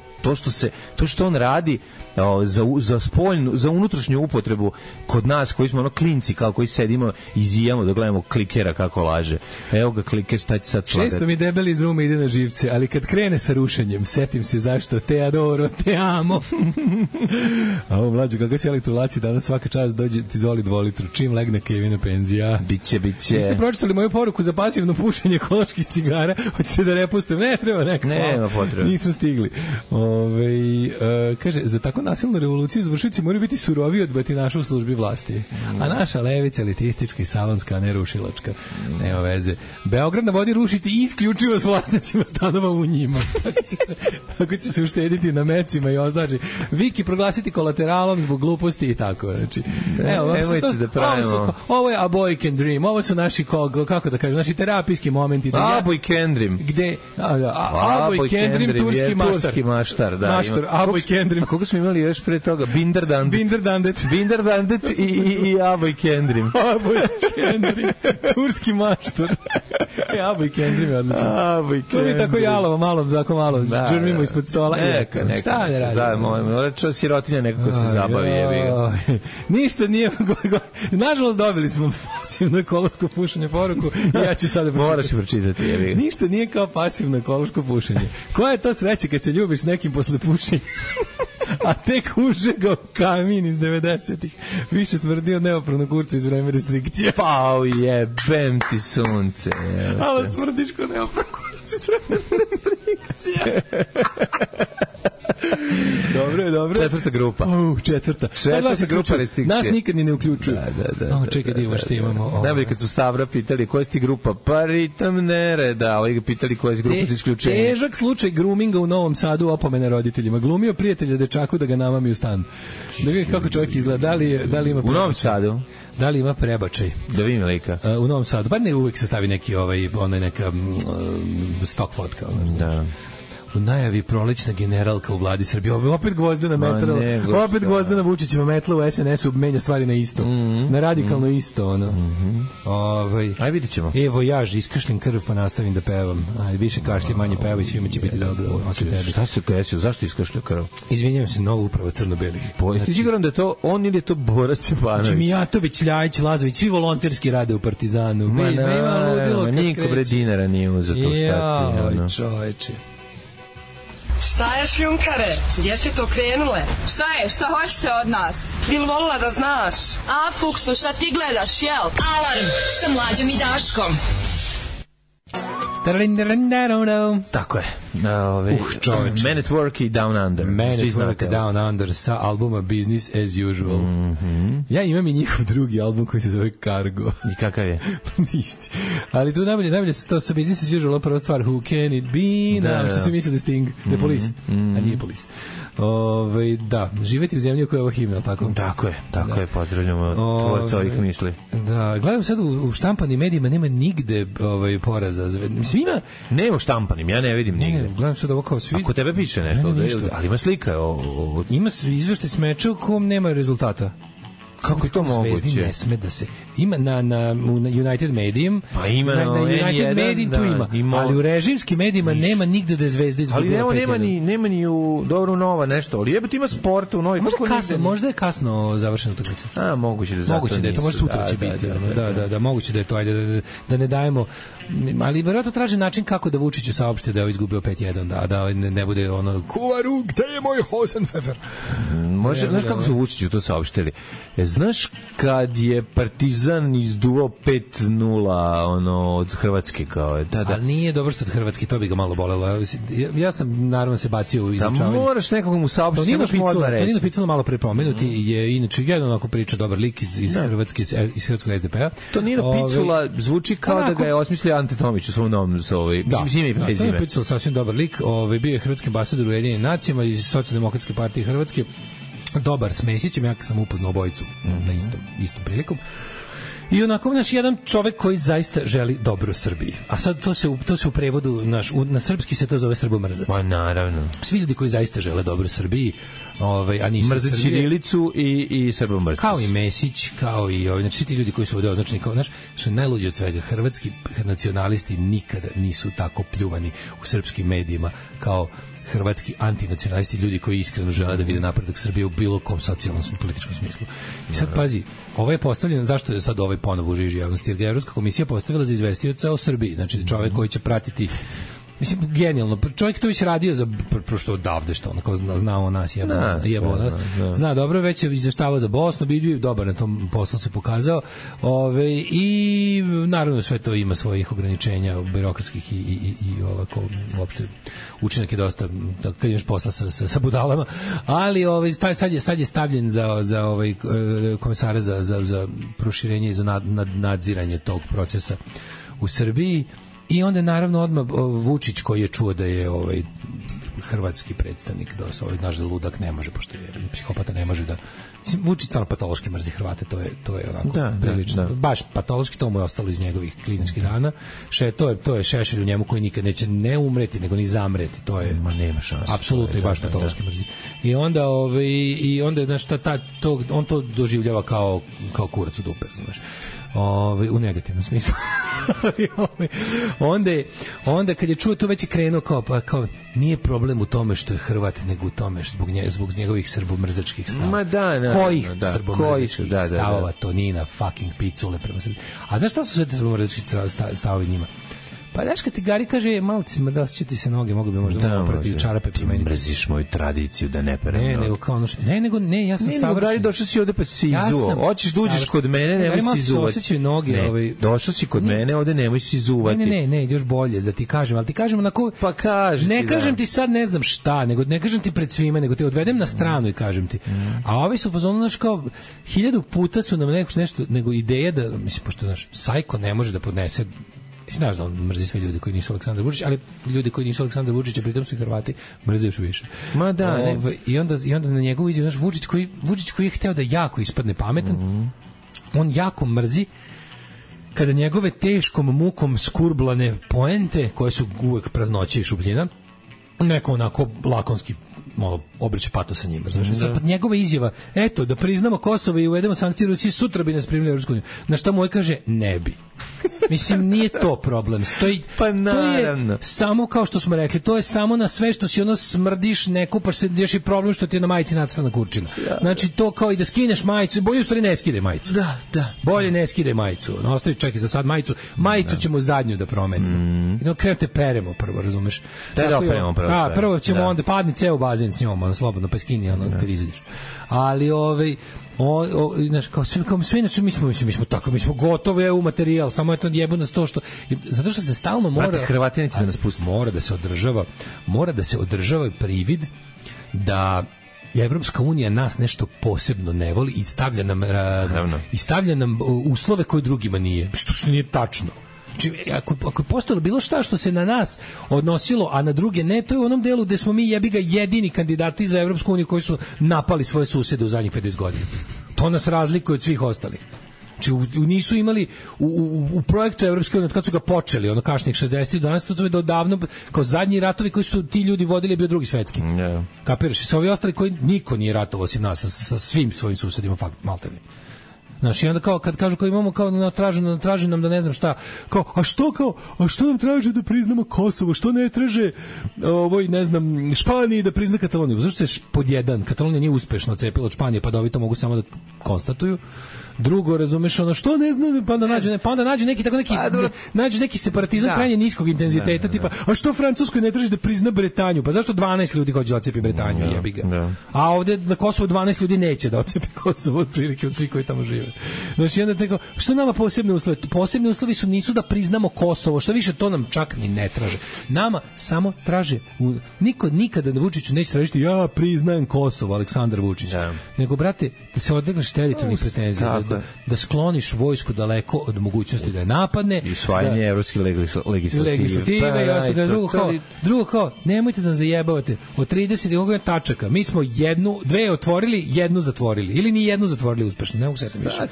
što on radi za spoljnu, za unutrašnju upotrebu kod nas koji smo ono klinci kao koji sedimo i zijamo da gledamo klikera kako laže. Evo ga kliker, šta će sad slagati? Često mi debeli iz ruma ide na živce, ali kad krene sa rušenjem, setim se zašto te adoro, te amo. A ovo mlađo, kako si elektrolaci danas svaka čast dođe ti zoli 2 litru, čim legne Kevina penzija. Biće. Jeste pročitali moju poruku za pasivno pušenje ekoloških cigara? Hoćete da repustim? Ne treba neko. Nema potrebe. Nismo stigli. Kaže, za tako nasilnu revoluciju izvršioci moraju biti surovi od batinaša u službi vlasti. A naša levica elitistička i salonska, a ne rušilačka. Nema veze. Beograd na vodi rušiti isključivo s vlasnicima stanova u njima. Tako će se uštediti na mecima i označi. Viki proglasiti kolateralom zbog gluposti i tako. Znači, ovo je a boy can dream. Ovo su naši, kako da kažem, naši terapijski momenti. A boy can dream. Gde? A boy can dream, turski maštar. A boy can dream. Koliko smo imali još pre toga? Binder Dandet i Aboj Kendrim. Aboj Kendrim. Turski maštor. Aboj Kendrim je odlično. Aboj Kendrim. To mi tako jalovo, malo džurmimo ispod stola. Šta ne radi? Da, moram sirotinja nekako se zabavi. Ništa nije... Nažalost, dobili smo pasivno ekološko pušenje poruku i ja ću sada pročitati. Moraš pročitati. Ništa nije kao pasivno ekološko pušenje. Koja je to sreća kad se ljubiš nekim posle pušenja? A tek užegao kamin iz 90-ih. Više smrdi od neopravnog kurca iz vreme restrikcija. Pa jebem ti sunce. Ali smrdiš ko neopravnog kurca iz vreme restrikcija. Dobro. Četvrta grupa. Četvrta grupa restrikcije. Nas nikad ni ne uključuju. Da. Čekaj da imamo što imamo. Najbolje kad su Stavra pitali koja je ti grupa, pa ritam nereda. Ovi ga pitali koja je grupa za isključenje. Težak slučaj groominga u Novom Sadu, opomene roditeljima. Glumio prijatelja dečaku da ga namami u stan. Da vidi kako čovjek izgleda. Da li ima u Novom Sadu? Da li ima prebačaj? Da vidim lika. U Novom Sadu. Pa ne uvijek se stavi neki neka stock fotka. Da. U najavi prolećna generalka u vladi Srbije. Opet Gvozdena metla. Opet Gvozdena Vučićeva metla u SNS-u menja stvari na isto. Na radikalno isto, ono. Aj, vidit ćemo. Evo jaž, iskašlim krv pa nastavim da pevam. Aj, više kašlje, manje peva i svima će biti dobro. Šta se desilo? Zašto iskašlja krv? Izvinjavam se, nova uprava crno-belih. Jeste siguran da je to on ili je to Boras Stjepanović? Mijatović, Ljajić, Lazović, svi volonterski rade u Partizanu. Niko bre dinara nije uzeo to stati. Čoveče. Šta je šljunkare? Gdje ste to krenule? Šta je? Šta hoćete od nas? Bil volila da znaš? A, Fuksu, šta ti gledaš, jel? Alarm sa Mlađom i Daškom. Tako je. Man at Work i Down Under. Man at Work i Down Under sa albuma Business as Usual. Ja imam i njihov drugi album koji se zove Cargo. I kakav je? Isti. Ali tu najbolje su to sa Business as Usual, prva stvar Who Can It Be, što se misli da Sting, The Police, a nije Police. Da, živeti u zemlji u kojoj je ovo himna, tako? Tako je, pozdravljamo tvorca ovih misli. Da, gledam sad u štampanim medijima nema nigde poraza. Mislim, ima... Nema u štampanim, ja ne vidim nigde. Gledam sad ovo kao svi... Ako tebe piše nešto, ali ima slika. Ima izveštaj s meča u kom nema rezultata. Kako je to moguće? Ne sme da se ima na United Medium, pa ima na United Medium tu ima, ali u režimskim medijima nema nigde da je Zvezda izgubila. Ali nema ni u Dobro Nova nešto, ali jebote ima sporta u Novi. Možda je kasno završena utakmica. Moguće da je to, možda sutra će biti. Da, moguće da je to, ajde da ne dajemo, ali verovatno traži način kako da Vučiću saopšte da je izgubio 5-1, da ne bude ono Kuvaru, gde je moj Hosenpfeffer? Može, znaš kako su Vučiću to saopštili? Znaš kad je Partizan izduvao 5-0 od Hrvatske kao je, Ali nije dobro što od Hrvatske, to bi ga malo bolelo. Ja sam naravno se bacio u izučavanje. Moraš nekog mu saopštiti, nemaš mu odmah reći. Tonino Picula malo prepomenuti je inače jedan onako priča dobar lik iz Hrvatske, iz hrvatskog SDP-a. Tonino Picula zvuči kao da ga je osmislio Ante Tomić u svom novom mislim ime i prezime. Tonino Picula sasvim dobar lik, bio je hrvatski ambasador u Ujedinjenim nacijama iz Socijaldemokratske partije Hrvatske. Dobar s Mesićem, ja sam upoznao obojicu na istom prilikom. I onako jedan čovek koji zaista želi dobro Srbiji. A sad to se u prevodu na srpski se to zove srbomrzac. Pa naravno. Svi ljudi koji zaista žele dobro Srbiji, a nisu mrze ćirilicu i srbomrzac. Kao i Mesić, kao i znači svi ti ljudi koji su ovde označeni kao što je najluđe od svega, hrvatski nacionalisti nikada nisu tako pljuvani u srpskim medijima kao hrvatski antinacionalisti, ljudi koji iskreno žele da vide napredak Srbije u bilo kom socijalnom i političkom smislu. I sad pazi, ovo je postavljeno, zašto je sad ovaj ponovo u žiži javnosti? Jer ga Evropska komisija postavila za izvestioca o Srbiji, znači čovjek koji će pratiti, mislim, genijalno, čovjek to već radio za prošto odavde, što onako znao nas, jebo nas, zna dobro, već je izveštavao za Bosnu, bio dobar na tom poslu se pokazao, i naravno sve to ima svojih ograničenja birokratskih i ovako, uopšte učinak je dosta, kad imaš posla sa budalama, ali sad je stavljen za komesara za proširenje i za nadziranje tog procesa u Srbiji. I onda naravno odmah Vučić koji je čuo da je hrvatski predstavnik, naš da ludak ne može, pošto je psihopata, ne može da... Mislim, Vučić stvarno patološki mrzi Hrvate, to je onako prilično. Baš patološki, to mu je ostalo iz njegovih kliničkih dana. To je šešelj u njemu koji nikad neće ne umreti, nego ni zamreti. To je... Ma nema šanse. Apsolutno i baš patološki mrzi. I onda znaš, on to doživljava kao kurac u dupe, znaš. U negativnom smislu. onda kad je čuo to, već je krenuo kao nije problem u tome što je Hrvat, nego u tome zbog njegovih srbomrzačkih stavova. Kojih srbomrzačkih stavova? Tonina fucking Picule prema Srbiji. A znaš šta su sve te srbomrzački stavovi njima? Pa znaš kad ti Gari kaže, malo da osjećati se noge, mogu bi možda malo protiv čarape primeniti. Mrziš moju tradiciju da ne perem. Ne, nego kao ja sam savršen. Gari, došao si ovde pa si izuo. Hoćeš da uđeš kod mene, nemoj si izuvati. Došao si kod mene, ovde nemoj si izuvati. Ne, još bolje da ti kažem, ali ti kažem onako... Pa kaži. Ne kažem ti sad ne znam šta, nego ne kažem ti pred svima, nego te odvedem na stranu i kažem ti. A ovi su fazonu, znaš, kao 1000 puta su nam nešto, nego ideja da, mislim, pošto naš Sajko ne može da podnese. Znaš da on mrzi sve ljudi koji nisu Aleksandar Vučić, ali ljudi koji nisu Aleksandar Vučić, a pritom su i Hrvati, mrze još više. Ma da, I onda na njegovu izjavu, znaš, Vučić koji je hteo da jako ispadne pametan, on jako mrzi kada njegove teškom mukom skurblane poente, koje su uvek praznoće i šubljina, neko onako lakonski malo obriče pato sa njima. Znači, njegova izjava, eto, da priznamo Kosovo i uvedemo sankcije Rusiji, sutra bi nas primili u Evropsku uniju. Na šta moj kaže, ne bi. Mislim, nije to problem. Pa naravno. To je samo, kao što smo rekli, to je samo na sve što si smrdiš, ne kupaš se, još i problem što ti je na majici nacrtana kurčina. Znači, to kao i da skineš majicu, bolje u stvari ne skidaj majicu. Da. Bolje ne skidaj majicu. Ostavi, čekaj za sad majicu ćemo zadnju da promenimo. Krenute peremo prvo, razumeš? Da operemo prvo. Prvo ćemo onda padni ceo bazen s njom, slobodno, pa skini kad izađeš. Ali znaš, kao sve, znači mi smo tako, mi smo gotovi u materijal, samo je to jebo nas to što, zato što se stalno mora, Hrvati neće da nas pusti, mora da se održava privid da Evropska unija nas nešto posebno ne voli i stavlja nam uslove koje drugima nije, što nije tačno. Znači, ako je postojalo bilo šta što se na nas odnosilo, a na druge ne, to je u onom delu gde smo mi jebiga jedini kandidati za Evropsku uniju koji su napali svoje susede u zadnjih 50 godina. To nas razlikuje od svih ostalih. Znači, nisu imali u projektu Evropske unije, kad su ga počeli, kasnih 60-ih, danas to je davno, kao zadnji ratovi koji su ti ljudi vodili, bio drugi svetski. Kapiraš? I sa ovi ostali koji niko nije ratovao osim nas, sa svim svojim susedima, maltene. Znaš, i onda kao kad kažu kao imamo kao traži nam da ne znam šta, kao a što nam traže da priznamo Kosovo, što ne traže ne znam Španiji da prizna Kataloniju. Zašto je pod jedan Katalonija nije uspešno odcepila od Španije, pa da ovi to mogu samo da konstatuju. Drugo, razumeš, ono što ne znam, pa onda nađu neki tako nađu neki separatizam krajnje niskog intenziteta, tipa a što Francuskoj ne traži da prizna Bretanju? Pa zašto 12 ljudi hoće da odcepi Bretanju, jebi ga. A ovde na Kosovu 12 ljudi neće da odcepi Kosovo otprilike od svih koji tamo žive. Znači onda tako, što nama posebne uslovi? Posebni uslovi nisu da priznamo Kosovo, što više to nam čak ni ne traže. Nama samo traže niko nikada na Vučiću neće tražiti ja priznajem Kosovo, Aleksandar Vučić. Nego brate, da se odegneš teritorijalnih pretenzija, da skloniš vojsku daleko od mogućnosti da je napadne i usvajanje evropske legislative i ostalo. Drugo kao, nemojte da nas zajebavate od 30 tačaka, mi smo dve otvorili, jednu zatvorili ili ni jednu zatvorili uspešno, ne mogu se više.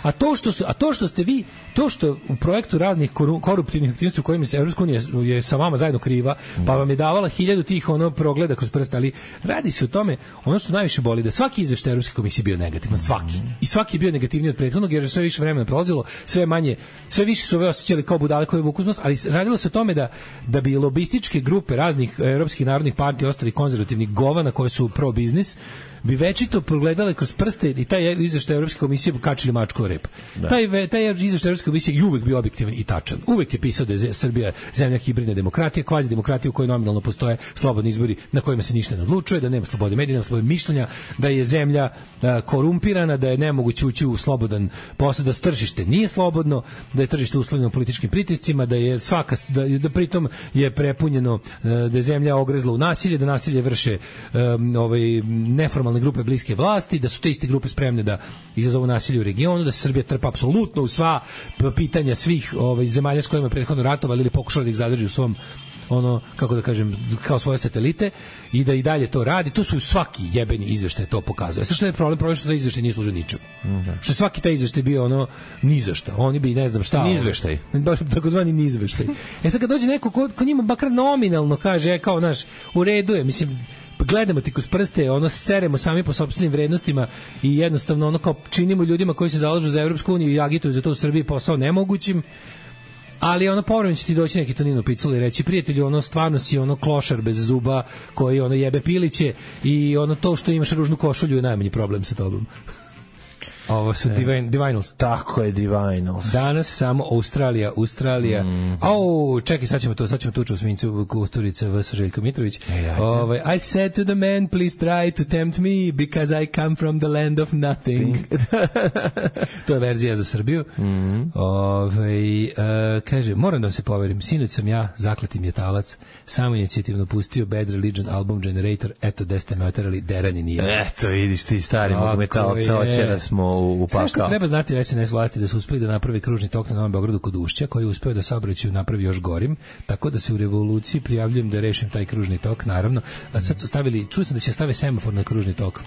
A to što ste vi, to što u projektu raznih koruptivnih aktivnosti u kojima se Evropska unija je sa vama zajedno kriva, pa vam je davala 1000 tih progleda kroz prste, ali radi se o tome, ono što najviše boli, da svaki izveštaj Evropske komisije bio negativan, svaki. I svaki je bio negativniji od prethodnog, jer je sve više vremena prolazilo, sve više su ove osjećali kao budale koje vuku uz nos, ali radilo se o tome da bi lobističke grupe raznih evropskih narodnih partija, ostali konzervativnih govana koje su pro biznis, bi večito progledale kroz prste i taj izveštaj Evropske komisije kačili mačku o rep. Taj izveštaj Evropske komisije je uvek bio objektivan i tačan. Uvek je pisao da je Srbija zemlja hibridne demokratije, kvazi demokratija u kojoj nominalno postoje slobodni izbori na kojima se ništa ne odlučuje, da nema slobode medija, nema slobode mišljenja, da je zemlja korumpirana, da je nemoguće ući u slobodan posao, da tržište nije slobodno, da je tržište uslovljeno političkim pritiscima, da je da pritom je prepunjeno, da je zemlja ogrezla u nasilje, da nasilje vrše neformalne grupe bliske vlasti, da su te iste grupe spremne da izazovu nasilje u regionu, da se Srbija trpa apsolutno u sva pitanja svih zemalja s kojima je prethodno ratovali ili pokušali da ih zadrži u svom kako da kažem, kao svoje satelite i da i dalje to radi. To su svaki jebeni izveštaj to pokazuje. Sve što je problem što taj izveštaj nije služio ničemu. Što svaki taj izveštaj bio ni za šta. Oni bi ne znam šta. Nizveštaj. Takozvani nizveštaj. Sad kad dođe neko ko njima bakar nominalno kaže kao naš u redu je, mislim gledamo ti kroz prste, seremo sami po sopstvenim vrednostima i jednostavno kao činimo ljudima koji se zalažu za Evropsku uniju i agituju za to u Srbiji posao nemogućim, ali povremeno će ti doći neki Tonino Picula i reći prijatelju, stvarno si klošar bez zuba koji jebe piliće i to što imaš ružnu košulju je najmanji problem sa tobom. Ovo su Divinals. Tako je, Divinals. Danas samo Australija. Čekaj, sad ćemo tuču u Svincu Kusturica vs. Željko Mitrović. I said to the man, please try to tempt me because I come from the land of nothing. To je verzija za Srbiju. Kaže, moram da vam se poverim, sinoć sam ja, zakleti mjetalac, samo inicijativno pustio Bad Religion album Generator, eto gde ste me oterali, derani nije. Eto, vidiš ti stari metalca, očera smo u pakao. Sve što treba znati SNS vlasti da su uspeli da napravi kružni tok na Novom Beogradu kod Ušća, koji je uspeo da saobraćaj napravi još gorim, tako da se u revoluciji prijavljujem da rešim taj kružni tok, naravno. A sad su stavili, čuo sam da će stave semafor na kružni tok.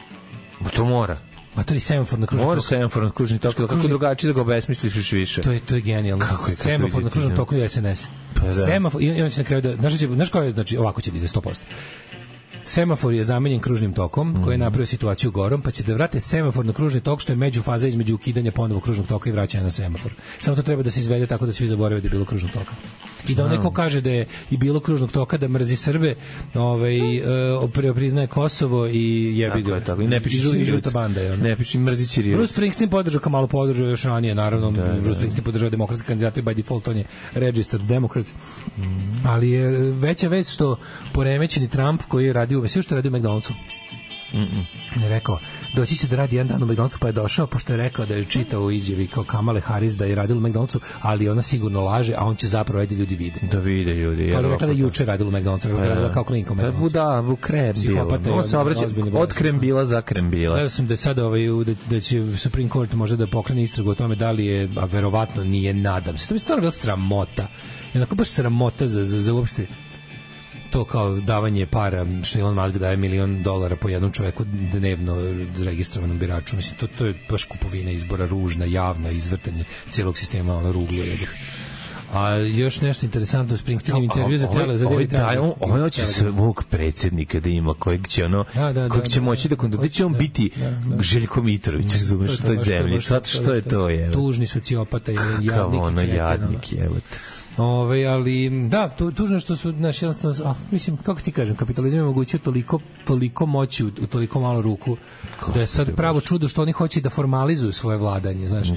To mora. Ma to je semafor na kružni tok. Mora semafor na kružni tok, kako drugačije da ga obesmisliš još više. To je genijalno. Semafor na kružnom toku je SNS. Semafor, i on će na kraju da, znaš kao je, znači ovako će da ide 100%. Semafor je zamenjen kružnim tokom koji je napravio situaciju gorom, pa će da vrate semafor na kružni tok, što je međufaza između ukidanja ponovo kružnog toka i vraćanja na semafor. Samo to treba da se izvede tako da svi zaborave da je bilo kružnog toka. I da neko kaže da je i bilo kružnog toka, da mrzi Srbe, priznaje Kosovo i jebi ga. Tako, i ne piši žuta banda je. Ne piši mrzi Ćirilicu. Bruce Springsteen podržao, kao malo podržao još ranije, naravno. Bruce Springsteen podržao demokratske kandidate by default, on je registered Democrat. Ali je veća vest što poremećeni Trump koji je radio sve što radi u McDonald'su. On je rekao, doći će da radi jedan dan u McDonald'su, pa je došao, pošto je rekao da je čitao u izjavi kao Kamale Harris da je radila u McDonald'su, ali ona sigurno laže, a on će zapravo da ljudi vide. Da vide ljudi. Kao da rekla da juče radila u McDonald'su, radila kao klinka u McDonald'su. Da, u krembila. On se obraća od krembila za krembila. Gledao sam da je sada da će Supreme Court možda da pokrene istragu o tome da li je, a verovatno nije, nadam se. To bi stvarno bila sramota. Jednako baš sramota za uopšte to kao davanje para, što Elon Musk daje $1 milion po jednom čoveku dnevno registrovanom biraču. Mislim, to je baš kupovina izbora, ružna, javna, izvrtanje cijelog sistema, ruglo. A još nešto interesantno u Springsteenom intervju za on hoće svog predsjednika da ima, kojeg će kojeg će moći da će on biti Željko Mitrović, razumeš, što je zemlji, sad što je to je. Tužni sociopata, jadnik, evo te. Ali da, tužno što su naš jednostavno, mislim, kako ti kažem, kapitalizam je omogućio toliko moći u toliko malo ruku, da je sad pravo čudo što oni hoće da formalizuju svoje vladanje, znaš.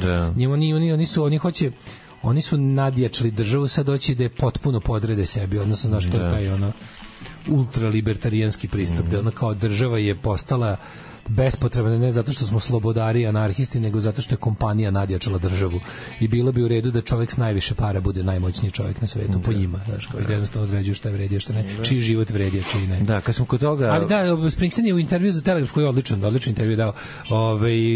Oni su nadjačali državu, sad hoće da je potpuno podrede sebi, odnosno znaš, to je taj ultralibertarijanski pristup, da ona kao država je postala bespotrebno, ne zato što smo slobodari i anarhisti, nego zato što je kompanija nadjačala državu. I bilo bi u redu da čovjek s najviše para bude najmoćniji čovjek na svetu, po njima, znaš, koji jednostavno određuje šta je vredi, šta ne, čiji život vredi, a čiji ne. Da, kad smo kod toga... Ali da, Springsteen je u intervju za Telegraf, koji je odličan intervju dao,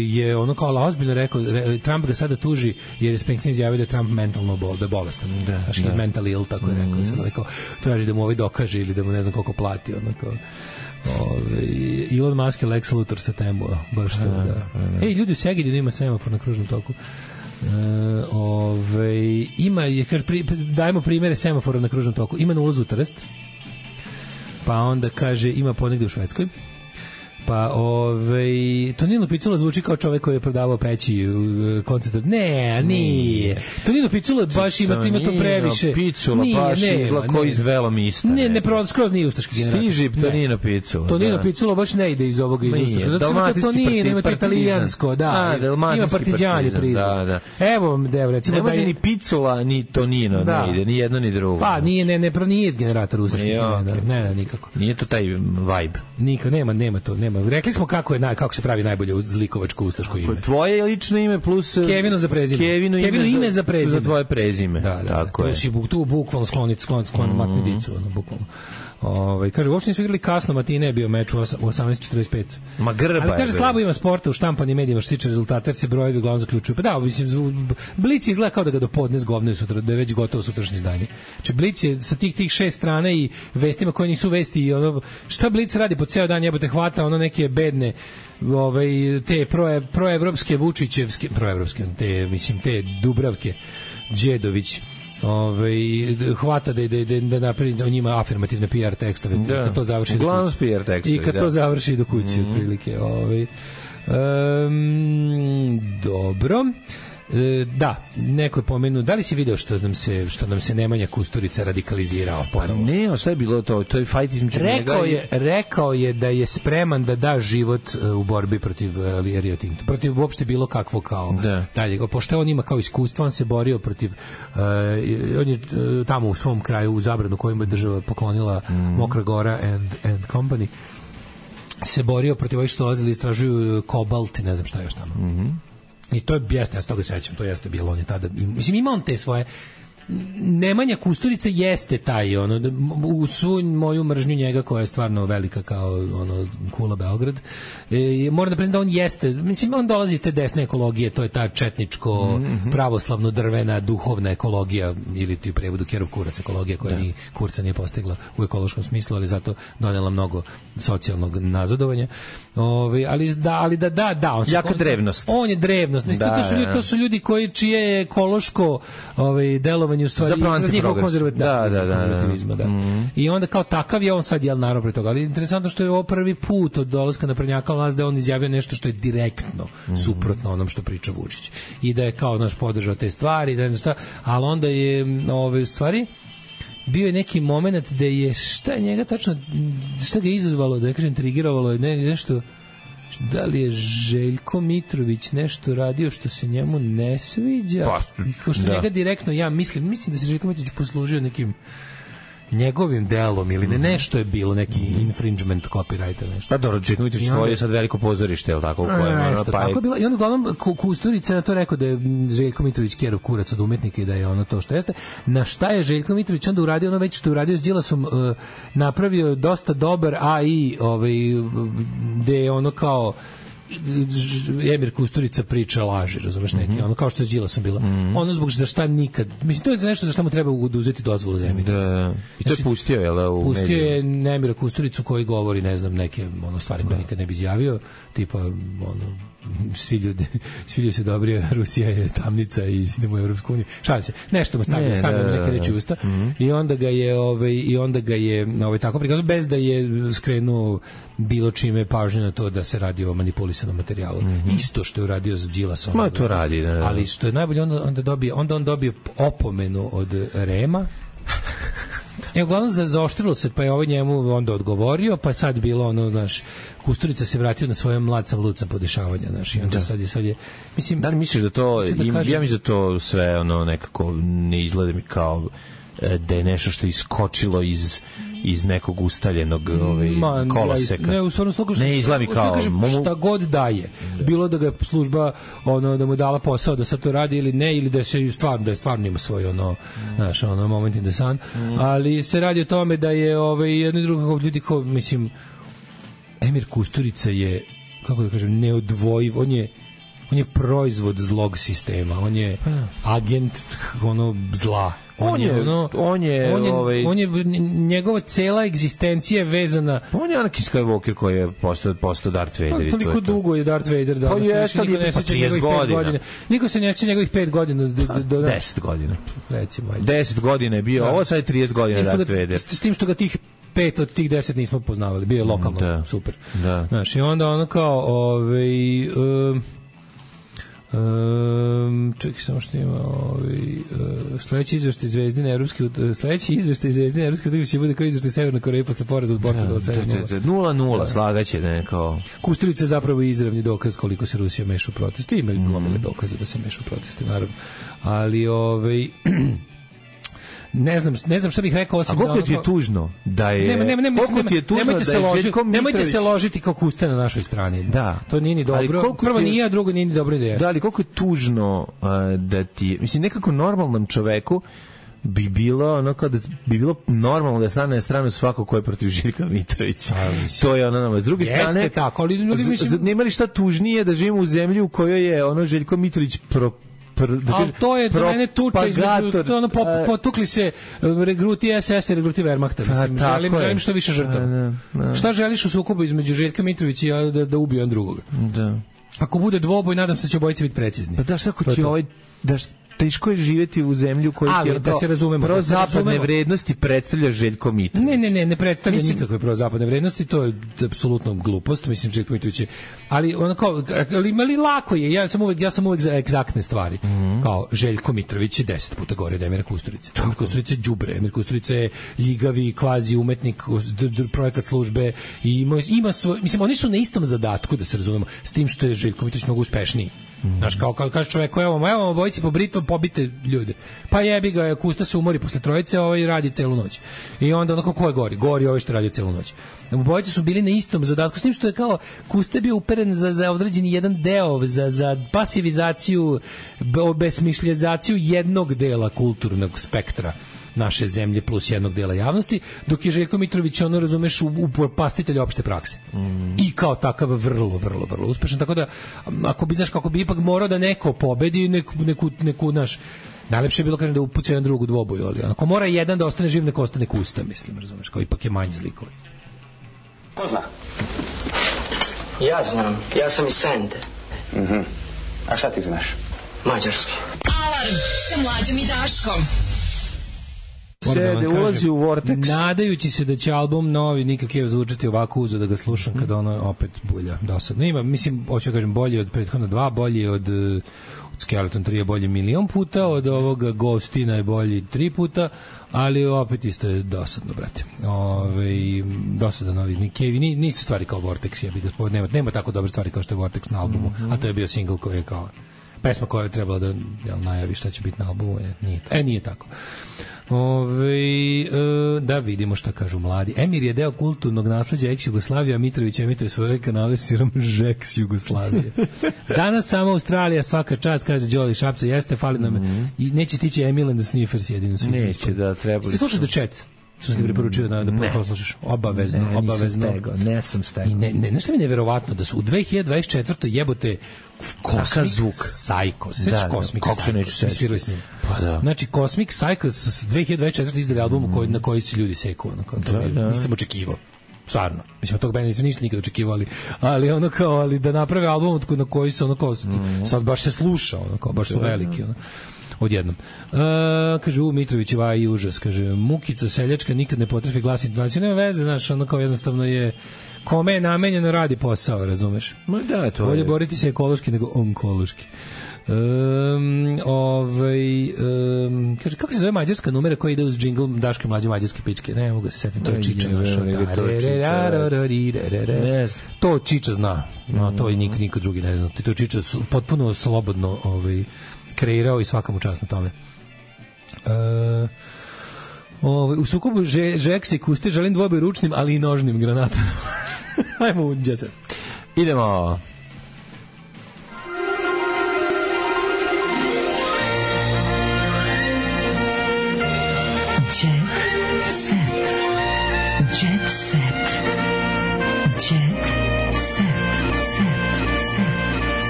je ono kao ozbiljno rekao, Trump ga sada tuži, jer je Springsteen izjavio da je Trump mentalno da je bolestan. Znaš, he's mentally ill, tako je rekao. Sad rekao, traži da mu dokaže ili da mu ne znam koliko plati, onako. Elon Musk je Lex Luthor sa temu, baš to, da. Ej, ljudi u Segedinu ima semafor na kružnom toku. Dajemo primere semafora na kružnom toku. Ima na ulazu u Trst, pa onda kaže ima ponegde u Švedskoj, pa Tonino Picula zvuči kao čovek koji je prodavao peći u koncertu. Ne, nije. Tonino Picula baš ima to previše. Picula baš izlako iz Velomista. Ne, skroz nije ustaški generator. Stiži Tonino Picula. Tonino Picula baš ne ide iz ovoga iz ustaška. Zato Tonino ima to italijansko, da. Ima partizani prizvuk. Evo, recimo da ne može ni Picula, ni Tonino ne ide, ni jedno ni drugo. Pa, nije iz generatora ustaških generatora. Ne, nikako. Nije to taj vibe. Nikako, nema to, nema. Rekli smo kako se pravi najbolje zlikovačko ustaško ime. Tvoje lično ime plus Kevino za prezime. Kevino ime za prezime. Za tvoje prezime. Da, tako je. Tu bukvalno skloniti matnidicu, bukvalno. Kaže, uopšte nisu igrali kasno, matine je bio meč u 18:45. Ma grba. Ali kaže, slabo ima sporta u štampanim medijima što se tiče rezultata, jer se brojevi uglavnom zaključuju. Pa da, mislim, Blic izgleda kao da ga do podne zgovnaju sutra, da je već gotovo sutrašnje izdanje. Znači, Blic je sa tih 6 strana i vestima koje nisu vesti i šta Blic radi po ceo dan, jebote, hvata neke bedne te proevropske Vučićevske, te Dubravke Đedović, hvata da napravi o njima afirmativne PR tekstove, kad to završi do kuće. I kad to završi do kuće, otprilike. Dobro. Da, neko je pomenuo, da li si video što nam se Nemanja Kusturica radikalizirao ponovo? Ne, šta je bilo to? To je fight između njega. Rekao je da je spreman da da život u borbi protiv Rio Tinto, protiv uopšte bilo kakvo kao dalje. Pošto on ima kao iskustvo, on se borio protiv on je tamo u svom kraju u Zabranu kojima je država poklonila Mokra Gora and Company, se borio protiv ovih što dolazili, istražuju kobalt i ne znam šta još tamo. I to je, ja se toga sećam, to jeste bilo, on je tada, mislim, ima on te svoje, Nemanja Kusturica jeste taj, u svu moju mržnju njega, koja je stvarno velika kao kula Beograd, moram da priznam da on jeste, mislim, on dolazi iz te desne ekologije, to je ta četničko, pravoslavno drvena, duhovna ekologija, ili ti u prevodu Kerov kurac ekologija, koja ni kurca nije postigla u ekološkom smislu, ali zato donela mnogo socijalnog nazadovanja. Ali on se jaka drevnost. On je drevnost. Mislim, to su ljudi čije je ekološko delovanje u stvari izraz njihovog konzervativizma. I onda kao takav je on sad naravno pre toga. Ali interesantno što je ovo prvi put od dolaska naprednjaka vlast da on izjavio nešto što je direktno suprotno onom što priča Vučić. I da je kao podržao te stvari, da ne znam šta, ali onda je u stvari bio je neki moment da je šta njega tačno, šta ga je izazvalo, da ne kažem trigirovalo je nešto, da li je Željko Mitrović nešto radio što se njemu ne sviđa, kao što njega direktno, ja mislim da se Željko Mitrović poslužio nekim njegovim delom ili nešto je bilo, neki infringement copyrighta, nešto. Pa dobro, Željko Mitrović je sad veliko pozorište, je li tako? Tako je bilo. I onda uglavnom Kusturica na to rekao da je Željko Mitrović Kerov kurac od umetnika i da je to što jeste. Na šta je Željko Mitrović onda uradio već što je uradio s Đilasom, napravio dosta dobar AI, gde je kao Emir Kusturica priča laži, razumeš, neki, kao što je s Đilasom bilo. Zbog za šta nikad, mislim, to je nešto za šta mu treba uzeti dozvolu za Emir. Da. I to je pustio, jel da, u mediju? Pustio je Emira Kusturicu koji govori, ne znam, neke stvari koje nikad ne bi izjavio, tipa, svi ljudi su dobri, Rusija je tamnica i idemo u Evropsku uniju. Šalim se. Nešto mu stavljamo neke reči usta. I onda ga je tako prikazao bez da je skrenuo bilo čime pažnju na to da se radi o manipulisanom materijalu. Isto što je uradio za Đilasom. Ma to radi, da. Ali što je najbolje, onda on dobio opomenu od Rema. Uglavnom zaoštrilo se, pa je ovaj njemu onda odgovorio, pa sad bilo ono, znaš, Kusturica se vratio na svoje mlad sam lud sam podešavanja, znaš, i onda sad je, mislim... Da li misliš da to, ja mislim da to sve, ono, nekako ne izgleda mi kao da je nešto što je iskočilo iz nekog ustaljenog koloseka. Ne, u stvarno sluku ne izgleda mi kao šta god daje. Bilo da ga služba da mu dala posao da sad to radi ili ne, ili da se stvarno ima svoj naš moment in the sun, ali se radi o tome da je jedno i drugo ljudi mislim Emir Kusturica je, kako da kažem, neodvojiv, on je proizvod zlog sistema, on je agent zla. Njegova cela egzistencija je vezana. On je Anakin Skywalker koji je postao Darth Vader. Toliko dugo je Darth Vader da niko se ne sjeća njegovih 5 godina. 10 godina. Recimo. 10 godina je bio, ovo sad je 30 godina Darth Vader. S tim što ga tih 5 od tih 10 nismo poznavali. Bio je lokalno super. Znaš, i onda ono kao čekaj samo što ima sledeći izveštaj Zvezdine Evropske utakmice će bude kao izveštaj Severne Koreje posle poraza od Portugala 0-0 slagaće nekao. Kusturica je zapravo izravni dokaz koliko se Rusija meša u proteste. Ima gomile dokaze da se meša u proteste, naravno. Ali ne znam šta bih rekao osim da... A koliko ti je tužno da je... Nemojte se ložiti kao Kusta na našoj strani. Da. To nije ni dobro. Prvo nije, a drugo nije ni dobro ideja. Da, ali koliko je tužno da ti... Mislim, nekako normalnom čoveku bi bilo normalno da stane na stranu svako ko je protiv Željka Mitrovića. To je s druge strane... Jeste tako, ali nema li šta tužnije da živimo u zemlji u kojoj je Željko Mitrović ali to je za mene tuča između potukli se regruti SS i regruti Wehrmachta. Želim što više žrtava. Šta želiš u sukobu između Željka Mitrovića i da ubije on drugoga? Da. Ako bude dvoboj, nadam se da će obojice biti precizni. Pa da, šta ako ti teško je živjeti u zemlji u kojoj prozapadne vrednosti predstavlja Željko Mitrović. Ne predstavlja nikakve prozapadne vrednosti, to je apsolutno glupost, mislim Željko Mitrović je, ali ali lako je, ja sam uvek za egzaktne stvari. Kao Željko Mitrović je 10 puta gore od Emira Kusturice. Emir Kusturica je đubre, Emir Kusturica je ljigavi kvazi umetnik, projekat službe i ima svoj, mislim oni su na istom zadatku, da se razumemo, s tim što je Željko Mitrović mnogo uspešniji. Znaš, kao kaže čovjek, evo obojici po britvom pobite ljude. Pa jebi ga, Kusta se umori posle trojice, radi celu noć. I onda ko je gori? Gori ovaj što radi celu noć. Obojice su bili na istom zadatku, s tim što je kao Kusta bio uperen za određeni jedan deo, za pasivizaciju, obesmišljizaciju jednog dela kulturnog spektra naše zemlje plus jednog dela javnosti, dok je Željko Mitrović razumeš upropastitelj opšte prakse. I kao takav vrlo uspešan, tako da ako bi znaš kako bi ipak morao da neko pobedi neku naš najlepše je bilo kažem da upuca jedan drug u dvoboju, ali ako mora jedan da ostane živ, neko ostane Kusta, mislim, razumeš, kao ipak je manji zlikovac. Ko zna? Ja znam, ja sam iz Sente. A šta ti znaš? Mađarski. Alarm sa Mlađom i Daškom. Se ulazi u Vortex. Nadajući se da će album novi nikakav zvučati ovako uzo da ga slušam kada opet bulja dosadno. Ima, mislim, hoću kažem, bolje od prethodna dva, bolje od Skeleton 3 je bolje milion puta, od ovoga Ghostina je bolji 3 puta, ali opet isto je dosadno, brate. Dosadan novi Nikevi, nisu stvari kao Vortex, ja bih ga nema tako dobre stvari kao što je Vortex na albumu, a to je bio single koji je kao pesma koja je trebala da najavi šta će biti na albumu, nije tako. Da vidimo šta kažu mladi. Emir je deo kulturnog nasleđa ex-Jugoslavije, a Mitrović emituje svoje kanale sirom Žeks Jugoslavije. Danas samo Australija, svaka čast, kaže Đoli Šapca, jeste, fali nam i neće stići Emil and the Sniffers jedino su. Neće, da, trebali. Ste slušali The Chats? Što ste preporučio da poslušaš? Obavezno. Ne sam stegao. Nešto mi je neverovatno da su u 2024. jebote Cosmic Psycho. Sećaš Cosmic Psycho? Kako se neću sećati? Svirali s njim. Pa da. Znači, Cosmic Psycho s 2024. izdali album na koji se ljudi seku. Nisam očekivao. stvarno. Mislim, od tog benda nisam ništa nikad očekivali, ali ono kao, ali da naprave album na koji se ono kao, sad baš se sluša, ono kao, baš su veliki, ono. Odjednom. Kaže, Mitrovićeva i užas, kaže, Mukica seljačka nikad ne potrefi glas intonacije, nema veze, znaš, ono kao jednostavno je kome je namenjeno radi posao, razumeš? Ma da, to bolje je. boriti se ekološki nego onkološki. Kaže, kako se zove mađarska numera koja ide uz džingl Daške mlađe mađarske pičke? Ne mogu se setiti, to je Čiča. To Čiča zna, no, to i niko drugi ne zna. To Čiča potpuno slobodno kreirao i svaka mu čast na tome. U sukobu Žeks i Kuste želim dvoboj ručnim, ali i nožnim granatom. Ajmo u Jet Set. Idemo.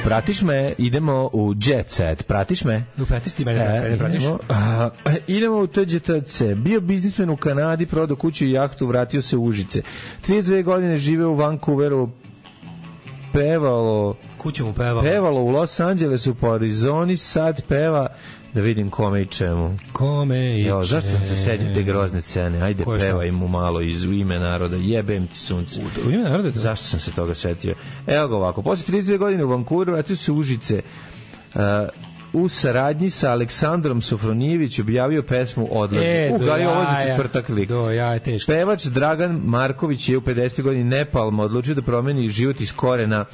Pratiš me, idemo u Jet Set. Pratiš me? Pratiš ti mene, pratiš? Idemo u TGTC. Bio biznismen u Kanadi, prodao kuću i jahtu, vratio se u Užice. 32 godine žive u Vancouveru, pevalo u Los Angelesu, po Arizoni, sad peva. Da vidim kome i čemu. Kome i čemu. Zašto sam se sedio te grozne scene? Ajde, pevaj mu malo iz U ime naroda. Jebem ti sunce. U ime naroda? Zašto sam se toga setio? Evo ga ovako. Posle 32 godine u Vancouveru vratio se Užice. U saradnji sa Aleksandrom Sofronijević objavio pesmu Odlazi. Ovo je za četvrtak lik. Pevač Dragan Marković je u 50. godini Nepalma odlučio da promeni život iz korena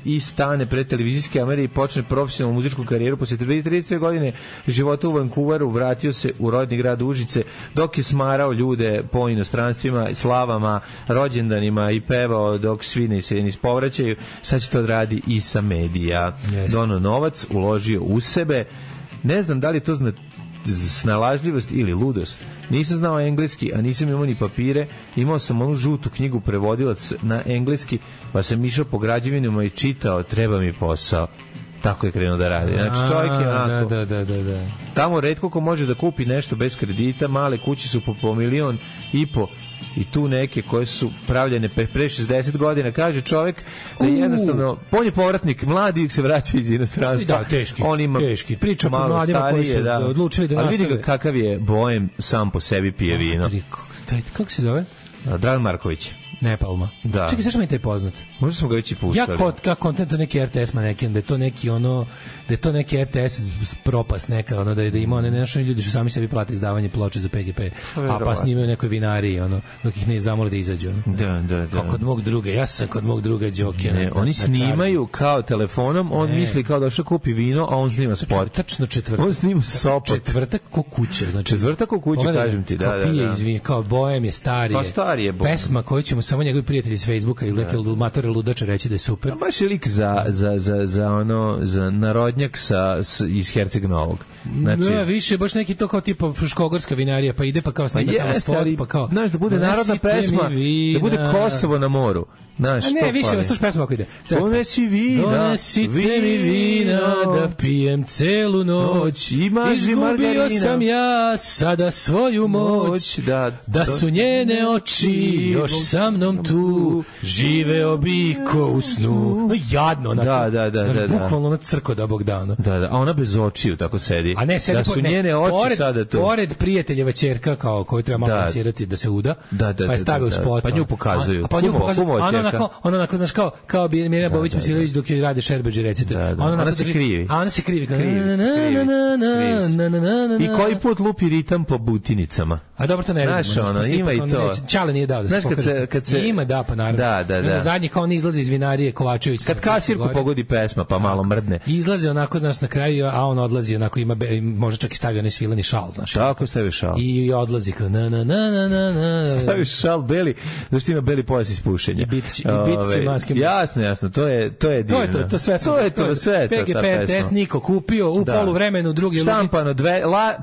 i stane pred televizijske kamere i počne profesionalnu muzičku karijeru. Posle 32 godine života u Vancouveru vratio se u rodni grad Užice, dok je smarao ljude po inostranstvima, slavama, rođendanima i pevao dok svi ne se povraćaju. Sad će to radi i sa medija. Dono novac, uložio u sebe. Ne znam da li to snalažljivost ili ludost. Nisam znao engleski, a nisam imao ni papire. Imao sam onu žutu knjigu prevodilac na engleski, pa sam išao po građevinama i čitao, treba mi posao. Tako je krenuo da radi. Znači čovjek je onako. Da. Tamo retko ko može da kupi nešto bez kredita, male kuće su po 1,5 miliona i tu neke koje su pravljene pre 60 godina, kaže čovjek da je jednostavno, on je povratnik, mladi se vraćaju iz inostranstva. Da, teški. On ima priča malo mladima starije, koji su odlučili da nastave. Ali vidi ga kakav je bojem, sam po sebi pije vino. Kako se zove? Dragan Marković. Nepalma. Da. Čekaj, zašto mi je taj poznat? Možda smo ga već i puštali. Ja kontent neki RTS manekin, da je to neki ono, da je to neki RTS propast neka, ono, da ima one naši ljudi što sami sebi plate izdavanje ploče za PGP, a pa snimaju nekoj vinariji, ono, dok ih ne zamole da izađu. Ono. Da. Kao kod mog druga, ja sam kod mog druga Đoke. Ne, oni snimaju kao telefonom, on misli kao da što kupi vino, a on snima sport. Tačno četvrtak. On snima sopot. Četvrtak ko kuće. Znači, četvrtak ko kuće, kažem ti. Kao pije izvini, kao bojem je starije. Kao starije bojem. Pesma koju ćemo samo njegovi prijatelji s Facebooka ili neke matore ludače reći da je super. Baš je lik za narodnjak iz Herceg Novog. Znači, ne, više baš neki to kao tipa Fruškogorska vinarija, pa ide pa kao snima tamo spot, pa kao znaš, da bude narodna pesma, da bude Kosovo na moru. Znaš, a ne, više, slušaj pesma ako ide. Donesi vina, donesite mi vina, da pijem celu noć. Izgubio sam ja sada svoju moć, da su njene oči još sa mnom tu, živeo bi ko u snu. No jadno, da. Bukvalno na crko da Bog dano. Da, a ona bez očiju, tako sedi. A ne, sedi da su njene oči sada tu. Pored prijateljeva ćerka, kao koju treba malo plasirati da se uda, pa je stavio u spot. Pa nju pokazuju. Pa nju pokazuju. Ona onako, znaš, kao bi Mirjana Bobić Misilović dok joj rade Šerbeđe recite. Ona se krivi. A ona se krivi. I koji put lupi ritam po butinicama. A dobro, to ne vidimo. Znaš, ono, ima i to. Čale nije dao da se pokaže. Ima, da, pa naravno. Da. Na zadnji kao on izlazi iz vinarije Kovačević. Kad kasirku pogodi pesma, pa malo mrdne. Izlazi onako, znaš, na kraju, a on odlazi onako, ima, može čak i stavio onaj svilani šal, znaš. Tako stavio šal. I odlazi kao stavio šal beli, zašto ima beli pojas iz pušenja. Jasno, to je divno. To sve PGP RTS niko kupio u poluvremenu drugi štampano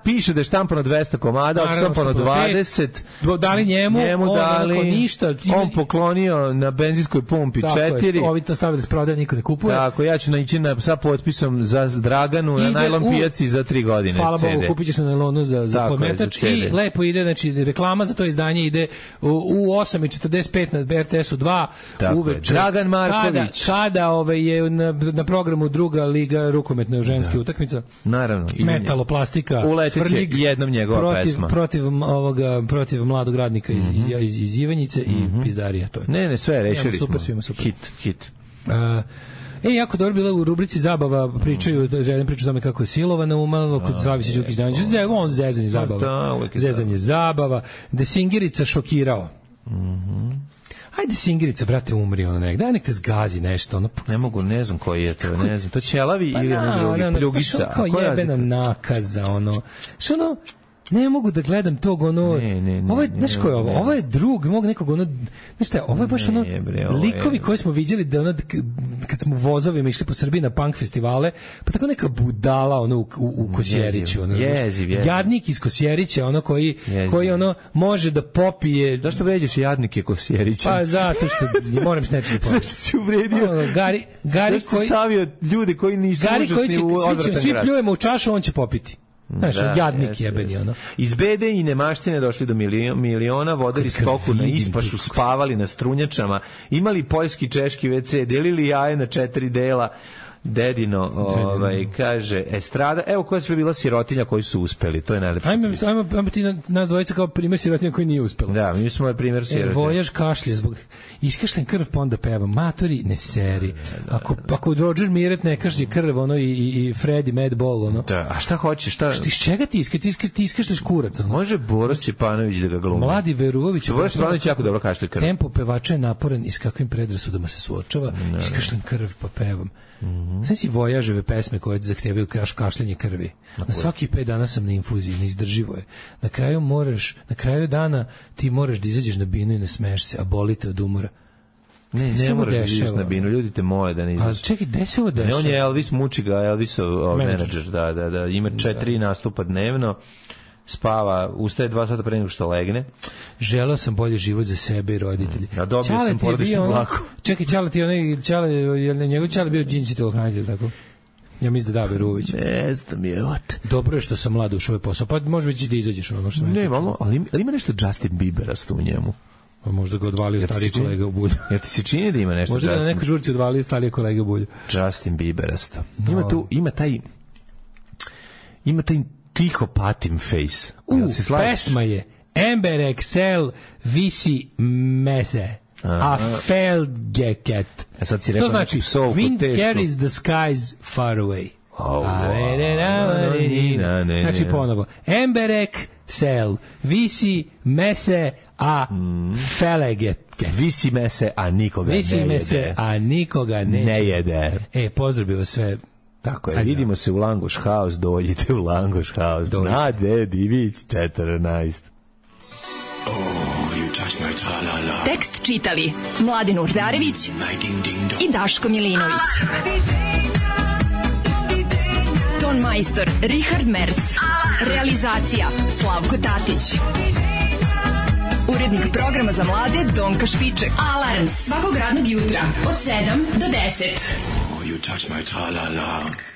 piše da je štampano 200 komada, štampano 20, dali njemu dali, ništa. On poklonio na benzinskoj pumpi 4. Ovi to stavili da se prodaje, niko ne kupuje. Tako, ja ću ići sa potpisom za Draganu na najlon pijaci za 3 godine. Hvala Bogu, kupit ćeš na nailonu za podmetač i lepo ide, znači reklama za to izdanje ide u 8:45 na RTS-u 2 uveče. Dragan Marković. Kada je na programu druga liga rukometna ženska utakmica. Naravno. Metaloplastika. Uleteće jednom njegova pesma. Protiv mladog radnika iz Ivanjice i Pizdarija. To je. Ne, sve rešili smo. Super. Hit. Jako dobro bilo u rubrici Zabava, pričaju o tome kako je silovana umalo kod Slavića Đukić-Danić. On zezanje zabava. Zezanje zabava. Desingirica šokirao. Ajde Singirica, brate, umri ono nek. Daj nek te zgazi nešto. Ono. Ne mogu, ne znam koji je to, ne znam. To Ćelavi ili ono drugi, Pljugica. Kao jebena nakaza, ono. Što ono, ne mogu da gledam tog ono. Ovo je, znaš ko je ovo? Ovo je drug mog nekog ono. Znaš šta, ovo je baš ono likovi koje smo viđali da ono kad smo vozovima išli po Srbiji na punk festivale, pa tako neka budala ono u Kosjeriću, ono. Jadnik iz Kosjerića, ono koji ono može da popije. Zašto vređaš jadnike Kosjerića? Pa zato što moram s nečim pomoći. Zašto si uvredio? Gari koji stavio ljude koji nisu užasni u odvratan grad. Svi pljujemo u čašu, on će popiti. Znaš, jadnik jebeni, ono. Iz bede i nemaštine došli do miliona, vodili stoku na ispašu, spavali na strunjačama, imali poljski, češki WC, delili jaje na 4 dela. Dedino, kaže, estrada, evo koja je sve bila sirotinja koji su uspeli, to je najlepše. Ajmo ti nas dvojica kao primjer sirotinja koji nije uspela. Da, mi smo primjer sirotinja. Vojaž kašlje, zbog iskašljen krv, pa onda peva, matori, ne seri. Ako Roger Miret ne kašlje krv, ono, i Freddy Madball, ono. Da, a šta hoćeš, iz čega ti iskašlješ kurac, ono? Može Boris Čepanović da ga glumi. Mladi Veruović. Boris Čepanović jako dobro kašlje krv. Tempo pevača je naporan i s kakvim predrasudama se suočava, iskašljen krv, pa pevam. Sve si Vojaževe pesme koje zahtevaju kašljanje krvi. Na svaki 5 dana sam na infuziji, neizdrživo je. Na kraju dana ti moraš da izađeš na binu i ne smeješ se, a bolite od umora. Ne moraš da izađeš na binu, ljudi te moje da ne izađeš. A čekaj, gde se ovo dešava? Ne, on je Elvis, muči ga Elvisov menadžer, da, ima 4 nastupa dnevno, spava, ustaje 2 sata pre nego što legne. Želeo sam bolji život za sebe i roditelji. A dobio sam porodičnu mlaku. Čekaj, Ćale ti njegov Ćale bio džinci telokranitelj, tako? Ja mislim da Veruović. Ne znam je, dobro je što sam mlad ušao u ovaj posao, pa može već da izađeš ono što ne, ali ima nešto Justin Bieberasto u njemu. Pa možda ga odvalio stariji kolega u Bulju. Jer ti se čini da ima nešto možda Justin? Možda da na nekoj žurci odvalio stariji kolega u Bulju. Justin Bieberasto. Ima taj tiho patim face. Pesma je Ember Excel visi mese. A Felgeket. To znači Wind carries the skies far away. Znači ponovo. Ember Excel visi mese a Felgeket. Visi mese a nikoga ne jede. Visi mese a nikoga ne jede. Pozdravimo sve. Tako je, vidimo se u Langoš House, dođite u Langoš House, Nade Divić 14. Tekst čitali Mladin Urdarević i Daško Milinović. Ton majstor Richard Merc. Realizacija Slavko Tatić. Urednik programa za mlade Donka Špiček. Alarms svakog radnog jutra od 7 do 10. You touch my tra-la-la.